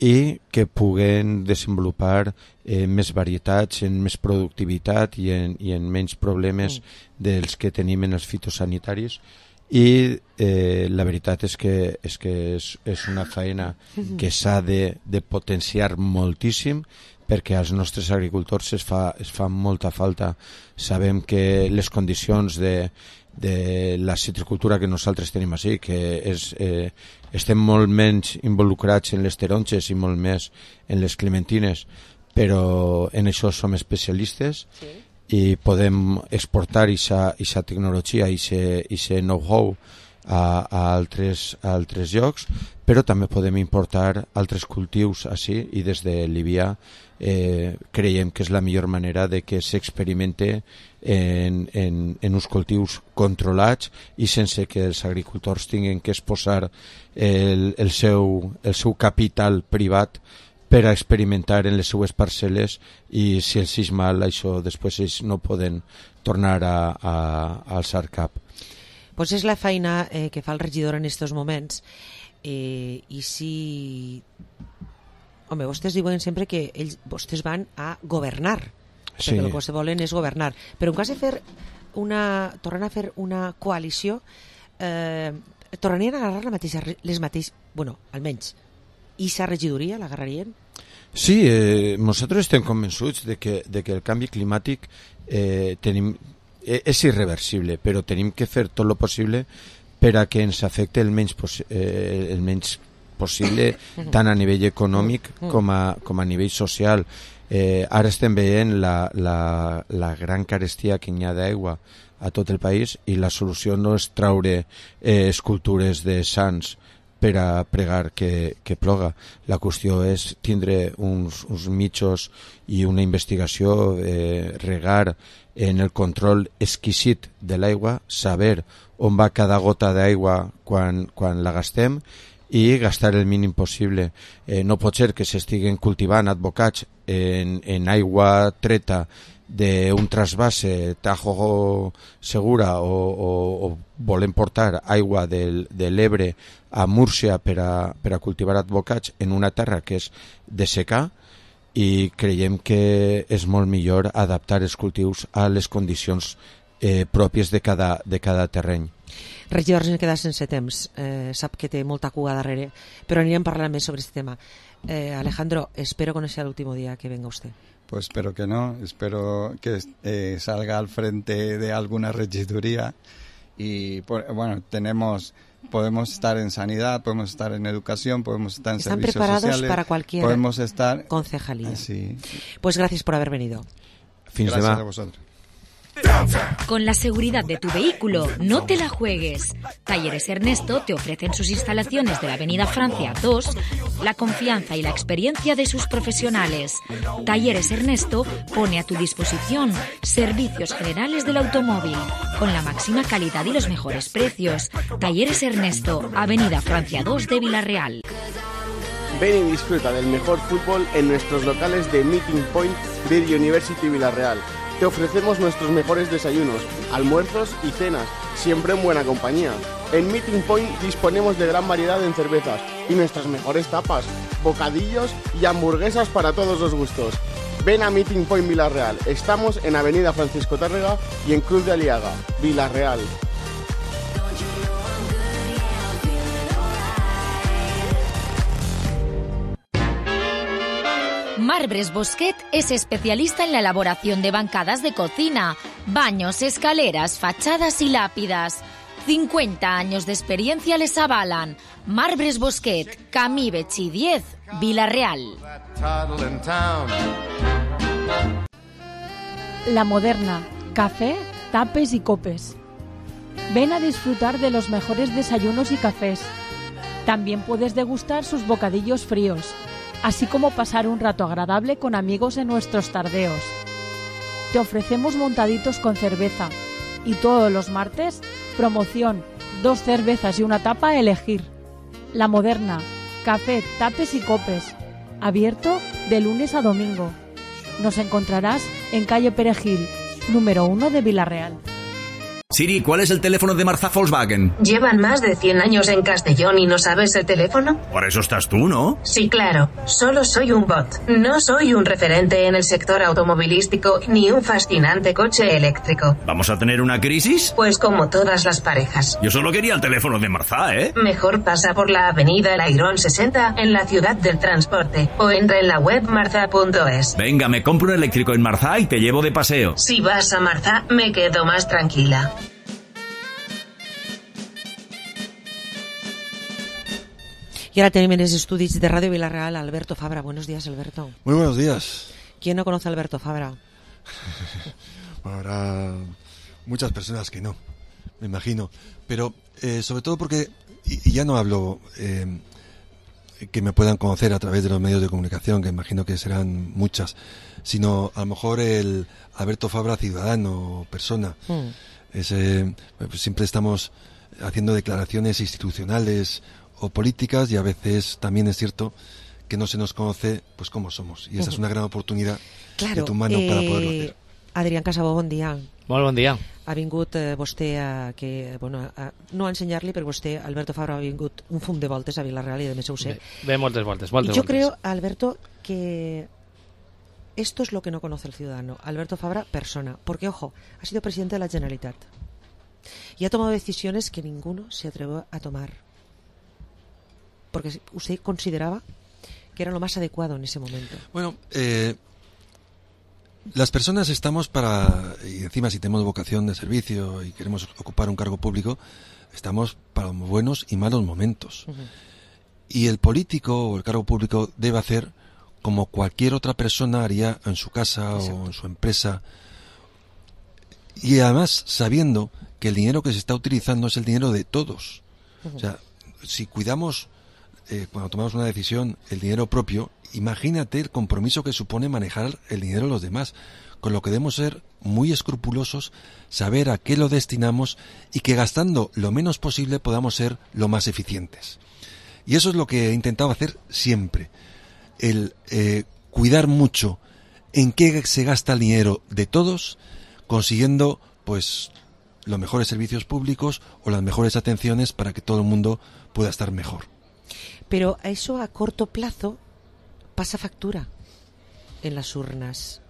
i que puguen desenvolupar més varietats, en més productivitat i en menys problemes dels que tenim en els fitosanitaris. I la veritat és que és una feina que s'ha de potenciar moltíssim perquè als nostres agricultors es fa molta falta. Sabem que les condicions de la citricultura que nosaltres tenim així, que estem molt menys involucrats en les taronges i molt més en les clementines, però en això som especialistes i podem exportar aquesta tecnologia i aquest know-how a altres llocs, però també podem importar altres cultius així, i des de Líbia creiem que és la millor manera de que s'experimente en uns cultius controlats i sense que els agricultors tinguin que exposar el seu capital privat per a experimentar en les seues parcel·les, i si els és mal, això després ells no poden tornar a alçar cap. Pues és la feina que fa el regidor en aquests moments, i si... Home, vostès diuen sempre que vostès van a governar, perquè el que vostès volen és governar, però en cas de tornar a fer una coalició, tornarien a agarrar les mateixes, bueno, almenys, i sa regidoria l'agarrarien? Sí, nosaltres estem convençuts de que el canvi climàtic és irreversible, però tenim que fer tot el possible per a que ens afecte el menys possible, tant a nivell econòmic com a nivell social. Ara estem veient la gran carestia que hi ha d'aigua a tot el país, i la solució no és traure escultures de sants per a pregar que ploga. La qüestió és tindre uns mitjos i una investigació, regar en el control exquisit de l'aigua, saber on va cada gota d'aigua quan la gastem, i gastar el mínim possible. No pot ser que s'estiguen cultivant advocats en aigua treta d'un trasvase Tajo Segura, o volem portar aigua de l'Ebre a Múrcia per a cultivar advocats en una terra que és de secà, i creiem que és molt millor adaptar els cultius a les condicions pròpies de cada terreny. Regidor, ens queda sense temps, sap que té molta cua darrere, però anirem parlant més sobre aquest tema. Alejandro, espero que no sea el último día que venga usted. Pues espero que no, espero que salga al frente de alguna regiduría, y bueno, podemos estar en sanidad, podemos estar en educación, podemos estar en servicios sociales. Están preparados para cualquier podemos estar concejalía. Sí. Pues gracias por haber venido. Gracias a vosotros. Con la seguridad de tu vehículo, no te la juegues. Talleres Ernesto te ofrecen sus instalaciones de la Avenida Francia 2, la confianza y la experiencia de sus profesionales. Talleres Ernesto pone a tu disposición servicios generales del automóvil, con la máxima calidad y los mejores precios. Talleres Ernesto, Avenida Francia 2 de Villarreal. Ven y disfruta del mejor fútbol en nuestros locales de Meeting Point Beer University Villarreal. Te ofrecemos nuestros mejores desayunos, almuerzos y cenas, siempre en buena compañía. En Meeting Point disponemos de gran variedad en cervezas y nuestras mejores tapas, bocadillos y hamburguesas para todos los gustos. Ven a Meeting Point Villarreal. Estamos en Avenida Francisco Tárrega y en Cruz de Aliaga, Villarreal. Marbres Bosquet es especialista en la elaboración de bancadas de cocina, baños, escaleras, fachadas y lápidas. 50 años de experiencia les avalan. Marbres Bosquet, Camí Betxí 10, Villarreal. La Moderna, café, tapes y copes. Ven a disfrutar de los mejores desayunos y cafés. También puedes degustar sus bocadillos fríos, así como pasar un rato agradable con amigos en nuestros tardeos. Te ofrecemos montaditos con cerveza, y todos los martes, promoción, 2 cervezas y una tapa a elegir. La Moderna, café, tapes y copes, abierto de lunes a domingo. Nos encontrarás en calle Perejil, número 1 de Villarreal. Siri, ¿cuál es el teléfono de Marzá Volkswagen? ¿Llevan más de 100 años en Castellón y no sabes el teléfono? Por eso estás tú, ¿no? Sí, claro. Solo soy un bot. No soy un referente en el sector automovilístico ni un fascinante coche eléctrico. ¿Vamos a tener una crisis? Pues como todas las parejas. Yo solo quería el teléfono de Marzá, ¿eh? Mejor pasa por la avenida El Airón 60 en la ciudad del transporte o entra en la web marza.es. Venga, me compro un eléctrico en Marzá y te llevo de paseo. Si vas a Marzá, me quedo más tranquila. Y ahora tenemos en los estudios de Radio Villarreal a Alberto Fabra. Buenos días, Alberto. Muy buenos días. ¿Quién no conoce a Alberto Fabra? habrá muchas personas que no, me imagino. Pero sobre todo porque, y ya no hablo que me puedan conocer a través de los medios de comunicación, que imagino que serán muchas, sino a lo mejor el Alberto Fabra ciudadano, persona. Pues siempre estamos haciendo declaraciones institucionales o políticas y a veces también es cierto que no se nos conoce pues cómo somos, y esa es una gran oportunidad de tu mano para poderlo hacer. Adrián Casabó, bon dia. Molt bon dia. Ha vingut vostè no a ensenyar-li, però vostè, Alberto Fabra, ha vingut un fum de voltes a Vila-real y de més ho sé. Ve moltes voltes. Yo creo, Alberto, que esto es lo que no conoce el ciudadano. Alberto Fabra, persona. Porque, ojo, ha sido presidente de la Generalitat y ha tomado decisiones que ninguno se atrevió a tomar. Porque usted consideraba que era lo más adecuado en ese momento. Bueno, las personas estamos para, y encima si tenemos vocación de servicio y queremos ocupar un cargo público, estamos para los buenos y malos momentos. Y el político o el cargo público debe hacer como cualquier otra persona haría en su casa o en su empresa. Y además sabiendo que el dinero que se está utilizando es el dinero de todos. O sea, si cuidamos, cuando tomamos una decisión, el dinero propio, imagínate el compromiso que supone manejar el dinero de los demás, con lo que debemos ser muy escrupulosos, saber a qué lo destinamos y que gastando lo menos posible podamos ser lo más eficientes. Y eso es lo que he intentado hacer siempre, el cuidar mucho en qué se gasta el dinero de todos, consiguiendo pues los mejores servicios públicos o las mejores atenciones para que todo el mundo pueda estar mejor. Pero eso a corto plazo pasa factura en las urnas.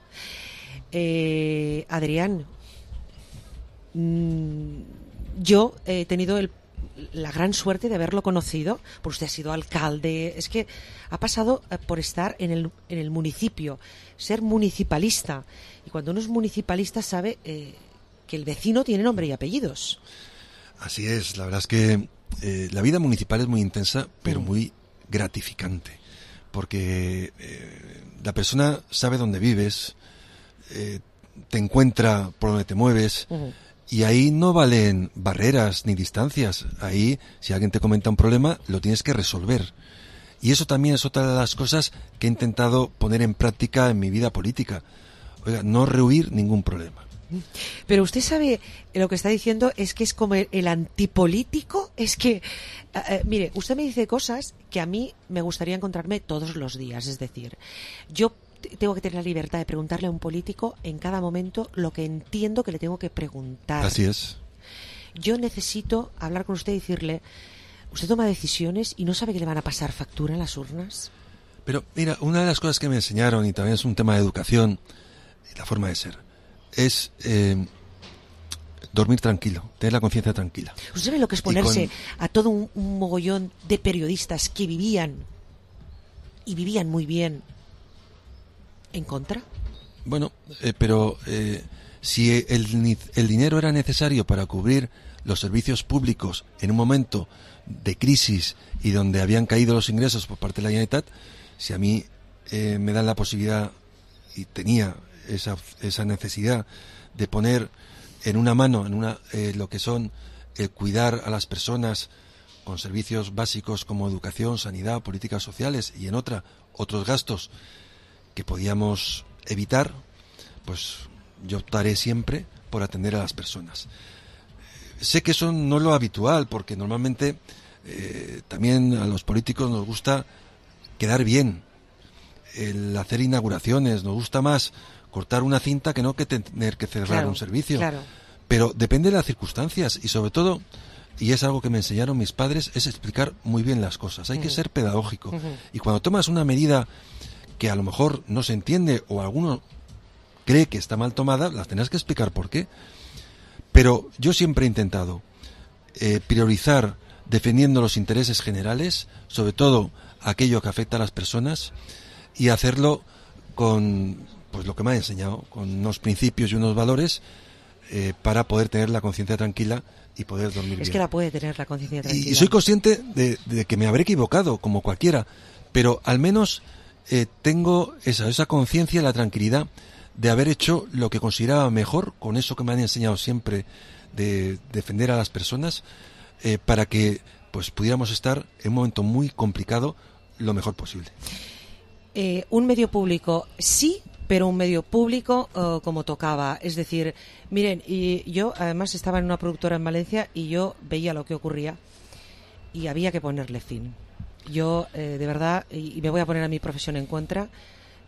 Adrián, yo he tenido la gran suerte de haberlo conocido, porque usted ha sido alcalde, es que ha pasado por estar en el municipio, ser municipalista, y cuando uno es municipalista sabe que el vecino tiene nombre y apellidos. Así es, la verdad es que la vida municipal es muy intensa, pero muy gratificante, porque la persona sabe dónde vives, te encuentra por donde te mueves, y ahí no valen barreras ni distancias. Ahí, si alguien te comenta un problema, lo tienes que resolver. Y eso también es otra de las cosas que he intentado poner en práctica en mi vida política. Oiga, no rehuir ningún problema. Pero usted sabe, lo que está diciendo es que es como el antipolítico. Es que, mire, usted me dice cosas que a mí me gustaría encontrarme todos los días. Es decir, yo tengo que tener la libertad de preguntarle a un político en cada momento lo que entiendo que le tengo que preguntar. Así es. Yo necesito hablar con usted y decirle, usted toma decisiones y no sabe que le van a pasar factura en las urnas. Pero mira, una de las cosas que me enseñaron, y también es un tema de educación, la forma de ser, es dormir tranquilo, tener la conciencia tranquila. ¿Usted sabe lo que es ponerse a todo un mogollón de periodistas que vivían muy bien en contra? Bueno, pero si el dinero era necesario para cubrir los servicios públicos en un momento de crisis y donde habían caído los ingresos por parte de la Generalitat, si a mí me dan la posibilidad, y tenía esa necesidad de poner en una mano lo que son cuidar a las personas con servicios básicos como educación, sanidad, políticas sociales, y en otros gastos que podíamos evitar, pues yo optaré siempre por atender a las personas. Sé que eso no es lo habitual, porque normalmente también a los políticos nos gusta quedar bien, el hacer inauguraciones, nos gusta más cortar una cinta que no que tener que cerrar un servicio. Claro. Pero depende de las circunstancias, y sobre todo, y es algo que me enseñaron mis padres, es explicar muy bien las cosas. Hay que ser pedagógico. Y cuando tomas una medida que a lo mejor no se entiende o alguno cree que está mal tomada, las tendrás que explicar por qué. Pero yo siempre he intentado priorizar defendiendo los intereses generales, sobre todo aquello que afecta a las personas, y hacerlo con pues lo que me ha enseñado, con unos principios y unos valores para poder tener la conciencia tranquila y poder dormir bien. Es que la puede tener la conciencia tranquila. Y soy consciente de que me habré equivocado, como cualquiera, pero al menos tengo esa conciencia, la tranquilidad de haber hecho lo que consideraba mejor, con eso que me han enseñado siempre de defender a las personas, para que pues pudiéramos estar en un momento muy complicado lo mejor posible. Un medio público sí, pero un medio público como tocaba. Es decir, miren, y yo además estaba en una productora en Valencia y yo veía lo que ocurría y había que ponerle fin. Yo, de verdad, y me voy a poner a mi profesión en contra,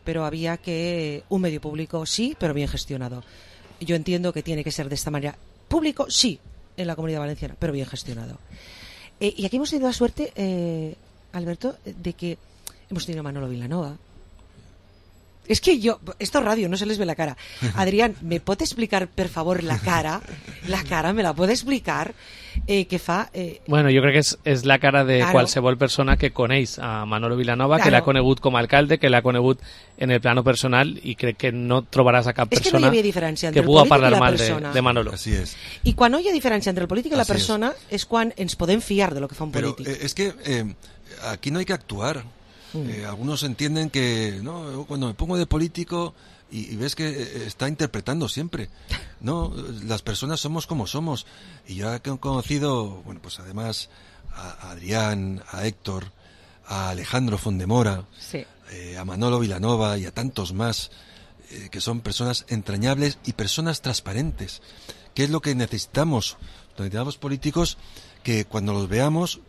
pero había que un medio público sí, pero bien gestionado. Yo entiendo que tiene que ser de esta manera. Público sí, en la Comunidad Valenciana, pero bien gestionado. Y aquí hemos tenido la suerte, Alberto, de que hemos tenido a Manolo Vilanova. Es que yo, esto es radio, no se les ve la cara. Adrián, ¿me pot explicar, per favor, la cara? La cara, me la pot explicar? Què fa? Bueno, jo crec que és la cara de qualsevol persona que coneix a Manolo Vilanova, que l'ha conegut com a alcalde, que l'ha conegut en el plano personal, i crec que no trobaràs a cap persona que pugui parlar mal de Manolo. Así es. I quan no hi ha diferència entre el polític i la persona és quan ens podem fiar de lo que fa un polític. Pero es que aquí no hay que actuar. Algunos entienden que no, cuando me pongo de político y ves que está interpretando siempre. No, las personas somos como somos. Y yo he conocido, bueno, pues además a Adrián, a Héctor, a Alejandro Fondemora, sí, a Manolo Vilanova y a tantos más, que son personas entrañables y personas transparentes. ¿Qué es lo que necesitamos? Necesitamos políticos que cuando los veamos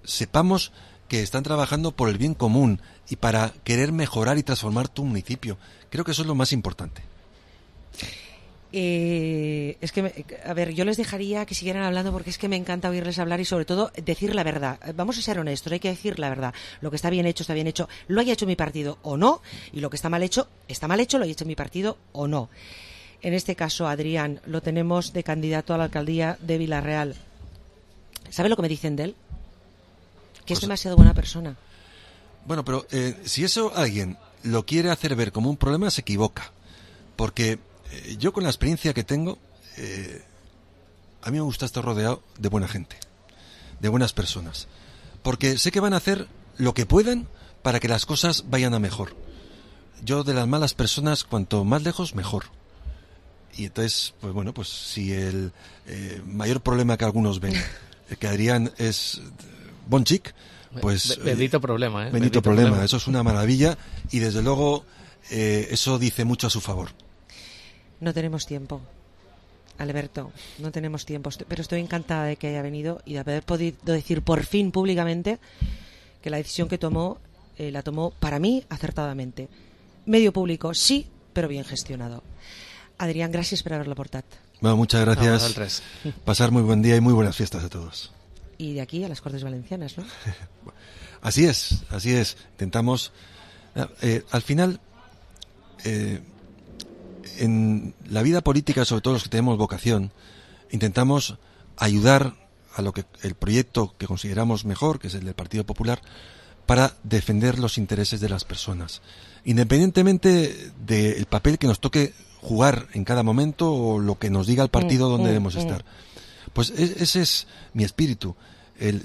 sepamos que están trabajando por el bien común y para querer mejorar y transformar tu municipio. Creo que eso es lo más importante. Es que, a ver, yo les dejaría que siguieran hablando porque es que me encanta oírles hablar y sobre todo decir la verdad. Vamos a ser honestos, hay que decir la verdad. Lo que está bien hecho, lo haya hecho mi partido o no, y lo que está mal hecho, lo haya hecho mi partido o no. En este caso, Adrián, lo tenemos de candidato a la alcaldía de Vila-real. ¿Sabe lo que me dicen de él? Que es demasiado buena persona. Bueno, pero si eso alguien lo quiere hacer ver como un problema, se equivoca. Porque yo con la experiencia que tengo, a mí me gusta estar rodeado de buena gente, de buenas personas. Porque sé que van a hacer lo que puedan para que las cosas vayan a mejor. Yo de las malas personas, cuanto más lejos, mejor. Y entonces, pues bueno, pues si el mayor problema que algunos ven, que Adrián es bon chic, pues bendito problema, bendito problema. Eso es una maravilla y desde luego eso dice mucho a su favor. No tenemos tiempo, Alberto, no tenemos tiempo, pero estoy encantada de que haya venido y de haber podido decir por fin públicamente que la decisión que tomó la tomó para mí acertadamente. Medio público sí, pero bien gestionado. Adrián, gracias por haberlo aportat. Bueno, muchas gracias. Pasar muy buen día y muy buenas fiestas a todos. Y de aquí a las Cortes Valencianas, ¿no? Así es. Intentamos, al final, en la vida política, sobre todo los que tenemos vocación, intentamos ayudar a lo que el proyecto que consideramos mejor, que es el del Partido Popular, para defender los intereses de las personas, independientemente del papel que nos toque jugar en cada momento o lo que nos diga el partido donde debemos estar. Pues ese es mi espíritu.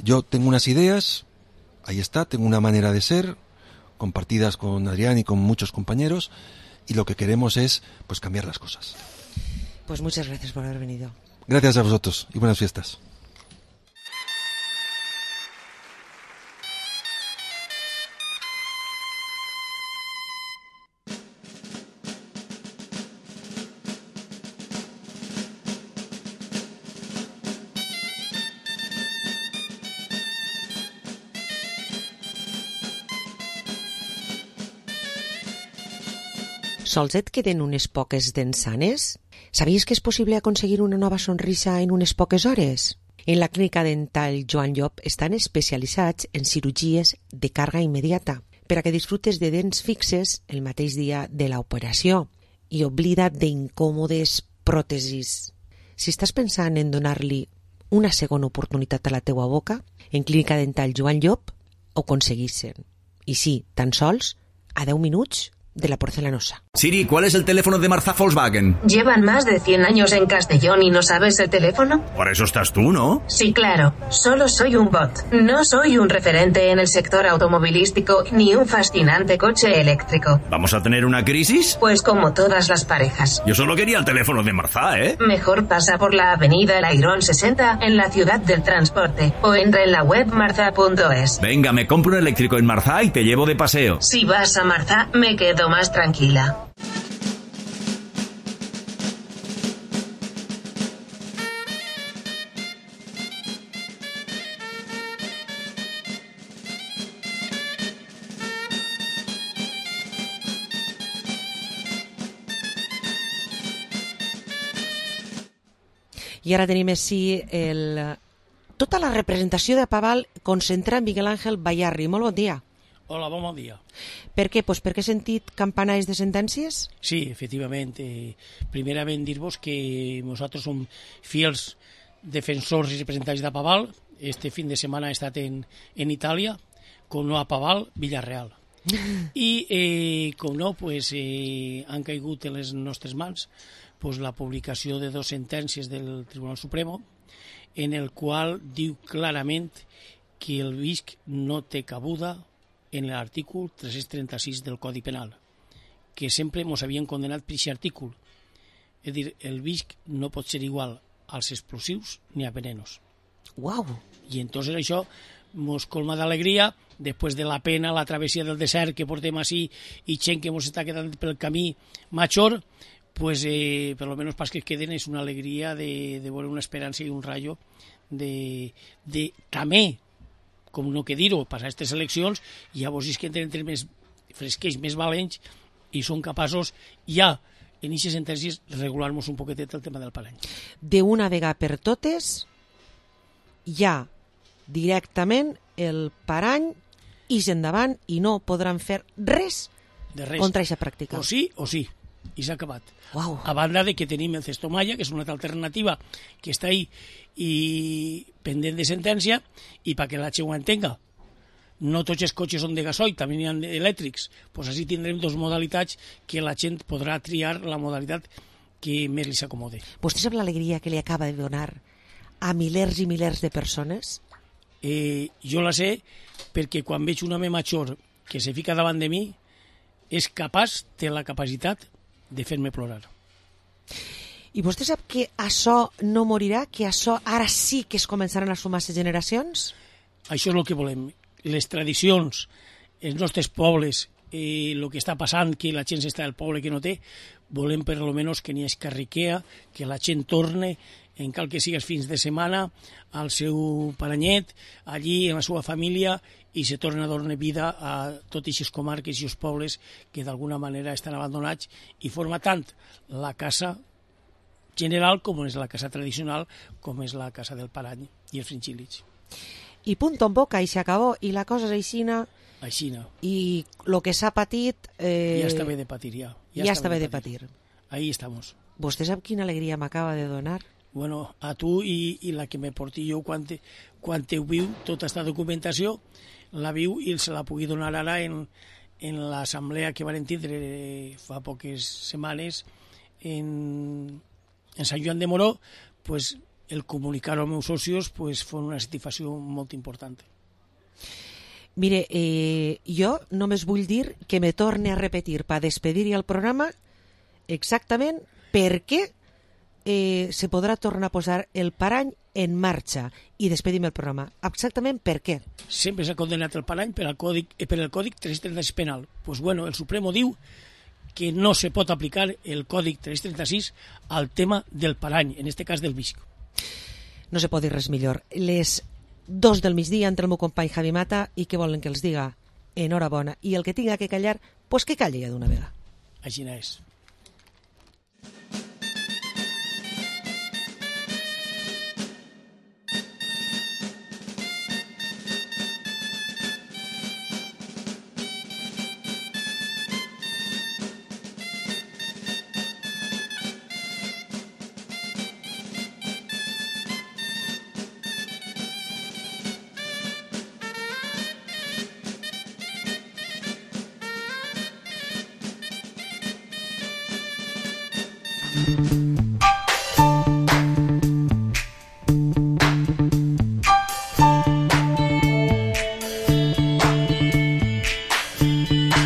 Yo tengo unas ideas, ahí está, tengo una manera de ser, compartidas con Adrián y con muchos compañeros, y lo que queremos es pues cambiar las cosas. Pues muchas gracias por haber venido. Gracias a vosotros y buenas fiestas. Sols et queden unes poques dents sanes? Sabies que és possible aconseguir una nova sonrisa en unes poques hores? En la clínica dental Joan Llop estan especialitzats en cirurgies de càrrega immediata per a que disfrutes de dents fixes el mateix dia de l'operació i oblida't d'incòmodes pròtesis. Si estàs pensant en donar-li una segona oportunitat a la teua boca, en clínica dental Joan Llop ho aconseguissin. I sí, tan sols a 10 minuts de la porcelanosa. Siri, ¿cuál es el teléfono de Marza Volkswagen? ¿Llevan más de 100 años en Castellón y no sabes el teléfono? Para eso estás tú, ¿no? Sí, claro. Solo soy un bot. No soy un referente en el sector automovilístico ni un fascinante coche eléctrico. ¿Vamos a tener una crisis? Pues como todas las parejas. Yo solo quería el teléfono de Marza, ¿eh? Mejor pasa por la avenida El Airón 60 en la ciudad del transporte o entra en la web marza.es. Venga, me compro un eléctrico en Marza y te llevo de paseo. Si vas a Marza, me quedo más tranquila. I ara tenim així tota la representació de Paval concentrada en Miguel Ángel Bayarri. Molt bon dia. Hola, bon dia. Per què? Pues perquè he sentit campanalls de sentències? Sí, efectivament. Primerament dir-vos que nosaltres som fiels defensors i representants de Paval. Este fin de setmana he estat en Itàlia, com no a Paval, Villarreal. I, com no, pues, han caigut en les nostres mans pues, la publicació de 2 sentències del Tribunal Supremo, en el qual diu clarament que el BISC no té cabuda en l'artícul 336 del Codi Penal, que sempre ens havien condenat per aquest artícul. És a dir, el BISC no pot ser igual als explosius ni a venenos. Uau! I entonces això ens colma d'alegria, després de la pena, la travessia del desert que portem així i gent que ens està quedant pel camí major, pues per lo menos pas que queden és una alegria de veure una esperança i un rayo de també, com no que dir-ho, passar aquestes eleccions i llavors és que entren més fresqueix, més valents i són capaços ja en aquestes sentències regular-nos un poquetet el tema del parany. D'una vegada per totes ja directament el parany ix endavant i no podran fer res contra aquesta pràctica. O sí, i s'ha acabat. Wow. A banda de que tenim el Cestomaya, que és una altra alternativa que està ahí i pendent de sentència, i perquè la gent ho entenga, no tots els cotxes són de gasoil, també n'hi ha elèctrics, doncs així tindrem 2 modalitats que la gent podrà triar la modalitat que més li s'acomode. Vostè sap l'alegria que li acaba de donar a milers i milers de persones? Jo la sé perquè quan veig un home major que se fica davant de mi és capaç, té la capacitat de fer-me plorar. I vostè sap que això no morirà, que això ara sí que es començaran a sumar les generacions? Això és el que volem. Les tradicions, els nostres pobles, el que està passant, que la gent està del poble que no té, volem per almenys que n'hi hagi carriquea, que la gent torne, en cal que sigues fins de setmana, al seu paranyet, allí, en la seva família, i se torna a donar vida a totes aquestes comarques i els pobles que d'alguna manera estan abandonats i forma tant la casa general com és la casa tradicional, com és la casa del parany i els fringíl·lids. I punt en boca, i s'acabó, i la cosa és aixina. Aixina. I el que s'ha patit... Ja està bé de patir, ja. Ja està bé de patir. Ahí estamos. Vostè sap quina alegria m'acaba de donar? Bueno, a tu i la que me porti jo quan te viu tota aquesta documentació, la viu i se la pugui donar ara en l'assemblea que van tindre fa poques setmanes en Sant Joan de Moró, pues, el comunicar als meus socios pues, fue una satisfacció molt important. Mire, jo només vull dir que me torne a repetir per despedir-hi el programa exactament per què se podrà tornar a posar el parany en marxa i despedim el programa. Exactament per què? Sempre s'ha condenat el parany per el Còdic 336 penal. Pues bueno, el Supremo diu que no se pot aplicar el Còdic 336 al tema del parany, en este cas del BISC. No se pot dir res millor. Les 2 del migdia entre el meu company Javi Mata i què volen que els diga? Enhorabona. I el que tinga que callar, pues que calli ja d'una vegada. Així és. Tarragona.